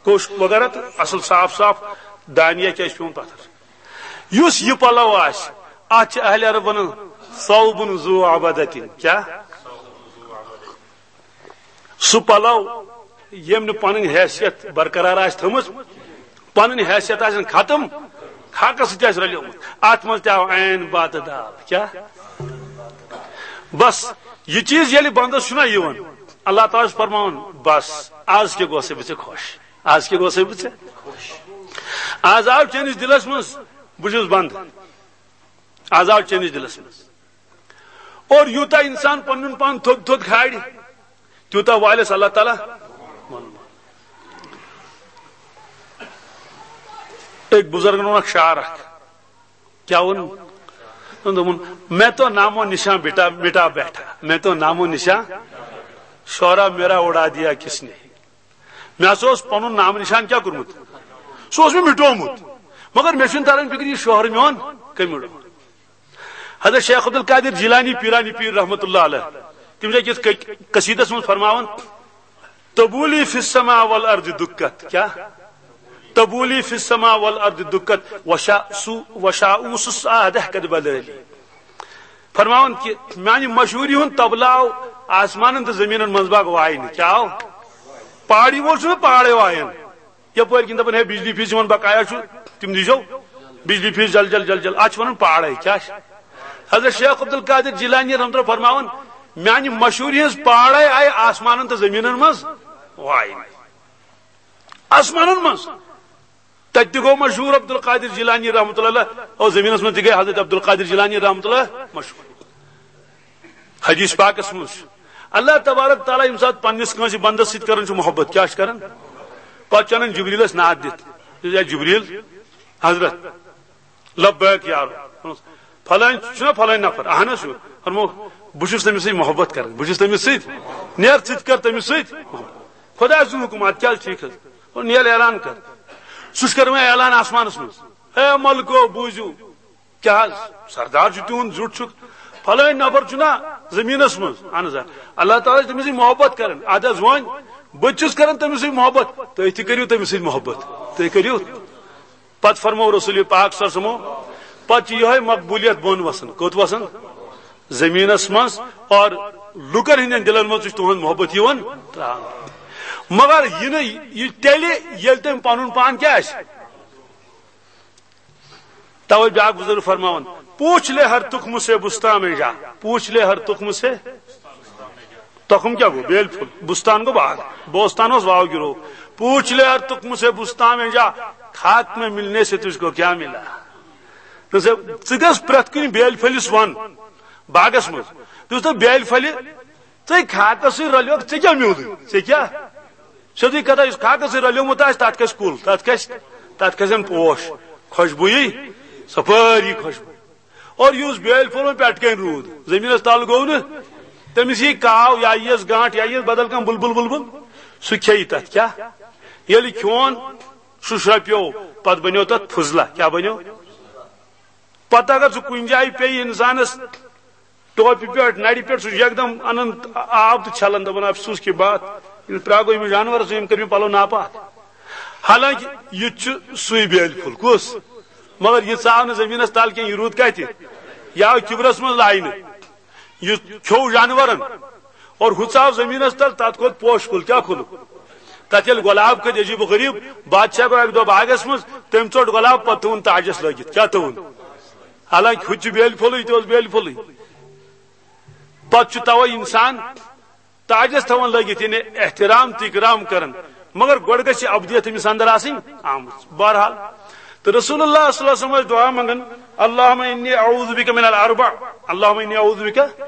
کوٚش وغیرہ تہٕ اصل صاف صاف دانہِ یا کیٛاہ چھُ پیوٚمُت پتھر۔ یُس یہِ پلو آسہِ، اتھ چھِ اہل عرب ونان ثوب ذو عبدتن۔ کیٛاہ؟ سُہ پلو ییٚمۍ نہٕ پنٕنۍ حیثیت برقرار آسہِ تھٲومٕژ، پنٕنۍ حیثیت آسن ختم، خاکس سۭتۍ آسہِ رلیومُت، اتھ منٛز تہِ آو عین بتہٕ دال۔ کیٛاہ؟ بس، یہِ چیٖز ییٚلہِ بندس چھُنہ یِوان، اللہ تعالیٰ چھُ فرماوان، بس، از کیٛاہ گوٚو سا بہٕ ژےٚ خۄش؟ از کیٛاہ گوٚو سا بہٕ ژےٚ؟ از آو چٲنِس دِلس منٛز، بہٕ چھُس بنٛد۔ از آو چٲنِس دِلس منٛز۔ اور یوٗتاہ اِنسان پنُن پان تھوٚد تھوٚد کھالہِ، تیوٗتاہ والٮ۪س اللہ تعالیٰ۔ أکۍ بُزرگن ووٚن اکھ شعر اکھ۔ کیٛاہ ووٚن؟ دوٚپُن، میں تو نام و نشان بٹا، مٹا بیٹھا، میں تو نام و نشان، شعرا میرا اڑا دیا کس نے۔ مےٚ ہسا اوس پنُن نام نشان کیٛاہ کوٚرمُت؟ سُہ اوس مےٚ مِٹومُت۔ مگر مےٚ چھُنہٕ تران فِکرِ، یہِ شہر میون کٔمۍ مِٹو؟ حضرت شیخ عبدالقادر جیلانی، پیرانی پیر رحمت اللہ علیہ، تِم چھِ أکِس ق-، قصیٖدس منٛز فرماوان، تبولی فی السماء والارض دکت۔ کیٛاہ؟ تبولی فی السماء والارض دکت، وشا-، سو-، وشاؤس السعادہ قد بللی۔ فرماوان کہِ میانہِ مشہوٗری ہُنٛد طبلہٕ آو آسمانن تہٕ زٔمیٖنن منٛز باغ واینہٕ۔ کیٛاہ آو؟ پہاڑی وول چھُنہٕ پہاڑے وایان۔ یپٲرۍ کِنۍ دپان، ہے، بجلی فیس یِمن بقایا چھُ، تِم دیٖزیو بجلی فیس جل جل جل جل۔ اتھ چھِ ونان پہاڑے۔ کیٛاہ چھِ؟ حضرت شیخ عبدالقادر جیلانی رحمتہ اللہ فرماوان، میانہِ مشہوٗری ہٕنٛز پہاڑے آیہِ آسمانن تہٕ زٔمیٖنن منٛز واینہٕ۔ آسمانن منٛز۔ تتہِ تہِ گوٚو مشہوٗر عبدالقادر جیلانی رحمتہ اللہ علیہ، اور زٔمیٖنس منٛز تہِ گٔے حضرت عبدالقادر جیلانی رحمتہ اللہ مشہوٗر۔ حدیث پاکس منٛز چھُ اللہ تبارک تعالیٰ ییٚمہِ ساتہٕ پننِس کٲنٛسہِ بندس سۭتۍ کران چھُ محبت، کیٛاہ چھُ کران؟ پتہٕ چھُ انان جبریلس نعت دِتھ، "یا جبریل حضرت، لبیک یا رب۔" فلٲنۍ چھُنہ فلٲنۍ نفر، اہن حظ چھُ۔ فرمو، بہٕ چھُس تٔمِس سۭتۍ محبت کران، بہٕ چھُس تٔمِس سۭتۍ، نیر ژٕ تہِ کر تٔمِس سۭتۍ محبت۔ خۄداے سُنٛد حُکُم، اَدٕ کیٛاہ چھُ ٹھیٖک حظ؟ اور نیل اعلان کر۔ سُہ چھُ کران وۄنۍ اعلان آسمانس منٛز، "اے ملکو، بوٗزِو، کیٛاہ حظ؟ سردار چھُ تِہُنٛد، زیُٹھ چھُکھ، فلٲنۍ نفر چھُنہ زٔمیٖنس منٛز؟" اہن حظ آ۔ اللہ تعالیٰ چھُ تٔمِس سۭتۍ محبت کران۔ اَدٕ حظ وۄنۍ بہٕ تہِ چھُس کران تٔمِس سۭتۍ محبت، تُہۍ تہِ کٔرِو تٔمِس سۭتۍ محبت، تُہۍ کٔرِو۔ پتہٕ فرموو رسول پاک صلی اللہ علیہ وسلمو، پتہٕ چھِ یِہوٚے مقبولیت بۄن وسان۔ کوٚت وسان؟ زٔمیٖنس منٛز۔ اور لوکن ہٕنٛدٮ۪ن دِلن منٛز تہِ چھُ تُہُنٛد محبت یِوان ترٛاونہٕ۔ مگر یہِ نہٕ، یہِ تیٚلہِ ییٚلہِ تٔمۍ پنُن پان کیٛاہ آسہِ۔ توے بیٛاکھ بُزرگ فرماوان، پوچھ لے ہر تخم سے بستان میں جا، پوچھ لے ہر تخم سے۔ تخم کیٛاہ گوٚو؟ بیل پھوٚل۔ بستان گوٚو باغ، بوستان اوس واو گِرو۔ پوچھ لے ہر تخم سے بستان میں جا، خاک میں ملنے سے تجھ کو کیا ملا؟ دوٚپُس، ژٕ گژھ پرٛٮ۪تھ کُنہِ بیل پھٔلِس وَن باغس منٛز۔ دوٚپُس، بیل پھٔلہِ، ژے خاکس سۭتۍ رلیوکھ، ژےٚ کیٛاہ میوٗلٕے؟ ژےٚ کیٛاہ؟ سیوٚدُے کتھا، یُس خاکس سۭتۍ رلیومُت آسہِ، تتھ کھسہِ کُل، تتھ کھسہِ، تتھ کھسن پوش، خۄشبوٗیی، سپٲری خۄشبوٗ۔ اور یُس بیٲلۍ پھوٚل وۄنۍ پٮ۪ٹھٕ کنہِ روٗد، زٔمیٖنس تل گوٚو نہٕ، تٔمِس یی کاو یا یِیَس گانٹھ یا یِیَس بدل کانٛہہ بُلبُل وُلبُل، سُہ کھیٚیہِ تتھ۔ کیٛاہ؟ ییٚلہِ کھیوٚن سُہ شرٛپیو، پتہٕ بنیو تتھ فضلہ۔ کیٛاہ بنیو؟ پتہٕ اگر سُہ کُنہِ جایہِ پیٚیہِ انسانس، ٹوپہِ پٮ۪ٹھ، نرِ پٮ۪ٹھ، سُہ چھُ یکدم انان آب تہٕ چھلان، دپان، "افسوس کی بات، یِم پرٛاگو یِم جانور، یِم کٔرۍ مےٚ پلو ناپاک۔" حالانکہ یہِ تہِ چھُ سُے بیٲلۍ پھوٚل۔ کُس؟ مگر یہِ ژاو نہٕ زٔمیٖنس تل کینٛہہ، یہِ روٗد کتہِ؟ یہِ آو کِبرس منٛز لاینہٕ، یہِ کھیوٚو جانورن اور ہُہ ژاو زٔمیٖنس تل، تتھ کھوٚت پوشہِ کُل۔ کیٛاہ کھوٚلُکھ؟ تتھ ییٚلہِ گۄلاب کھٔتۍ عجیب و غریب، بادشاہ گوٚو اکہِ دۄہ باغس منٛز، تٔمۍ ژوٚٹ گۄلاب، پتہٕ تھوٚوُن تاجس لٲگِتھ۔ کیٛاہ تھوٚوُن؟ حالانکہ ہُہ تہِ چھُ بیٲلۍ پھوٚلٕے، یہِ تہِ اوس بیٲلۍ پھوٚلٕے۔ پتہٕ چھُ توے انسان تاجس تھاوان لٲگِتھ، یعنی احترام تہٕ اکرام کران، مگر گۄڈٕ گژھِ ابدیت أمِس اندر آسٕنۍ آمٕژ۔ بہرحال، تہٕ رسول اللہ صلی اللہ علیہ وسلم ٲسۍ دعا منگان، "اللہم انی اعوذ بک من الاربع، اللہم انی اعوذ بک"،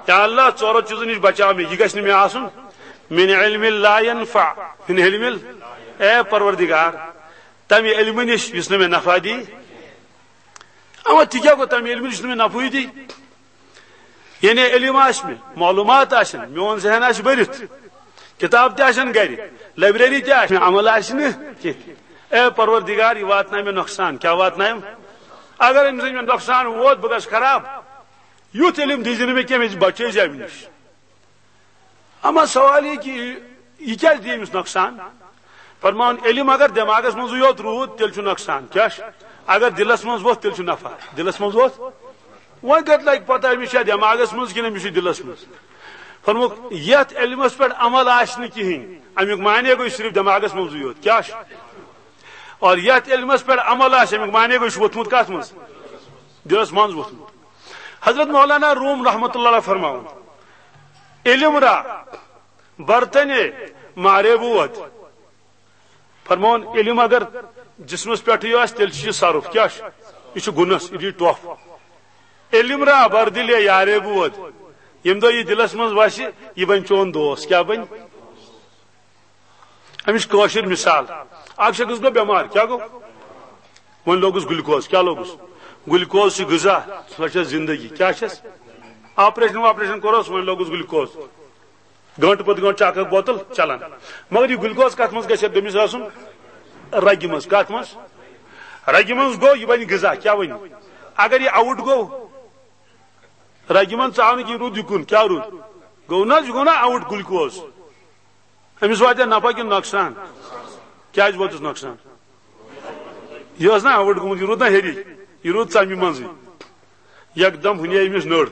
یا اللہ، ژورو چیزو نِش بچاو مےٚ، یہِ گژھِ نہٕ مےٚ آسُن، "من علم لا ینفع، من علم"، اے پروردگار، تمہِ علمہٕ نِش یُس نہٕ مےٚ نفع دی۔ اما تہِ کیٛاہ گوٚو؟ تمہِ علمہٕ نِش نہٕ مےٚ نفعٕے دی۔ یعنی علم آسہِ مےٚ، معلوٗمات آسن، میون ذہن آسہِ بٔرِتھ، کِتاب تہِ آسن گرِ، لائبریری تہِ آسہِ، مےٚ عمل آسہِ نہٕ کینٛہہ۔ اے پروردگار، یہِ واتنایہِ مےٚ نۄقصان۔ کیٛاہ واتنایم؟ اگر أمِس مےٚ نۄقصان ووت، بہٕ گژھٕ خراب۔ یُتھ علم دیٖزِ نہٕ مےٚ کینٛہہ، مےٚ بچٲیزِ اَمہِ نِش۔ اما سوال یہِ کہِ یہِ کیٛازِ دِیہِ أمِس نۄقصان؟ فرماوُن، علم اگر دٮ۪ماغس منٛزٕے یوت روٗد، تیٚلہِ چھُ نۄقصان۔ کیٛاہ چھُ؟ اگر دِلس منٛز ووٚتھ، تیٚلہِ چھُ نفع۔ دِلس منٛز ووٚتھ، وۄنۍ کتہِ لگہِ پتہ أمِس چھا دٮ۪ماغس منٛز کِنہٕ أمِس چھُ دِلس منٛز؟ فرمووُکھ، یتھ علمس پٮ۪ٹھ عمل آسہِ نہٕ کِہیٖنۍ، امیُک معنی گوٚو صرف دٮ۪ماغس منٛزٕے یوت۔ کیٛاہ چھُ؟ اور یتھ علمس پٮ۪ٹھ عمل آسہِ، امیُک معنی گوٚو یہِ چھُ ووٚتھمُت کتھ منٛز؟ دِلس منٛز ووٚتھمُت۔ حضرت مولانا روم رحمتہ اللہ علیہ فرماوان، علم را برتن مارے بود۔ فرماوان، علم اگر جسمس پٮ۪ٹھٕے آسہِ، تیٚلہِ چھُ یہِ صرف۔ کیٛاہ چھُ؟ یہِ چھُ گُنس، یہِ دِیہِ ٹۄپھ۔ علم را بر دل یارے بود۔ ییٚمہِ دۄہ یہِ دِلس منٛز وسہِ، یہِ بنہِ چون دوست۔ کیٛاہ بنہِ؟ أمِس کٲشِر مثال، اکھ شخص گوٚو بٮ۪مار، کیٛاہ گوٚو؟ وۄنۍ لوگُس گلوکوز۔ کیٛاہ لوگُس؟ گلوکوز چھُ غذا، سۄ چھےٚ زندگی۔ کیٛاہ چھَس؟ آپریشن واپریشن کوٚرُس، وۄنۍ لوگُس گلوکوز۔ گٲنٹہٕ پتہٕ گٲنٹہٕ چھِ اکھ اکھ بوتل چلان۔ مگر یہِ گلوکوز کتھ منٛز گژھِ؟ گٔمِس آسُن رگہِ منٛز۔ کتھ منٛز؟ رگہِ منٛز گوٚو، یہِ بنہِ غذا۔ کیٛاہ بنہِ؟ اگر یہِ آوُٹ گوٚو، رگہِ منٛز ژاو نہٕ کینٛہہ، روٗد یہِ کُن۔ کیٛاہ روٗد؟ گوٚو نہ حظ، یہِ گوٚو نہ آوُٹ گلوکوز۔ أمِس واتہِ نفع کِنہٕ نۄقصان؟ کیٛازِ ووتُس نۄقصان؟ یہِ اوس نہ آوُٹ گوٚمُت، یہِ روٗد نہ ہیٚری، یہِ روٗد ژَمہِ منٛزٕے۔ یکدم ہُنے أمِس نٔر،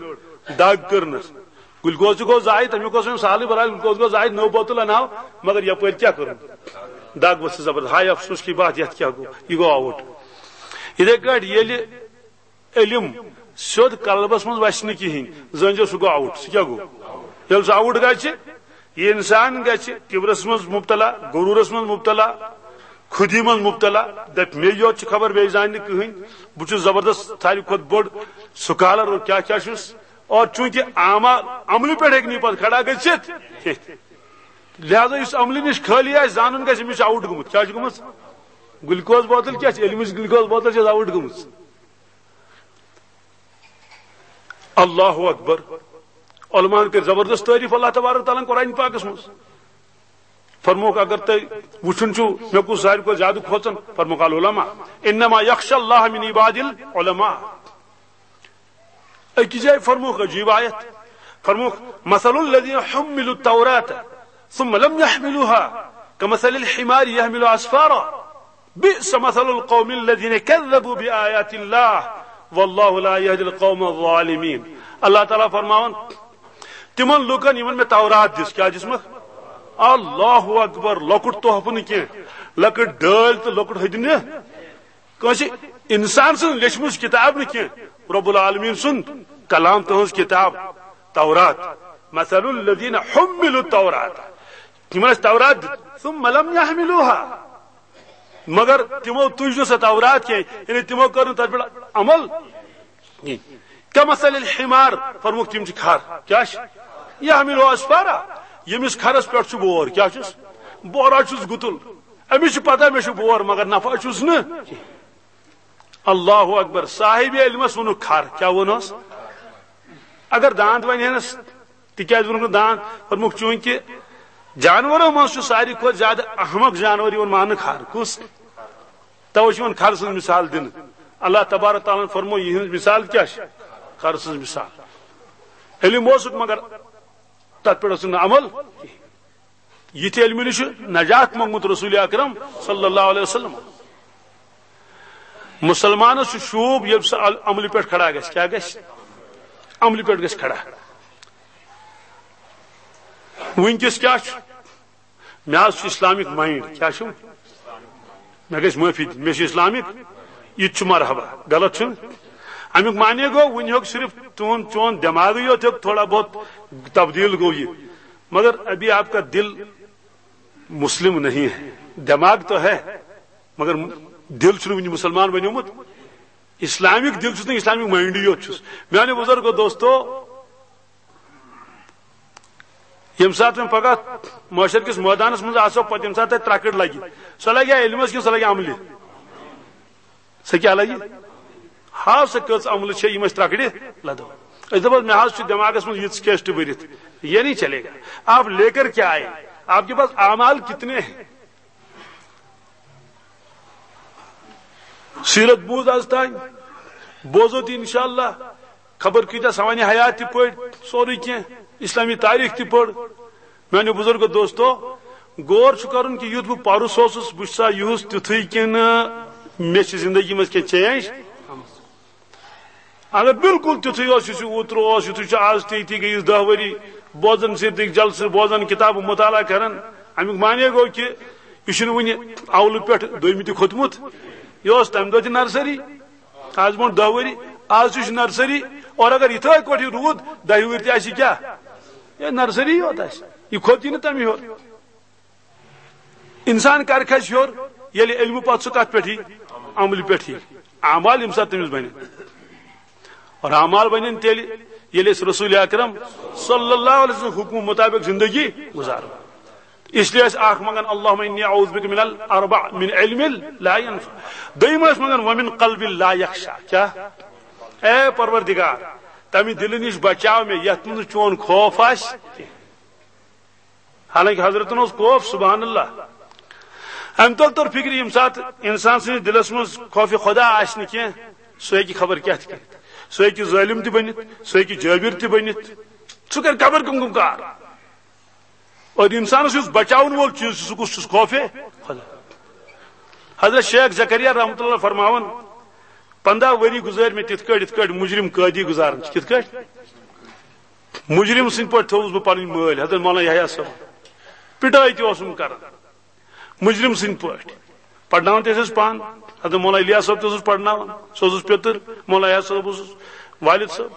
دگ کٔرنَس۔ گلوکوز تہِ گوٚو ضایع، تَمیُک اوس أمِس سہلٕے، بہرحال گلوکوز گوٚو ضایع، نٔو بوتل اَنہاو، مگر یپٲرۍ کیٛاہ کٔرٕن؟ دگ ؤژھ زبردست۔ ہاے افسوس کی بات، یَتھ کیٛاہ گوٚو؟ یہِ گوٚو آوُٹ۔ یِتھَے کٲٹھۍ ییٚلہِ علم سیوٚد قلبس منٛز وسہِ نہٕ کِہیٖنۍ، زٲنۍزیو سُہ گوٚو آوُٹ۔ سُہ کیٛاہ گوٚو؟ ییٚلہِ سُہ آوُٹ گژھِ، یہِ انسان گژھِ کبرس منٛز مبتلا، غرورس منٛز مبتلا، خودی منٛز مبتلا، دپہِ، "مےٚ یوت چھِ خبر، بیٚیہِ زانہِ نہٕ کٕہٕنۍ، بہٕ چھُس زبردست، ساروی کھۄتہٕ بوٚڑ سکالر اور کیٛاہ کیٛاہ چھُس۔" اور چوٗنٛکہِ اعمال، عملہِ پٮ۪ٹھ ہیٚکہِ نہٕ یہِ پتہٕ کھڑا گٔژھِتھ کینٛہہ، لہذا یُس عملہِ نِش خٲلی آسہِ، زانُن گژھِ، أمِس چھُ آوُٹ گوٚمُت۔ کیٛاہ چھُ گوٚمُت؟ گلوکوز بوتل کیٛاہ چھِ؟ علمٕچ گلوکوز بوتل چھِ آوُٹ گٔمٕژ۔ اللہ اکبر۔ علماءن کٔر زبردست تعریف اللہ تبارک و تعالیٰ ہن قرآن پاکس منٛز۔ فرموکھ، اگر تُہۍ وٕچھُن چھُو مےٚ کُس ساروی کھۄتہٕ زیادٕ کھوژان، فرموکھ، العلماء، انما یخشى الله من عباد العلماء۔ أکِس جایہِ فرموکھ عجیب آیت، فرموکھ، مثل الذين حملوا التوراة ثم لم يحملوها كمثل الحمار يحمل أسفارا۔ بئس مثل القوم الذين كذبوا بآيات الله والله لا يهدي القوم الظالمين۔ اللہ تعالیٰ فرماوان، تِمن لوٗکن یِمن مےٚ تورات دِژ، کیٛاہ دِژمکھ؟ اللہ اکبر، لۄکُٹ تحفہٕ نہٕ کینٛہہ، لۄکٕٹ ڈٲلۍ تہٕ لۄکُٹ ہدنہٕ۔ کٲنٛسہِ انسان سٕنٛز لیچھمٕژ کِتاب نہٕ کینٛہہ، رب العالمین سُنٛد کلام، تہنٛز کِتاب تورات۔ مثل الذین حملوا التوراۃ، یِمن ٲس تورات دِژ، ثم لم یحملوها، مگر تِمو تُج نہٕ سۄ تورات کینٛہہ، یعنی تِمو کٔر نہٕ تتھ پٮ۪ٹھ عمل۔ کمثل الحمار، فرموکھ تِم چھِ کھر۔ کیٛاہ چھِ؟ یحمل اسفارا، ییٚمِس کھرس پٮ۪ٹھ چھُ بور۔ کیٛاہ چھُس؟ بورا چھُس گُتُل۔ أمِس چھِ پتہ مےٚ چھُ بور، مگر نفع چھُس نہٕ۔ اللہ اکبر، صاحب علمس ووٚنُکھ کھر۔ کیٛاہ ووٚنُس؟ اگر دانت ونہِ ہنس، تِکیٛازِ ووٚنُکھ نہٕ دانت؟ فرموکھ چوٗنٛکہِ جانورو منٛز چھُ ساروی کھۄتہٕ زیادٕ احمق جانور یِوان ماننہٕ کھر۔ کُس؟ توے چھِ یِوان کھر سٕنٛز مثال دِنہٕ۔ اللہ تبارک تعالیٰ ہن فرموو، یِہٕنٛز مثال کیٛاہ چھِ؟ کھر سٕنٛز مثال۔ علم اوسُکھ، مگر تتھ پٮ۪ٹھ اوسُکھ نہٕ عمل۔ یِتھِ علمہٕ نِش چھُ نجات منٛگمُت رسول اکرم صلی اللہ علیہ وسلم۔ مسلمانس چھُ شوٗب، ییٚلہِ سُہ عل-، عملہِ پٮ۪ٹھ کھڑا گژھِ۔ کیٛاہ گژھِ؟ عملہِ پٮ۪ٹھ گژھِ کھڑا۔ وٕنکیٚس کیٛاہ چھُ؟ مےٚ حظ چھُ اسلامک مایِنڈ۔ کیٛاہ چھُ؟ مےٚ گژھِ معٲفی دِنۍ، مےٚ چھُ اسلامک، یہِ تہِ چھُ مرحبا، غلط چھُنہٕ؟ امیُک معنی گوٚو، وٕنہِ ہیوٚک صرف تُہُنٛد چون دٮ۪ماغٕے یوت ہیوٚک تھوڑا بہت تبدیل گوٚو یہِ، مگر ابھی آپ کا دل مسلم نہیں ہے، دماغ تو ہے، مگر دل چھُنہٕ وٕنہِ مُسلمان بنیومُت۔ اسلامک دل چھُس نہٕ، اسلامک مایِنڈٕے یوت چھُس۔ میانیو بزرگو دوستو، ییٚمہِ ساتہٕ وۄنۍ پگاہ محشر کِس مٲدانس منٛز آسو، پتہٕ ییٚمہِ ساتہٕ تۄہہِ ترٛکٕر لگہِ، سۄ لگہِ یا علمس کِنہٕ سۄ لگہِ عملہِ؟ سۄ کیٛاہ لگہِ؟ ہاو سۄ کٔژ عملہٕ چھےٚ یِم أسۍ ترٛکٕرِ لدو۔ أسۍ دپو، مےٚ حظ چھُ دٮ۪ماغس منٛز یِژھ کیسٹ بٔرِتھ، یہ نہیں چلے گا۔ آپ لے کر کیا آئے؟ آپ کے پاس اعمال کتنے ہیں؟ سیرت بوز از تام، بوزو تہِ انشاءاللہ۔ خبر کۭتیاہ سوانح حیات تہِ پٔرۍ، سورُے کینٛہہ، اسلامی تاریخ تہِ پٔر۔ میانیو بزرگو دوستو، غور چھُ کرُن کہِ یُتھ بہٕ پرُس اوسُس، بہٕ چھُسا یُہُس تیُتھُے کِنہٕ مےٚ چھِ زندگی منٛز کینٛہہ چینج؟ اگر بالکل تیُتھُے اوس، یُس یہِ اوترٕ اوس، یُتھُے چھُ آز تہِ، یِتھی گٔیِس دَہ ؤری، بوزان سیٖرتٕکۍ جلسہٕ، بوزان کِتابہٕ مطالعہ کران۔ اَمیُک معنی گوٚو کہِ یہِ چھُنہٕ وُنہِ اولہٕ پٮ۪ٹھ دوٚیمہِ تہِ کھوٚتمُت۔ یہِ اوس تَمہِ دۄہ تہِ نرسری، آز برونٛٹھ دَہ ؤری، آز تہِ چھُ نرسری۔ اور اگر یِتھَے پٲٹھۍ یہِ روٗد، دَہہِ ؤرۍ تہِ آسہِ یہِ کیٛاہ؟ یہِ نرسری یوت آسہِ، یہِ کھوٚت یہِ نہٕ تَمہِ ہیوٚر۔ انسان کر کھسہِ ہیوٚر؟ ییٚلہِ علمہٕ پتہٕ سُہ کتھ پٮ۪ٹھ یی؟ عملہِ پٮ۪ٹھ یی۔ اعمال ییٚمہِ ساتہٕ تٔمِس بنن۔ اور اعمال بنن تیٚلہِ، ییٚلہِ أسۍ رسول اکرم صلی اللہ علیہ وسلم حکمہٕ مطابق زندگی گزارو۔ اس لیے ٲسۍ اکھ منگان، اللہم انی اعوذ بک من الاربع، من علم لا ینفع۔ دوٚیِم ٲسۍ منگان، ومن قلب لا یخشع۔ کیٛاہ؟ اے پروردگار، تمہِ دلہٕ نِش بچاو مےٚ یتھ منٛز نہٕ چون خوف آسہِ کینٛہہ۔ حالانکہ حضرتن اوس خوف، سبحان اللہ۔ امہِ تل توٚر فکرِ، ییٚمہِ ساتہٕ انسان سٕنٛدِس دلس منٛز خوف خدا آسہِ نہٕ کینٛہہ، سُہ ہیٚکہِ خبر کیٛاہ تہِ کٔرِتھ۔ سُہ ہیٚکہِ ظٲلم تہِ بٔنِتھ، سُہ ہیٚکہِ جٲبر تہِ بٔنِتھ، سُہ کرِ قبر کم کم کار۔ اور انسانس یُس بچاون وول چیٖز چھُ، سُہ کُس چھُس؟ خوف خدا۔ حضرت شیخ زکریا رحمۃ اللہ فرماوان، پنٛداہ ؤری گُزٲرۍ مےٚ تِتھ کٲٹھۍ، یِتھ کٲٹھۍ مُجرم قٲدی گُزاران چھِ۔ کِتھ کٲٹھۍ؟ مُجرم سٕنٛدۍ پٲٹھۍ تھوٚوُس بہٕ پنٕنۍ مٲلۍ۔ حضرت مولانا یحییٰ صٲب پِٹٲے تہِ اوسُم کران۔ مُجرم سٕنٛدۍ پٲٹھۍ۔ پرناوان تہِ ٲسۍ أسۍ پانہٕ۔ حضرت مولانا الیاس صٲب تہِ اوسُس پرناوان۔ سُہ اوسُس پیٚتٕر۔ مولانا احد صٲب اوسُس والد صٲب۔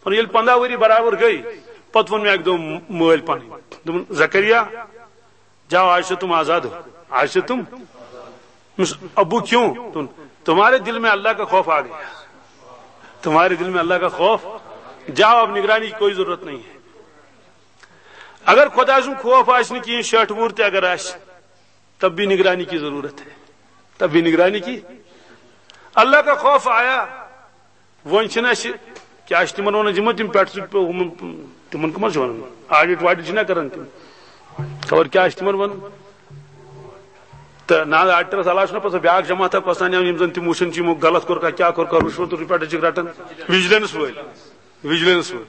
وۄنۍ ییٚلہِ پنٛداہ ؤری برابر گٔے، پتہٕ ووٚن مےٚ اکہِ دۄہ مٲلۍ پنٕنۍ۔ دوٚپُن، "زکریا، جاؤ، آج سے تم آزاد ہو۔ آج سے تم۔" مس-، "ابو، کیوں؟" تم-، "تمہارے دل میں اللہ کا خوف آ گیا۔ تمہارے دل میں اللہ کا خوف۔ جاؤ، اب نگرانی کی کوئی ضرورت نہیں ہے۔" اگر خدا سُنٛد خوف آسہِ نہٕ کِہیٖنۍ، شیٹھ وُہُر تہِ اگر آسہِ، تب بھی نگرانی کی ضرورت ہے، تب بھی نگرانی کی۔ اللہ کا خوف آیا، وۄنۍ چھِنہٕ اَسہِ، کیٛاہ چھِ تِمن وَنان، یِمن تِم پٮ۪ٹھ چھِ، ہُمن، تِمن کٕم حظ چھِ وَنان؟ آڈِٹ واڈِٹ چھِنہ کَران تِم؟ خبر کیٛاہ چھِ تِمن وَنان؟ تہٕ نہ حظ، آڈِٹرَس علاوٕ چھُنہ پَتہٕ سۄ بیٛاکھ جماعتھا کھۄژان، یِم زَن تِم وٕچھان چھِ، یِمو غلط کوٚر کانٛہہ، کیٛاہ کوٚر کانٛہہ، رُشوَت تہٕ رُپیہ چھِکھ رَٹان۔ وِجلَنس وٲلۍ۔ وجلنس ہو۔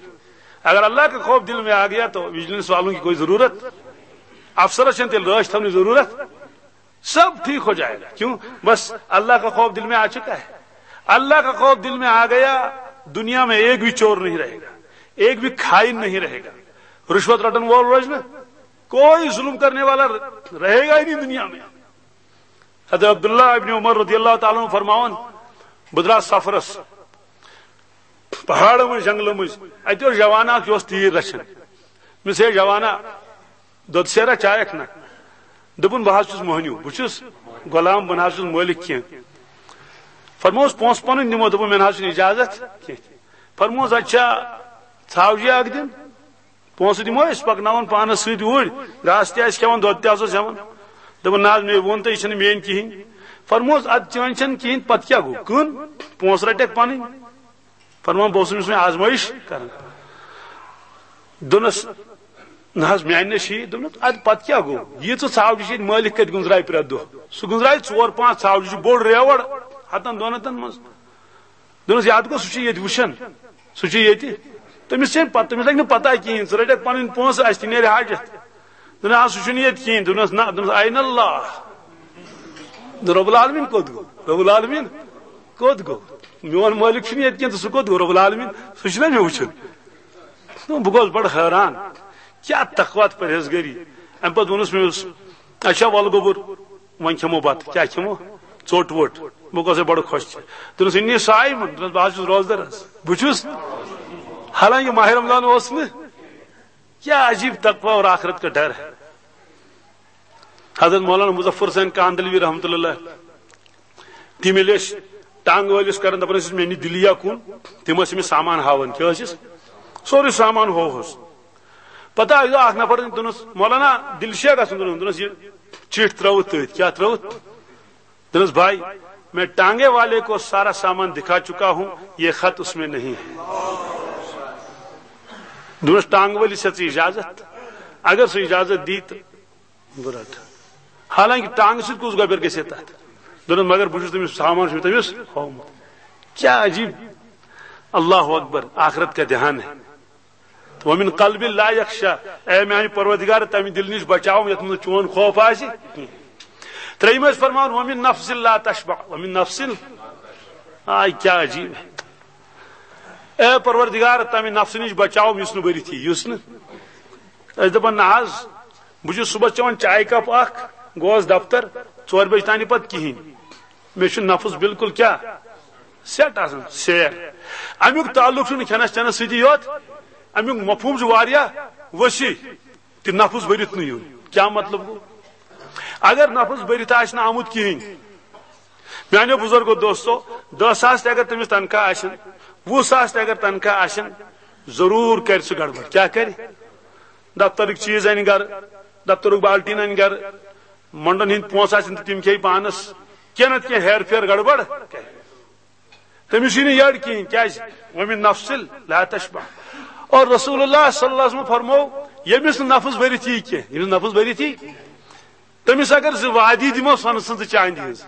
اگر اللہ کا خوف دل میں آ گیا تو وجلنس والوں کی کوئی ضرورت، افسرس چھنہٕ تیٚلہِ رٲچھ تھاونٕچ ضرورت۔ سب ٹھیک ہو جائے گا۔ کیوں؟ بس اللہ کا خوف دل میں آ چکا ہے۔ اللہ کا خوف دل میں آ گیا، دنیا میں ایک بھی چور نہیں رہے گا، ایک بھی خائن نہیں رہے گا، رشوت رٹن وول روزِ نہٕ، کوئی ظلم کرنے والا رہے گا ہی نہیں دنیا میں۔ حضرت عبداللہ ابن عمر رضی اللہ تعالیٰ عنہ فرماوان، بہٕ درٛاس سفرس، پہاڑن منٛز، جنگلن منٛز، اتہِ اوس جوانا اکھ، یہِ اوس تیٖر رچھان۔ مےٚ دوٚپمس، ہے جوانا، دۄد سیرا چایکھ نا؟ دوٚپُن، بہٕ حظ چھُس مۄہنیو، بہٕ چھُس غلام، بہٕ نہ حظ چھُس مٲلِک کینٛہہ۔ فرموس، پونٛسہٕ پنٕنۍ دِمو۔ دوٚپُن، مےٚ نہ حظ چھُنہٕ اجازت کینٛہہ۔ فرموس، اچھا، ژھاوجہِ اکھ دِن؟ پونٛسہٕ دِمو أسۍ، پکناوون پانس سۭتۍ اوٗرۍ، گاسہٕ تہِ آسہِ کھٮ۪وان، دۄد تہِ آسوس ہٮ۪وان۔ دوٚپُن، نہ حظ، مےٚ ووٚن تہٕ یہِ چھَنہٕ میٛٲنۍ کِہیٖنۍ۔ فرموس، اَدٕ چٲنۍ چھَنہٕ کِہیٖنۍ، پتہٕ کیٛاہ گوٚو؟ کٕن، پونٛسہٕ رَٹَکھ پنٕنۍ۔ فرمان، بہٕ اوسُس أمِس وۄنۍ آزمٲیِش کران۔ دوٚپنَس، نہ حظ، میٛانہِ نہ چھِ یہِ۔ دوٚپنَس، اَدٕ پتہٕ کیٛاہ گوٚو؟ یہِ ژٕ ژھاوجہِ چھِ ییٚتہِ مٲلِک کَتہِ گُنٛزرایہِ پرٛٮ۪تھ دۄہ؟ سُہ گُنٛزرایہِ ژور پانٛژھ ژھاوجہِ، چھُ بوٚڑ ریوَڑ، ہَتَن دۄن ہَتَن منٛز۔ دوٚپنَس، یَتھ گوٚو، سُہ چھُ ییٚتہِ وٕچھان، سُہ چھُ ییٚتہِ۔ تٔمِس چھَنہٕ پَتہٕ، تٔمِس لَگہِ نہٕ پَتہ کِہیٖنۍ، ژٕ رَٹَکھ پَنٕنۍ پونٛسہٕ، اَسہِ تہِ نیرِ حاجت۔ دوٚپنَس، آ، سُہ چھُنہٕ ییٚتہِ کِہیٖنۍ۔ دوٚپنَس، نہ، دوٚپنَس، عین اللہ۔ دوٚپُن، رب العالمین کوٚت گوٚو؟ رب العالمین کوٚت گوٚو؟ میون مٲلِک چھُنہٕ ییٚتہِ کِہیٖنۍ، تہٕ سُہ کوٚت گوٚو؟ رب العالمین، سُہ چھُنہ مےٚ وٕچھُن؟ دوٚپُن، بہٕ گوٚوُس بَڑٕ حٲران، کیٛاہ تقویٰ تہٕ پرہیزگٲری۔ اَمہِ پَتہٕ ووٚنُس مےٚ، یُس، اچھا، وَلہٕ گوٚبُر، وۄنۍ کھٮ۪مو بَتہٕ۔ کیٛاہ کھٮ۪مو؟ ژوٚٹ ووٚٹ۔ بہٕ گوٚوُس بَڑٕ خۄش۔ دوٚپنَس، انی صائم، دوٚپنَس، بہٕ حظ چھُس روزدَر حظ، بہٕ چھُس۔ حالانکہ ماہِ رمضان اوس نہٕ۔ کیا عجیب تقوی اور آخرت کا ڈر ہے۔ حضرت مولانا مظفر حسین کاندھلوی رحمۃ اللہ، تِم ییٚلہِ ٲسۍ ٹانٛگہٕ وٲلِس کران، دَپان ٲسِس، "مےٚ نہِ دِلیا کُن"، تِم ٲسۍ أمِس سامان ہاوان۔ کیٛاہ ٲسِس؟ سورُے سامان ہووہَس۔ پتہٕ آیہِ اکھ نفر، دوٚپنَس، "مولانا، دِلہِ چھا گژھُن؟" دوٚپنَس، دوٚپنَس، "یہِ چِٹھۍ ترٲوٕتھ تٔتھۍ۔" کیٛاہ ترٲوٕتھ؟ دوٚپنَس، "بھائی، میں ٹانگے والے کو سارا سامان دکھا چکا ہوں، یہ خط اس میں نہیں ہے۔" دوٚپنَس، "ٹانگہٕ وٲلِس ہیٚژ ژٕ اجازت؟ اگر سُہ اجازت دی تہٕ بہٕ رَٹہٕ۔" حالانکہ ٹانگہٕ سۭتۍ کُس گۄبٮ۪ر گژھِ ہے تَتھ؟ دوٚپنَس، "مگر بہٕ چھُس تٔمِس سامان چھُس تٔمِس ہوومُت۔" کیا عجیب، اللہ اکبر، آخرت کا دھیان ہے۔ ومن قلب لا یخشا، اے میانہِ پروردگار، تمہِ دِلہِ نِش بچاو یتھ منٛز چون خوف آسہِ۔ ترٛیٚیِم ٲسۍ فرماوان، ومن نفس لا تشبع، ومن نفس، آے کیا عجیب ہے۔ اے پروردگار، تمہِ نفسہٕ نِش بچاو یُس نہٕ بٔرِتھ یی، یُس نہٕ۔ أسۍ دپان، نہ حظ، بہٕ چھُس صبحس چٮ۪وان چایہِ کپ اکھ، گوس دفتر، ژورِ بجہِ تانۍ پتہٕ کِہیٖنۍ۔ مےٚ چھُ نفس بالکل کیٛاہ؟ سیٹ آسان، سیر۔ امیُک تعلق چھُنہٕ کھٮ۪نس چٮ۪نس سۭتی یوت، امیُک مفہوم چھُ واریاہ وسیع۔ تہِ نفس بٔرِتھ نہٕ یُن۔ کیٛاہ مطلب گوٚو؟ اگر نفس بٔرِتھ آسہِ نہٕ آمُت کِہیٖنۍ، میانیو بزرگو دوستو، دہ ساس تہِ اگر تٔمِس تنخواہ آسن، وُہ ساس تہِ اگر تنخواہ آسن، ضروٗر کرِ سُہ گڑبڑ۔ کیٛاہ کرِ؟ دفترٕکۍ چیٖز انہِ گرٕ، دفترُک بالٹیٖن انہِ گرٕ، مۄنڈن ہٕنٛدۍ پونٛسہٕ آسن تہٕ تِم کھیٚیہِ پانس، کینٛہہ نتہٕ کینٛہہ ہیر پھیر گڑبڑ کرِ۔ تٔمِس یی نہٕ یٔڈ کِہیٖنۍ، کیٛازِ؟ ومن نفس لا تشبع۔ اور رسول اللہ صلی اللہ علیہ وسلم فرمو، ییٚمِس نہٕ نفس بٔرِتھ یی کینٛہہ، ییٚمِس نفس بٔرِتھ یی، تٔمِس اگر زٕ وادی دِمو سۄنہٕ سٕنٛز تہٕ چاندِ ہٕنٛز،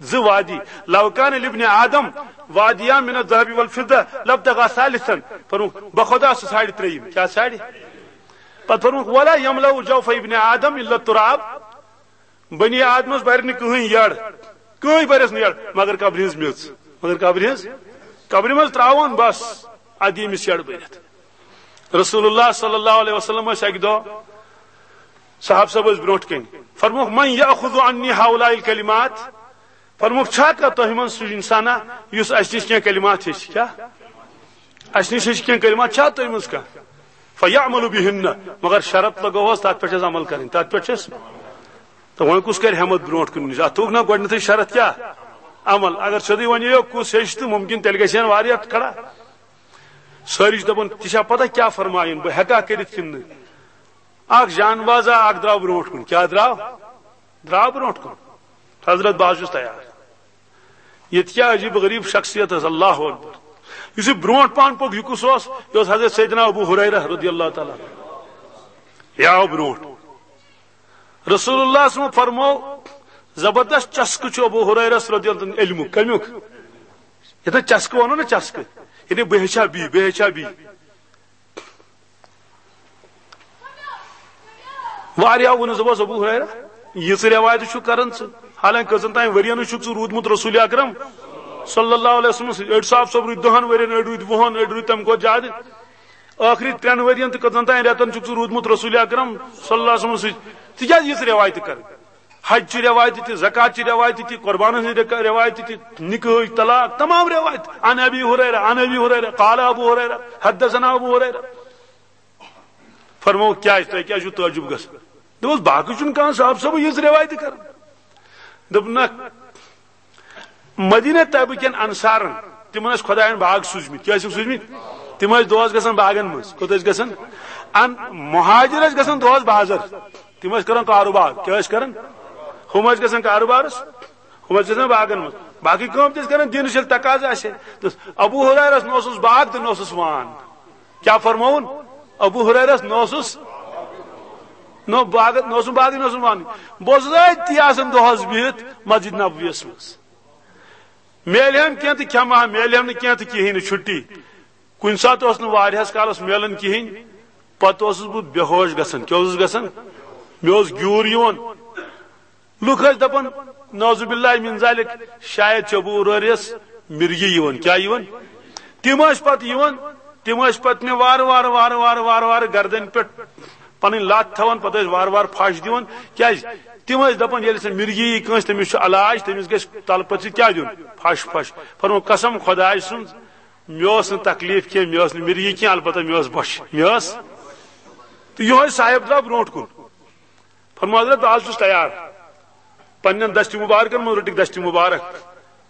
زٕ وادی، لو کان لابن آدم وادیان من الذهب والفضة لابتغى ثالثا۔ فرمووُکھ، بخدا سُہ ژھانڈِ ترٛیٚیِم۔ کیٛاہ ژھانڈِ؟ پتہٕ فرمووُکھ، ولا يملأ جوف ابن آدم الا التراب۔ بنی آدمس بَرِ نہٕ کٕہٕنۍ یٔڈ، کٕہٕنۍ بَرٮ۪س نہٕ یٔڈ، مگر قبرِ ہٕنٛز میٚژ، مگر قبرِ ہٕنٛز، قبرِ منٛز ترٛاوان بس، اَدٕ ییٚمِس یٔڈ بٔرِتھ۔ رسول اللہ صلی اللہ علیہ وسلم ٲسۍ اَکہِ دۄہ، صحابہٕ صٲب ٲسۍ برونٛٹھ کَنہِ، فرمووُکھ، من یأخذ عنی هؤلاء الکلمات؟ فرمووُکھ، چھا کانٛہہ تۄہہِ منٛز سُہ انسانا یُس اَسہِ نِش کینٛہہ کلمات ہیٚچھِ؟ کیٛاہ؟ اَسہِ نِش ہیٚچھِ کینٛہہ کلمات، چھا تۄہہِ منٛز کانٛہہ؟ فیعمل بہن، مگر شرط لگووس، تَتھ پٮ۪ٹھ چھِ اَسہِ عمل کَرٕنۍ، تَتھ پٮ۪ٹھ چھِ اَسہِ۔ تہٕ وۄنۍ کُس کَرِ ہٮ۪مت برونٛٹھ کُن نِش؟ اَتھ تھوٚوُکھ نا گۄڈٕنٮ۪تھٕے شرط کیٛاہ؟ عمل۔ اگر سیوٚدُے وَنہِ یو کُس ہیٚچھِ تہٕ مُمکِن تیٚلہِ گژھِ ہن واریاہ کھڑا۔ سٲری چھِ دَپان، "تہِ چھا پتہ کیٛاہ فرمایُن، بہٕ ہٮ۪کا کٔرِتھ کِنہٕ نہٕ؟" اکھ جان بازا اکھ درٛاو برونٛٹھ کُن۔ کیٛاہ درٛاو؟ درٛاو برونٛٹھ کُن۔ حضرت، بہٕ حظ چھُس تیار۔ ییٚتہِ کیٛاہ عجیٖب غریٖب شخصیت ٲس، اللہ اکبر۔ یُس یہِ برونٛٹھ پہن پوٚک، یہِ کُس اوس؟ یہِ اوس حضرت سیدنا ابو ہریرہ رضی اللہ تعالیٰ عنہ۔ یہِ آو برونٛٹھ۔ رسول اللہ صلی اللہ علیہ وسلم فرموو، زبردست چسکہٕ چھُ ابو ہریرس رضی اللہ عنہ علمُک۔ کمیُک؟ یتھ چسکہٕ ونو نا، چسکہٕ، یعنی بہٕ ہیٚچھا بی، بہٕ ہیٚچھا بی۔ واریاہ ووٚنُس، دوٚپُس، ابو ہریرہ، یِژٕ رٮ۪وایتہٕ چھُکھ کران ژٕ، حالانکہ کٔژن تام ؤرین چھُکھ ژٕ روٗدمُت رسول اکرم صلی اللہ علیہ وسلم سۭتۍ۔ أڑۍ صاحب صٲب روٗدۍ دہن ؤرین، أڑۍ روٗدۍ وُہن، أڑۍ روٗدۍ تمہِ کھۄتہٕ زیادٕ۔ ٲخری ترٛٮ۪ن ؤرین تہٕ کٔژن تام رٮ۪تن چھُکھ ژٕ روٗدمُت رسول اکرم صلی اللہ علیہ وسلمس سۭتۍ؟ ژٕ کیازِ یِژھ رٮ۪وایتہٕ کرٕ؟ حج چہِ رٮ۪وایتہِ تہِ، زکات چہِ رٮ۪وایتہِ تہِ، قربانن ہٕنٛز رٮ۪کا-، رٮ۪وایتہِ تہِ، نکاحٕچ، طلاق، تمام رٮ۪وایتہٕ۔ عن ابی ہریرہ، عن ابی ہریرہ، قال ابو ہریرہ، حدثنا ابو ہریرہ۔ فرموو، کیازِ؟ تۄہہِ کیازِ چھُو تعجب گژھان؟ دوٚپُس، باقٕے چھُنہٕ کانٛہہ صاحب صٲبٕے یِژھ رٮ۪وایتہٕ کران۔ دوٚپُن، نہ، مدینہ طیبہ کٮ۪ن انصارن، تِمن ٲسۍ خۄداین باغ سوٗزمٕتۍ۔ کیٛاہ ٲسِکھ سوٗزمٕتۍ؟ تِم ٲسۍ دۄہس گژھان باغن منٛز۔ کوٚت ٲسۍ گژھان؟ ان-، مہاجر ٲسۍ گژھان دۄہس بازر۔ تِم ٲسۍ کران کاروبار۔ کیٛاہ ٲسۍ کران؟ ہُم ٲسۍ گژھان کاروبارس، ہُم ٲسۍ گژھان باغن منٛز۔ باقٕے کٲم تہِ ٲسۍ کران، دِنس ییٚلہِ تقاضہٕ آسہِ ہے۔ تہٕ ابو ہریرس نہ اوسُس باغ تہٕ نہ اوسُس وان۔ کیٛاہ فرمووُن؟ ابو ہریرس نہ اوسُس، نہ باغ، نہ اوسُم باغ، نہ اوسُم وان۔ بہٕ اوسُس أتی آسان دۄہس بِہِتھ مسجد نبویس منٛز۔ میلہِ ہم کینٛہہ تہٕ کھٮ۪مہٕ ہا، میلہِ ہم نہٕ کینٛہہ تہٕ کِہیٖنۍ نہٕ، چھُٹی۔ کُنہِ ساتہٕ اوس نہٕ واریاہس کالس میلان کِہیٖنۍ، پتہٕ اوسُس بہٕ بے ہوش گژھان۔ کیٛاہ اوسُس گژھان؟ مےٚ اوس گیوٗر یِوان۔ لُکھ ٲسۍ دپان، نعوذ باللہ من ذالک، شاید چھُ ابو ہریرس مرگی یِوان۔ کیٛاہ یِوان؟ تِم ٲسۍ پتہٕ یِوان، تِم ٲسۍ پتہٕ مےٚ وارٕ وارٕ، وارٕ وارٕ، وارٕ وارٕ گردنہِ پٮ۪ٹھ پنٕنۍ لتھ تھاوان، پتہٕ ٲسۍ وارٕ وارٕ پھش دِوان۔ کیٛازِ؟ تِم ٲسۍ دپان، ییٚلہِ سۄ مرگی یی کٲنٛسہِ، تٔمِس چھُ علاج، تٔمِس گژھِ تلہٕ پتہٕ سۭتۍ کیٛاہ دیُن؟ پھش، پھش۔ فرموو، قسم خۄداے سُنٛد، مےٚ اوس نہٕ تکلیف کینٛہہ، مےٚ ٲس نہٕ مرگی کینٛہہ، البتہ مےٚ ٲس بۄچھِ، مےٚ ٲس۔ تہٕ یِہوٚے صاحب درٛاو برونٛٹھ کُن۔ فرموو، حضرت، بہٕ حظ چھُس تیار۔ پننٮ۪ن دستِ مبارکن منٛز رٔٹِکھ دستِ مبارک۔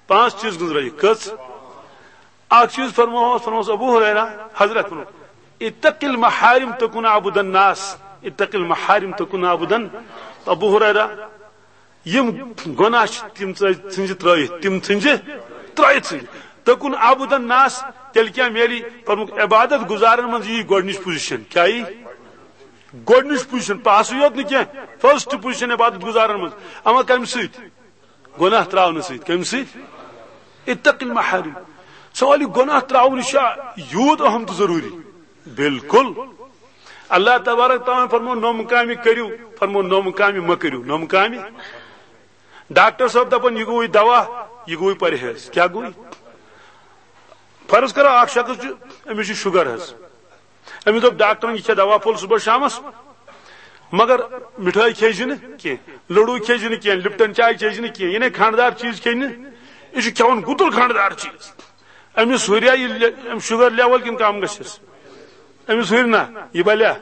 پانٛژھ چیٖز گٔنٛزرٲیِکھ۔ کٔژ؟ اکھ چیٖز فرمووس، فرمووس ابو ہریرہ، حضرت فرموو، اتق المحارم تکن عبد الناس، اتق المحارم تکن عبدا۔ ابو ہریرہ، یِم گۄناہ چھِ، تِم ژٕ-، ژھٕنجہِ ترٲیِتھ، تِم ژھٕنجہِ ترٲیِتھ، ژھٕنجہِ۔ تکن عبد الناس، تیٚلہِ کیٛاہ میلی؟ فرمووُکھ، عبادت گزارن منٛز یی گۄڈٕنِچ پوزیشن۔ کیٛاہ یی؟ گۄڈٕنِچ پوزیشن، پاسٕے یوت نہٕ کینٛہہ، فرسٹ پوزیشن عبادت گزارن منٛز۔ اما کمہِ سۭتۍ؟ گۄناہ تراونہٕ سۭتۍ۔ کمہِ سۭتۍ؟ اتق المحارم۔ سوال، یہِ گۄناہ تراوُن، یہِ چھا یوٗت اہم تہٕ ضروٗری؟ بالکل۔ اللہ تبارک تعالیٰ فرموو، نوٚم کامہِ کٔرِو، فرموو، نوٚم کامہِ مہ کٔرِو، نوٚم کامہِ۔ ڈاکٹر صٲب دپان، یہِ گوٚوٕے دوا، یہِ گوٚوٕے پرہیز۔ کیٛاہ گوٚوٕے؟ فرض کرو، اکھ شخص چھُ، أمِس چھُ شُگر حظ، أمِس دوٚپ ڈاکٹرن، یہِ کھےٚ دوا پھوٚل صبحس شامس، مگر مِٹھٲے کھیٚیہِ زِ نہٕ کینٛہہ، لڈوٗ کھیٚیہِ زِ نہٕ کینٛہہ، لپٹن چاے چیٚیہِ زِ نہٕ کینٛہہ، یہِ نے کھنٛڈدار چیٖز کھیٚیہِ نہٕ، یہِ چھُ کھٮ۪وان گُتُل کھنٛڈدار چیٖز۔ أمِس ہُریا یہِ لے-، أمِس شُگر لیول کِنہٕ کم گژھٮ۪س؟ أمِس ہُرِ نہ، یہِ بلیا۔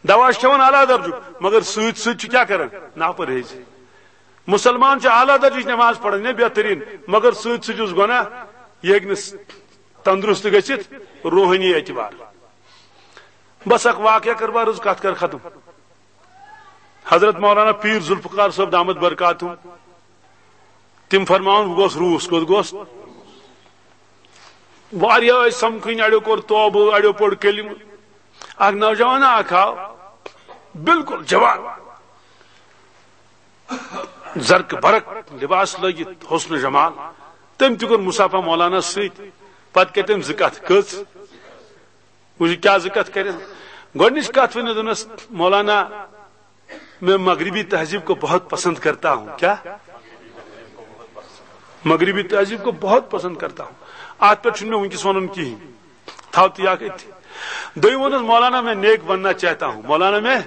دوا چھُ کھٮ۪وان اعلیٰ درجُک، مگر سۭتۍ سۭتۍ چھُ کیٛاہ کران؟ ناپرہیزی۔ مُسلمان چھُ اعلیٰ درجٕچ نماز پران، یہِ بہتریٖن، مگر سۭتۍ سۭتۍ یُس گۄناہ، یہِ ہیٚکہِ نہٕ تندرست گٔژھِتھ روحٲنی اعتبار۔ بس اکھ واقعہ کر بہٕ عرض، کتھ کر ختم۔ حضرت مولانا پیر ذوالفقار صٲب دامت برکاتہم، تِم فرماوان، بہٕ گوس روٗس، کوٚت گوس؟ واریاہ ٲسۍ سمکھٕنۍ، اڑیو کوٚر توبہٕ، اڑیو پوٚر کلمہٕ۔ اکھ نوجوان اکھ آو، بالکل جوان، زرق برق لباس لٲگِتھ، حسن جمال۔ تٔمۍ تہِ کوٚر مصافہ مولانا سۭتۍ۔ پتہٕ کٔرۍ تٔمۍ زٕ کتھٕ۔ کٔژ؟ وٕچھ کیٛاہ زٕ کتھٕ کٔرِن۔ گۄڈٕنِچ کتھ ؤنِتھ دوٚپنس، مولانا، میں مغربی تہذیب کو بہت پسند کرتا ہوں۔ کیا؟ مغربی تہذیب کو بہت پسند کرتا ہوں۔ اتھ پٮ۪ٹھ چھُنہٕ مےٚ وٕنکیٚس ونُن کِہیٖنۍ۔ تھاو تہِ یہِ اکھ أتھی۔ دوٚیِم ووٚنُس، مولانا، میں نیک بننا چاہتا ہوں۔ مولانا، میں،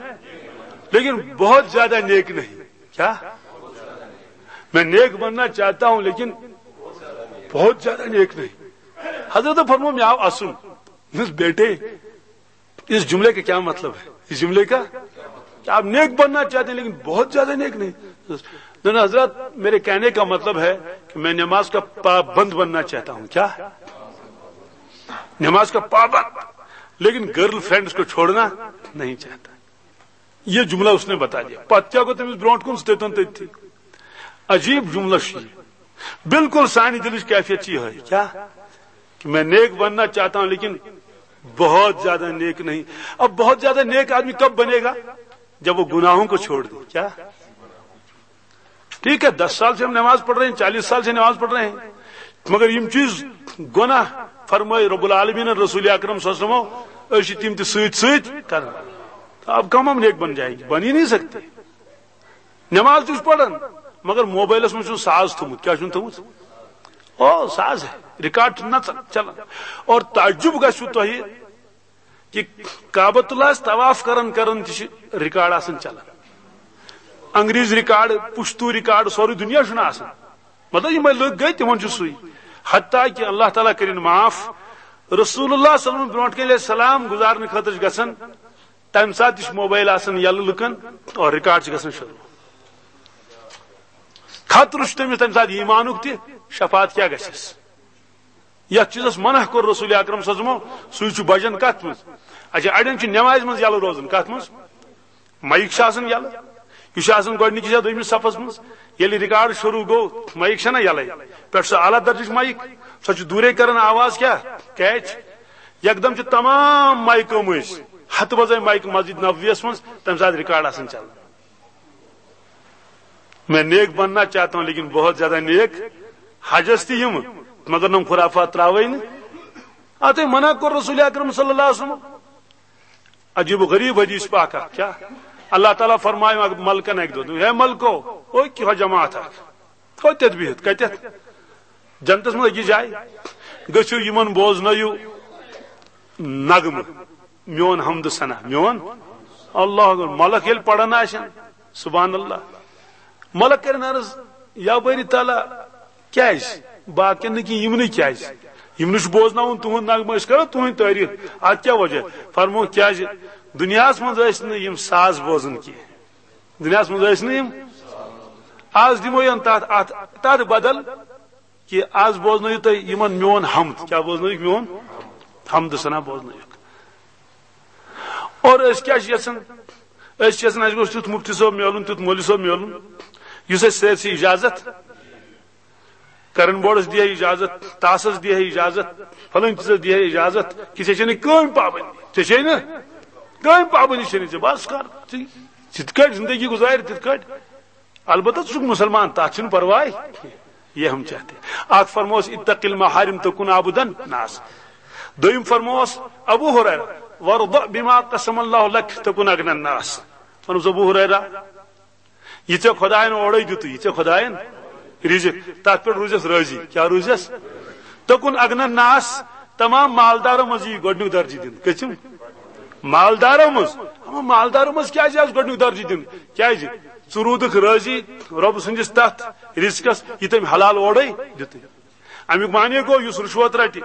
لیکن بہت زیادہ نیک نہیں۔ کیا؟ میں نیک بننا چاہتا ہوں، لیکن بہت زیادہ نیک نہیں۔ حضرت فرمو، مےٚ آو اسُن۔ دوٚپنس، بیٹے، اس جملے کا کیا مطلب ہے؟ اس جملے کا، کہ آپ نیک بننا چاہتے ہیں لیکن بہت زیادہ نیک نہیں۔ دوٚپنس، حضرت، میرے کہنے کا مطلب ہے کہ میں نماز کا پابند بننا چاہتا ہوں۔ کیا؟ نماز کا پابند، لیکن گرل فرینڈز کو چھوڑنا نہیں چاہتا۔ یہ جملہ اس نے بتا دیا۔ پتہٕ کیٛاہ گوٚو تٔمِس برونٛٹھ کُن؟ سُہ تٔتۍ تُن تٔتھی۔ عجیب جملہ چھُ یہِ۔ بالکل سانہِ دِلٕچ کیفیت چھِ یِہوٚے۔ کیا؟ کہ میں نیک بننا چاہتا ہوں، لیکن بہت زیادہ نیک نہیں۔ اب بہت زیادہ نیک آدمی کب بنے گا؟ جب وہ گناہوں کو چھوڑ دے۔ کیا؟ ٹھیک ہے، دس سال سے ہم نماز پڑھ رہے ہیں، چالیس سال سے نماز پڑھ رہے ہیں، مگر یِم چیٖز گۄناہ فرمٲے رب العالمین رسول اکرم صلی اللہ علیہ وسلم، أسۍ چھِ تِم تہِ سۭتۍ سۭتۍ کران۔ تو اب کم ہم نیک بن جائیں گے؟ بن ہی نہیں سکتے۔ نماز تہِ چھُس پران، مگر موبائلس منٛز چھُ ساز تھوٚمُت۔ کیٛاہ چھُن تھوٚمُت؟ او، ساز ہے، ریکارڈ چھُ نژان، چلان۔ اور تعجب گژھِوٕ تۄہہِ، کہ کعبۃ اللہ طواف کران کران تہِ چھِ ریکارڈ آسان چلان۔ انگریز ریکارڈ، پشتو ریکارڈ، سورُے دُنیا چھُنہٕ آسان۔ مطلب، یِمے لُکھ گٔے، تِمن چھُ سُے۔ حتیٰ کہ اللہ تعالیٰ کٔرِن معاف، رسول اللہ صلی اللہ علیہ وسلم برونٛٹھ کَنہِ ییٚلہِ سلام گُزارنہٕ خٲطرٕ چھِ گژھان، تَمہِ ساتہٕ تہِ چھُ موبایل آسان یَلہٕ لُکن اور ریکارڈ چھِ گژھان شروٗع۔ خطرٕ چھُ تٔمِس تَمہِ ساتہٕ ایٖمانُک تہِ، شفاعت کیٛاہ گژھٮ۪س؟ یتھ چیٖزس منع کوٚر رسول اکرم صلی اللہ علیہ وسلم، سُے چھُ بجان کتھ منٛز؟ اچھا، اڑٮ۪ن چھُ نمازِ منٛز یلہٕ روزان، کتھ منٛز؟ مایِک چھِ آسان یلہٕ، یہِ چھُ آسان گۄڈٕنِکِس یا دوٚیمِس صفس منٛز۔ ییٚلہِ ریکارڈ شروٗع گوٚو، مایِک چھَنا یلے؟ پٮ۪ٹھ سُہ اعلیٰ درجٕچ مایِک، سۄ چھِ دوٗرے کران آواز کیٛاہ؟ کیچ۔ یکدم چھِ تمام مایکہٕ مٔنٛزۍ ہتہٕ بزٲے مایکہٕ مسجد نبویَس منٛز تَمہِ ساتہٕ ریکارڈ آسان چلان۔ میں نیک بننا چاہتا ہوں، لیکن بہت زیادہ نیک حجس تہِ یِم، مگر نم خرافات تراوے نہٕ۔ اتھے منع کوٚر رسول اکرم صلی اللہ علیہ وسلم۔ عجیب و غریب حدیث پاک اکھ، کیا؟ اللہ تعالیٰ فرمایہِ ملکن اکہِ دۄہ، ہے ملکو، او کیٛاہ جماعت اکھ، او تتہِ بِہِتھ، کتٮ۪تھ؟ جنتس منٛز أکِس جایہِ۔ گٔژھِو یِمن بوزنٲیِو نغمہٕ، میون حمد ثنا، میون اللہ اکبر۔ ملک ییٚلہِ پران آسن، سبحان اللہ، ملک کرن عرض، یا باری تعالیٰ، کیازِ؟ باقین نہٕ کینٛہہ، یِمنٕے کیازِ؟ یِمنٕے چھُ بوزناوُن تُہُنٛد نغمہٕ، أسۍ کرو تُہٕنٛدۍ تعریٖف۔ اتھ کیٛاہ وجہ؟ فرمو، کیازِ دُنیاہس منٛز ٲسۍ نہٕ یِم ساز بوزان کینٛہہ۔ دُنیاہس منٛز ٲسۍ نہٕ یِم۔ از دِمو یَن تتھ، اتھ، تتھ بدل کہِ از بوزنٲیِو تُہۍ یِمن میون حمد۔ کیٛاہ بوزنٲیِکھ؟ میون حمد ثنا بوزنٲیِکھ۔ اور أسۍ کیٛاہ چھِ یژھان؟ أسۍ چھِ یژھان اَسہِ گوٚژھ تیُتھ مُفتی صٲب میلُن، تیُتھ مولوی صٲب میلُن، یُس اَسہِ سٲرسٕے اِجازت، کرن بورڈس دِیہِ اِجازت، تاسس دِیہِ اِجازت، فلٲنۍ چیٖزس دِیہِ اِجازت، کہِ ژےٚ چھے نہٕ کٕہٕنۍ پابندی، ژےٚ چھے نہٕ کٕہٕنۍ پابندی، چھے نہٕ ژےٚ، بس کر ژٕ، ژٕ تِتھ کٲٹھۍ زندگی گُزارِ، تِتھ کٲٹھۍ۔ البتہ ژٕ چھُکھ مُسلمان، تتھ چھُنہٕ پرواے۔ یہ ہم چاہتے ہیں۔ اکھ فرموس، "اتق المحارم تکن عبد الناس۔" دوٚیِم فرموس ابو ہریرہ، "وارض بما قسم اللہ لک تکن اغنى الناس۔" فرموس ابو ہریرہ، یہِ ژےٚ خۄدایَن اورَے دیُتُے، یہِ ژےٚ خۄدایَن رِزِق، تَتھ پٮ۪ٹھ روٗزِس رٲضی۔ کیٛاہ روٗزِس؟ تکن اغنى الناس، تمام مالدارو منٛز یی گۄڈٕنیُک درجہٕ دِنہٕ۔ کٔژِم؟ مالدارو منٛز۔ اما مالدارو منٛز کیٛازِ آسہِ گۄڈٕنیُک درجہٕ دِنہٕ؟ کیٛازِ؟ ژٕ روٗدُکھ رٲضی رۄب سٕنٛدِس تَتھ رِزقَس، یہِ تٔمۍ حلال اورَے دیُتُے۔ اَمیُک معنی گوٚو، یُس رُشوت رَٹہِ،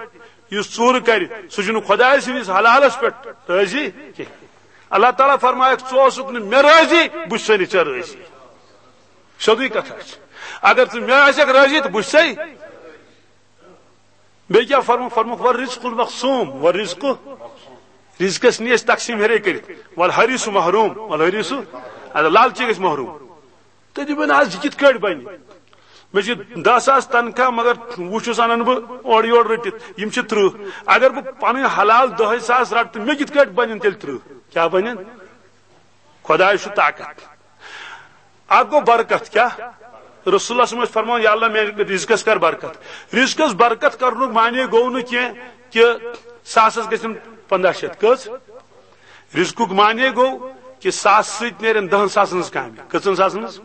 یُس ژوٗرٕ کَرِ، سُہ چھُنہٕ خۄداے سٕنٛدِس حلالَس پٮ۪ٹھ رٲضی کینٛہہ۔ اللہ تعالیٰ فرمایکھ، "ژٕ اوسُکھ نہٕ مےٚ رٲضی، بہٕ چھُسے نہٕ ژےٚ رٲضی۔" سیوٚدُے کتھا چھِ۔ اگر ژٕ مےٚ آسکھ رٲضی تہٕ بہٕ چھُسے۔ بیٚیہِ کیٛاہ فرموو؟ فرمووُکھ، "والرزق المقسوم، والرزق۔" رزقس نی أسۍ تقسیٖم ہیٚرے کٔرِتھ۔ "والحریص محروم، والحریص۔" اَدٕ لالچی گژھِ محروم۔ تہٕ دِپن، "از یہِ کِتھ کٲٹھۍ بنہِ؟ مےٚ چھِ دَہ ساس تنخواہ، مگر وُہ چھُس اَنان بہٕ اورٕ یورٕ رٔٹِتھ، یِم چھِ ترٕٛہ۔ اگر بہٕ پنٕنۍ حلال دَہے ساس رَٹہٕ، تہٕ مےٚ کِتھ کٲٹھۍ بنن تیٚلہِ ترٕٛہ؟ کیٛاہ بنن؟" خۄداے چھُ طاقت۔ اکھ گوٚو برکت۔ کیٛاہ؟ رسول اللہ صلی اللہ علیہ وسلم ٲسۍ فرماوان، "یا اللہ، میٛانہِ رزقس کر برکت۔" رزقس برکت کرنُک معنی گوٚو نہٕ کینٛہہ کہِ ساسس گژھن پنٛداہ شیٚتھ۔ کٔژ؟ رزقُک معنی گوٚو کہِ ساس سۭتۍ نیرن دَہن ساسن ہٕنٛز کامہِ۔ کٔژن ساسن ہٕنٛز؟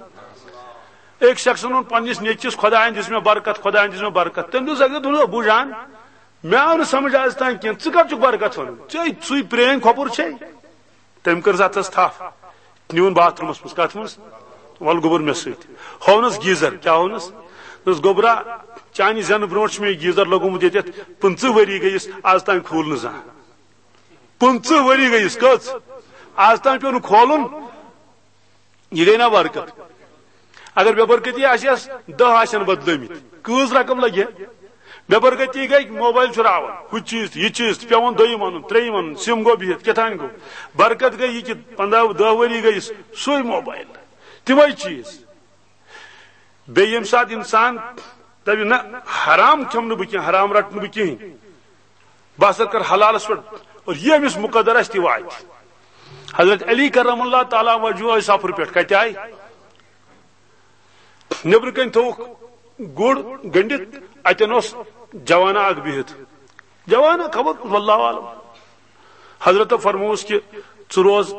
أکۍ شخصن ووٚن پننِس نیٚچوِس، "خۄدایَن دِژ مےٚ برکت، خۄدایَن دِژ مےٚ برکت۔" تٔمۍ دوٚپ، "زَگہِ دوٚپُن، ابوٗ جان، مےٚ آو نہٕ سمجھ آز تام کینٛہہ، ژٕ کَتھ چھُکھ برکت وَنان؟ ژےٚ سُے پرٛٲنۍ کھۄپُر چھے؟" تٔمۍ کٔر اَتھس تھپھ، نیوٗن باتھ روٗمَس منٛز۔ کَتھ منٛز؟ "وَلہٕ گوٚبُر مےٚ سۭتۍ۔" ہوونَس گیٖزر۔ کیٛاہ ہوونَس؟ دوٚپُس، "گوٚبرا، چانہِ زٮ۪نہٕ برونٛٹھ چھُ مےٚ یہِ گیٖزر لوٚگمُت ییٚتٮ۪تھ، پٕنٛژٕہ ؤری گٔیِس، آز تام کھوٗل نہٕ زانٛہہ۔" پٕنٛژٕہ ؤری گٔیِس، کٔژ؟ آز تام پیوٚو نہٕ کھولُن۔ یہِ گٔے نا برکت؟ اگر بے برکتی آسہِ ہس، دَہ آسن بدلٲمٕتۍ، کۭژ رقم لگہِ ہا؟ بے برکتی گٔے، موبایل چھُ راوان، ہُہ چیٖز تہٕ یہِ چیٖز تہٕ، پیوان دوٚیِم اَنُن، ترٛیٚیِم اَنُن، سِم گوٚو بِہِتھ، کیٛاہ تام گوٚو۔ برکت گٔے یہِ کہِ پنٛداہ دَہ ؤری گٔیِس سُے موبایل، تِمے چیٖز۔ بیٚیہِ ییٚمہِ ساتہٕ اِنسان دَپہِ، "نہ، حرام کھٮ۪مہٕ نہٕ بہٕ کینٛہہ، حرام رَٹہٕ نہٕ بہٕ کِہیٖنۍ، بہٕ ہسا کَرٕ حلالَس پٮ۪ٹھ"، اور یہِ أمِس مُقدر آسہِ، تہِ واتہِ۔ حضرت علی کرم اللہ تعالیٰ وجہہ ٲسۍ سفرٕ پٮ۪ٹھ۔ کَتہِ آے؟ نیٚبرٕ کَنۍ تھوٚوُکھ گُر گٔنٛڈِتھ، اَتٮ۪ن اوس جوانا اکھ بِہِتھ۔ جوانا خبر، واللہ عالم۔ حضرتو فرمووُس کہِ، "ژٕ روز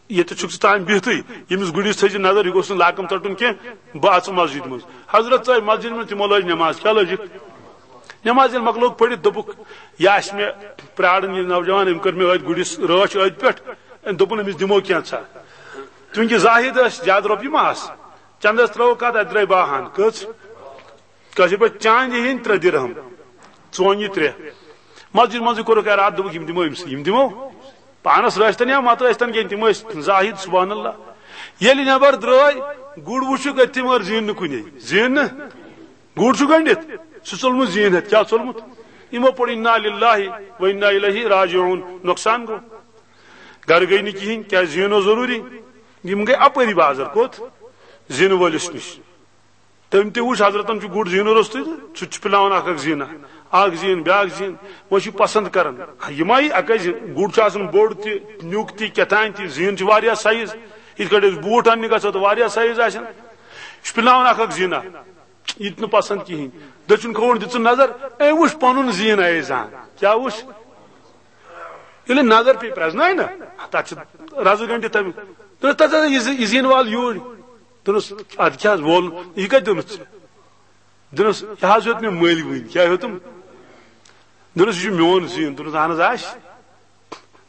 ییٚتہِ، چھُکھ ژٕ تام بِہتھٕے، ییٚمِس گُرِس تھٲیزِ نظر، یہِ گوٚژھ نہٕ لاکم ژَٹُن کینٛہہ، بہٕ اَژٕ مسجد منٛز۔" حضرت ژاے مسجد منٛز، تِمو لٲج نٮ۪ماز۔ کیٛاہ لٲجِکھ؟ نماز ییٚلہِ مۄکلوو پٔرِتھ، دوٚپُکھ، "یہِ آسہِ مےٚ پرٛاران، یہِ نوجوان، أمۍ کٔر مےٚ أتھۍ گُرِس رٲچھ أتھۍ پٮ۪ٹھ، أمۍ دوٚپُن أمِس دِمو کینٛژھا۔" چوٗنٛکہِ زاہد ٲسۍ، زیادٕ رۄپیہِ ما آسہٕ، چندس ترٲوٕکھ کتھ، اتہِ درٛاے باہن۔ کٔژ؟ کٲشِر پٲٹھۍ چاندِ ہِنٛدۍ ترٛےٚ درہم، ژونہِ ترٛےٚ۔ مسجد منٛزٕے کوٚرُکھ ارادٕ، دوٚپُکھ، "یِم دِمو أمِسٕے، یِم دِمو۔" پانس رٲچھتن یا متہٕ ٲسۍتن کینٛہہ، تِم ٲسۍ زاہد، سبحان اللہ۔ ییٚلہِ نٮ۪بر درٛاے، گُر وُچھُکھ أتھۍ، مگر زیٖن نہٕ کُنے، زیٖن نہٕ۔ گُر چھُ گٔنڈِتھ، سُہ ژوٚلمُت زیٖن ہٮ۪تھ۔ کیٛاہ ژوٚلمُت؟ یِمو پوٚر انا للہ و انا الیہ راجعون، نۄقصان گوٚو۔ گرٕ گٔے نہٕ کِہیٖنۍ، کیٛازِ زیٖن اوس ضروٗری۔ یِم گٔے اپٲری بازر، کوٚت؟ زیٖنہٕ وٲلِس نِش۔ تٔمۍ تہِ وُچھ، حضرتن چھُ گُر زیٖنہٕ روٚستُے تہٕ سُہ تہِ چھُ پِلاوان اکھ اکھ زیٖنہ، اکھ زیٖن، بیاکھ زیٖن۔ وۄنۍ چھُ پسند کران، یِمے اکے زیٖن۔ گُر چھُ آسان بوٚڑ تہِ، نیُک تہِ، کیٛاہ تام تہِ، زیٖن چھِ واریاہ سایز۔ یِتھ کٲٹھۍ أسۍ بوٗٹ اننہِ گژھو تہٕ واریاہ سایز آسن۔ یہِ چھُ پِلاوان اکھ اکھ زیٖنہ۔ یہِ تہِ نہٕ پسند کِہیٖنۍ۔ دٔچھُن کھووُر دِژٕن نظر، أمۍ وُچھ پنُن زیٖن ایزان۔ کیٛاہ وُچھ؟ ییٚلہِ نظر پیٚیہِ پرٛزنایہِ نہ، تَتھ چھِ رَزٕ گٔنٛڈِتھ تَمہِ۔ دوٚپنَس، "تَتھ ہسا یہِ زِ-، یہِ زیٖن وال یوٗرۍ۔" دوٚپنَس، "اَدٕ کیٛاہ حظ وول؟ یہِ کَتہِ دوٚنُتھ ژےٚ؟" دوٚپنَس، "یہِ حظ ہیوٚت مےٚ مٔلۍ وٕنۍ۔" کیٛاہ ہیوٚتُم؟ دوٚپنَس، "یہِ چھُ میون زیٖن۔" دوٚپنَس، "اَہَن حظ آسہِ۔"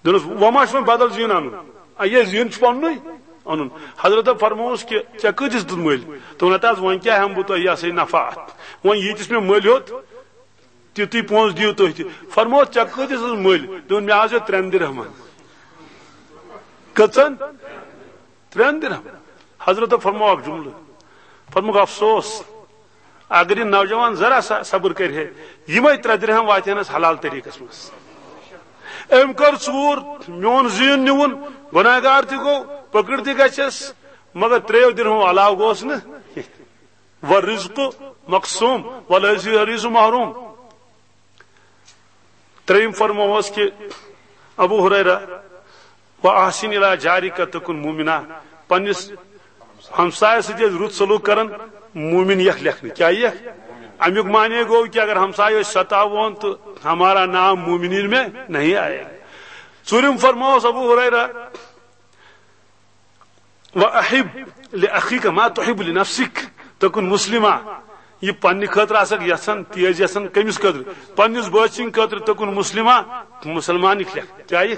دوٚپنَس، "وۄنۍ ما چھُ وۄنۍ بدل زیٖن اَنُن؟ آ، یہِ زیٖن چھُ پَننُے اَنُن۔" حضرت فرمووُس کہِ، "ژےٚ کۭتِس دیُت مٔلۍ؟" دوٚپُن، "ہَتہٕ حظ، وۄنۍ کیٛاہ ہٮ۪مہٕ بہٕ تۄہہِ یہِ ہسا یہِ نفع اَتھ؟ وۄنۍ ییٖتِس مےٚ مٔلۍ ہیوٚت، تیُتُے پونٛسہٕ دِیِو تُہۍ تہِ۔" فرمووُس، "ژےٚ کۭتِس حظ مٔلۍ؟" دوٚپُن، "مےٚ حظ ہیوٚت ترٛٮ۪ن درہمن۔" کٔژَن؟ ترٛٮ۪ن درہمن۔ حضرت فرموو اکھ جملہٕ۔ فرمووُکھ، افسوس، اگر یہِ نوجوان ذرا سا صبر کرِ ہے، یِمے ترٛےٚ درہم واتہِ ہنس حلال طریقس منٛز۔ أمۍ کٔر ژوٗر، میون زیٖن نیوٗن، گۄناہ گار تہِ گوٚو، پٔکٕر تہِ گژھٮ۪س، مگر ترٛیٚیو درہمو علاوٕ گوٚوس نہٕ۔ والرزق مقسوم، وليس الحريص محروم۔ ترٛیٚیِم فرمووس کہِ ابو ہریرہ، "واحسن الی جارک تکن مومنا"، پننِس ہمسایس سۭتۍ ٲسۍ رُت سلوک کران، مومن یکھ لیکھنہٕ۔ کیٛاہ یکھ؟ امیُک معنی گوٚو کہِ اگر ہمسایہِ ٲسۍ ستاوون تہٕ ہمارا نام مومنین میں نہیں آئے۔ ژوٗرِم فرمووس ابو ہریرہ، "وأحب لأخيك ما تحب لنفسك تكن مسلما"، یہِ پننہِ خٲطرٕ آسکھ یژھان، تیز یژھان، کٔمِس خٲطرٕ؟ پننِس بٲژ سٕنٛدِ خٲطرٕ، "تکن مسلما"، مسلمان یکھ لیکھ۔ کیٛاہ یہِ؟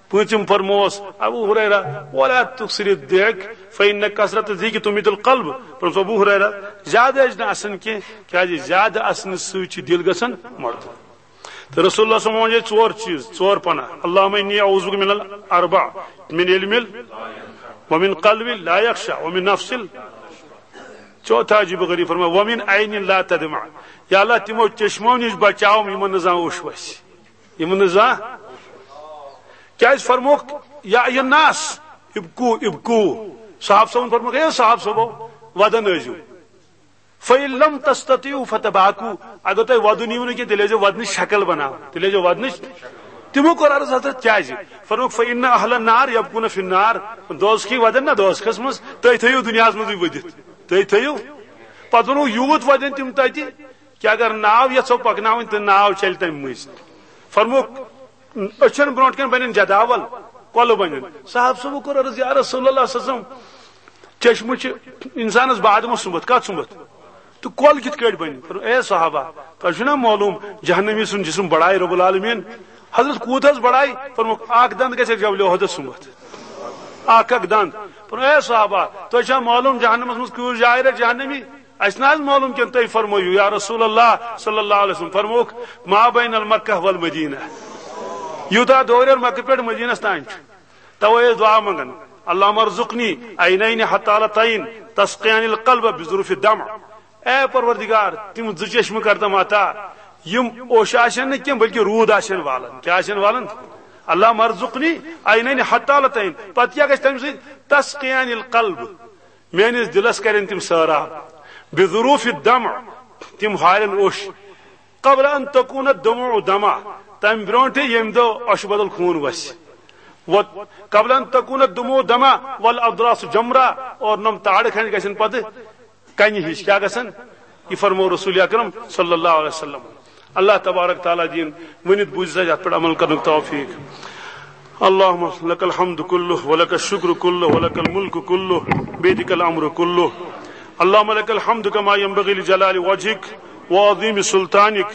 پوٗنٛژِم فرمووس ابو ہریرہ، "ولا تكثر الضحك فإن كثرة الضحك تميت القلب"۔ فرمووس ابو ہریرہ، زیادٕ ٲسۍ نہٕ اسان کینٛہہ، کیٛازِ زیادٕ اسنہٕ سۭتۍ چھِ دِل گژھان مۄٹہٕ۔ تہٕ رسول اللہ صلی اللہ علیہ وسلم ووٚن ییٚتہِ ژور چیٖز، ژور پناہ۔ "اللهم إني أعوذ بك من الأربع، من علم ال-، ومن قلب لا يخشع، ومن نفس ال-"۔ چوتھا عجیب و غریب فرمایا، "ومن عين لا تدمع"۔ یا اللہ، تِمو چشمو نِش بچاوم، یِمن نہٕ زانٛہہ اوٚش وسہِ۔ یِمن نہٕ زانٛہہ۔ کیٛازِ فرموکھ، "یا ایھا الناس، ابکو، ابکو"۔ صحابہٕ صٲبن فرموکھ، "اے صحابہٕ صٲبو، ودن ٲسۍزیو۔" فَإِن لَمْ تَسْتَطِعُوا فَتَبَاكُوا، اگر تۄہہِ وَدُن یِیِو نہٕ کینٛہہ، تیٚلہِ ٲسۍزیو وَدنٕچ شکل بناوان، تیٚلہِ ٲسۍزیو وَدنٕچ۔ تِمو کوٚر عرض، "حضرت، کیٛازِ؟" فرمووُکھ، "فَإِنَّ أَهْلَ النَّارِ يَبْكُونَ فِي النَّارِ"، دوزخی وَدن نہ دوزخس منٛز، تُہۍ تھٲیِو دُنیاہس منٛزٕے ؤدِتھ، تُہۍ تھٲیِو۔ پتہٕ ووٚنُکھ، یوٗت وَدن تِم تَتہِ کہِ اگر ناو یژھو پکناوٕنۍ تہٕ ناو چلہِ تَمہِ مٔنٛزۍ۔ فرمووُکھ، أچھن برونٛٹھ کَنہِ بَنن جداول، کۄلہٕ بَنن۔ صحابہٕ صٲبو کوٚر عرض، "یا رسول اللہ صلی اللہ علیہ وسلم، چشمہٕ چھِ اِنسانَس بعد منٛز سُمبتھ، کَتھ سُمبتھ؟ تہٕ کۄل کِتھ کٲٹھۍ بَنہِ؟" فرموو، "اے صحابہ، تۄہہِ چھُو نا معلوٗم جہنمی سُنٛد جسم بڑایہِ رب العالمین؟" حضرت، "کوٗت حظ بڑایہِ؟" فرمووُکھ، "اَکھ دَنٛد گژھِ جبل احدس سُمبتھ، اَکھ اَکھ دَنٛد۔" فرموو، "اے صحابہ، تۄہہِ چھا معلوٗم جہنمس منٛز کۭژ جایہِ رَٹہِ جہنمی؟" "اَسہِ نہ حظ معلوٗم کینٛہہ، تُہۍ فرمٲیِو یا رسول اللہ صلی اللہ علیہ وسلم۔" فرمووُکھ، "ما بین المکہ والمدینہ"، یوٗتاہ دوٗریر مکہ پٮ۪ٹھ مدینس تام چھُ۔ توے ٲسۍ دعا منٛگان، "اللہم ارزقنی عینین حتالتین تسقیان القلب بظروف الدمع"۔ اے پروردگار، تِم زٕ چشمہٕ کر تم عطا، یِم اوٚش آسن نہٕ کینٛہہ بلکہ روٗد آسن والان۔ کیٛاہ آسن والان؟ "اللہم ارزقنی عینین حتالتین"۔ پتہٕ کیٛاہ گژھِ تمہِ سۭتۍ؟ "تسقیان القلب"، میٲنِس دِلس کرن تِم سٲراب، بظروف الدمع، تِم ہارن اوٚش، قبل ان تکون الدموع دما، تمہِ برونٹھے ییٚمہِ دۄہ اوٚشہِ بدل خوٗن وسہِ، و قبل ان تکون الدموع دما والاضراس جمرا، اور نم تاڑٕ کھنٛج گژھن پتہٕ کنہِ ہِش۔ کیٛاہ گژھن؟ یہِ فرموو رسول اکرم صلی اللہ علیہ وسلم۔ اللہ تبارک تعالیٰ دِیِن ؤنِتھ بوٗزِتھ اَسہِ اَتھ پٮ۪ٹھ عمل کرنُک توفیٖق۔ اللہم لک الحمد کلہ ولک الشکر کلہ ولک الملک کلہ بیدک الامر کلہ۔ اللہم لک الحمد کما ینبغی لجلال وجہک وعظيم سلطانك.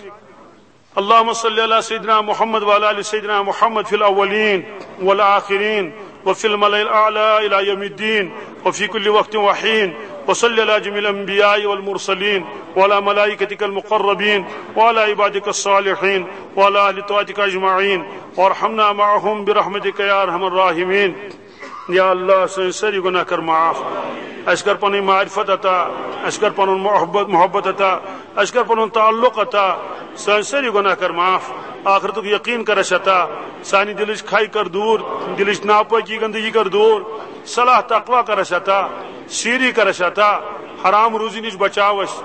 اللهم صل على سيدنا محمد وعلى آل سيدنا محمد في الأولين والآخرين وفي الملأ الأعلى إلى يوم الدين وفي كل وقت وحين. وصل على جميع الأنبياء والمرسلين وعلى ملائكتك المقربين وعلى عبادك الصالحين وعلى أهل طاعتك أجمعين وارحمنا معهم برحمتك يا أرحم الراحمين. یا اللہ، سٲنۍ سٲری گۄناہ کر معاف۔ اَسہِ کر پنٕنۍ معرفت عطا، اَسہِ کر پنُن محبت، محبت عطا، اَسہِ کر پنُن تعلق عطا۔ سٲنۍ سٲری گۄناہ کر معاف۔ آخرتُک یقین کر اَسہِ عطا۔ سانہِ دِلٕچ کھے کر دوٗر، دِلٕچ ناپٲکی گندگی کر دوٗر۔ صلاح تقوی کر اَسہِ عطا۔ سیٖری کر اَسہِ عطا۔ حرام روزی نِش بچاو اَسہِ۔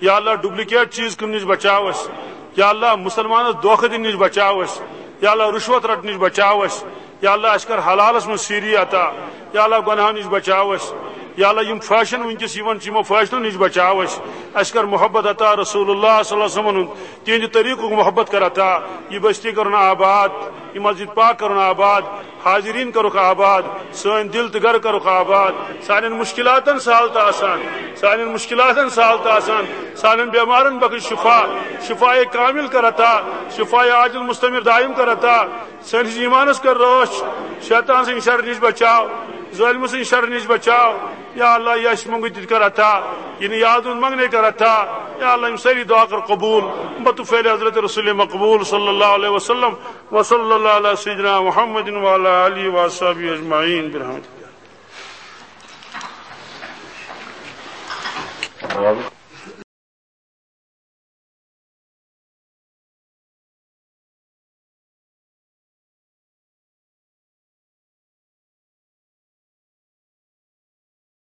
یا اللہ، ڈُپلیکیٹ چیٖز کٕننہٕ نِش بچاو اَسہِ۔ یا اللہ، مُسلمانس دھوکہٕ دِنہٕ نِش بچاو اَسہِ۔ یا اللہ، رُشوت رٹنہٕ نِش بچاو اَسہِ۔ یا اللہ، اَسہِ کر حلالس منٛز سیٖری عطا۔ یا اللہ، گۄناہو نِش بچاو اَسہِ۔ یا اللہ، یِم فیشن وٕنکیٚس یِوان چھِ، یِمو فیشنو نِش بچاو اَسہِ۔ اَسہِ کر محبت عطا رسول اللہ صلی اللہ علیہ وسلمن ہُنٛد، تِہنٛدِ طریٖقُک محبت کر عطا۔ یہِ بستی کرُن آباد، یہِ مسجد پاک کرُن آباد، حاضرین کرُکھ آباد، سٲنۍ دِل تہٕ گرٕ کرُکھ آباد۔ سانٮ۪ن مُشکِلاتن سہل تہٕ آسان، سانٮ۪ن مُشکِلاتن سہل تہٕ آسان، سانٮ۪ن بٮ۪مارن بخش شفا، شفایے کامل کر عطا، شفایے عاجل مستمر دائم کر عطا۔ سٲنِس ایٖمانس کر رٲچھ، شیطان سٕنٛدِ شرٕ نِش بچاو، ظٲلمہٕ سٕنٛدِ شرٕ نِش بچاو۔ یا اللہ، یہِ اَسہِ منٛگُن تہِ کر عطا، یہِ نہٕ یاد اوٚن منٛگنے کر عطا۔ یا اللہ، یِم سٲری دعا کر قبول۔ بطفیل حضرت رسول مقبول صلی اللہ علیہ وسلم۔ وصلی اللہ علی سیدنا محمد وعلی آلہ وصحبہ اجمعین برحمتک۔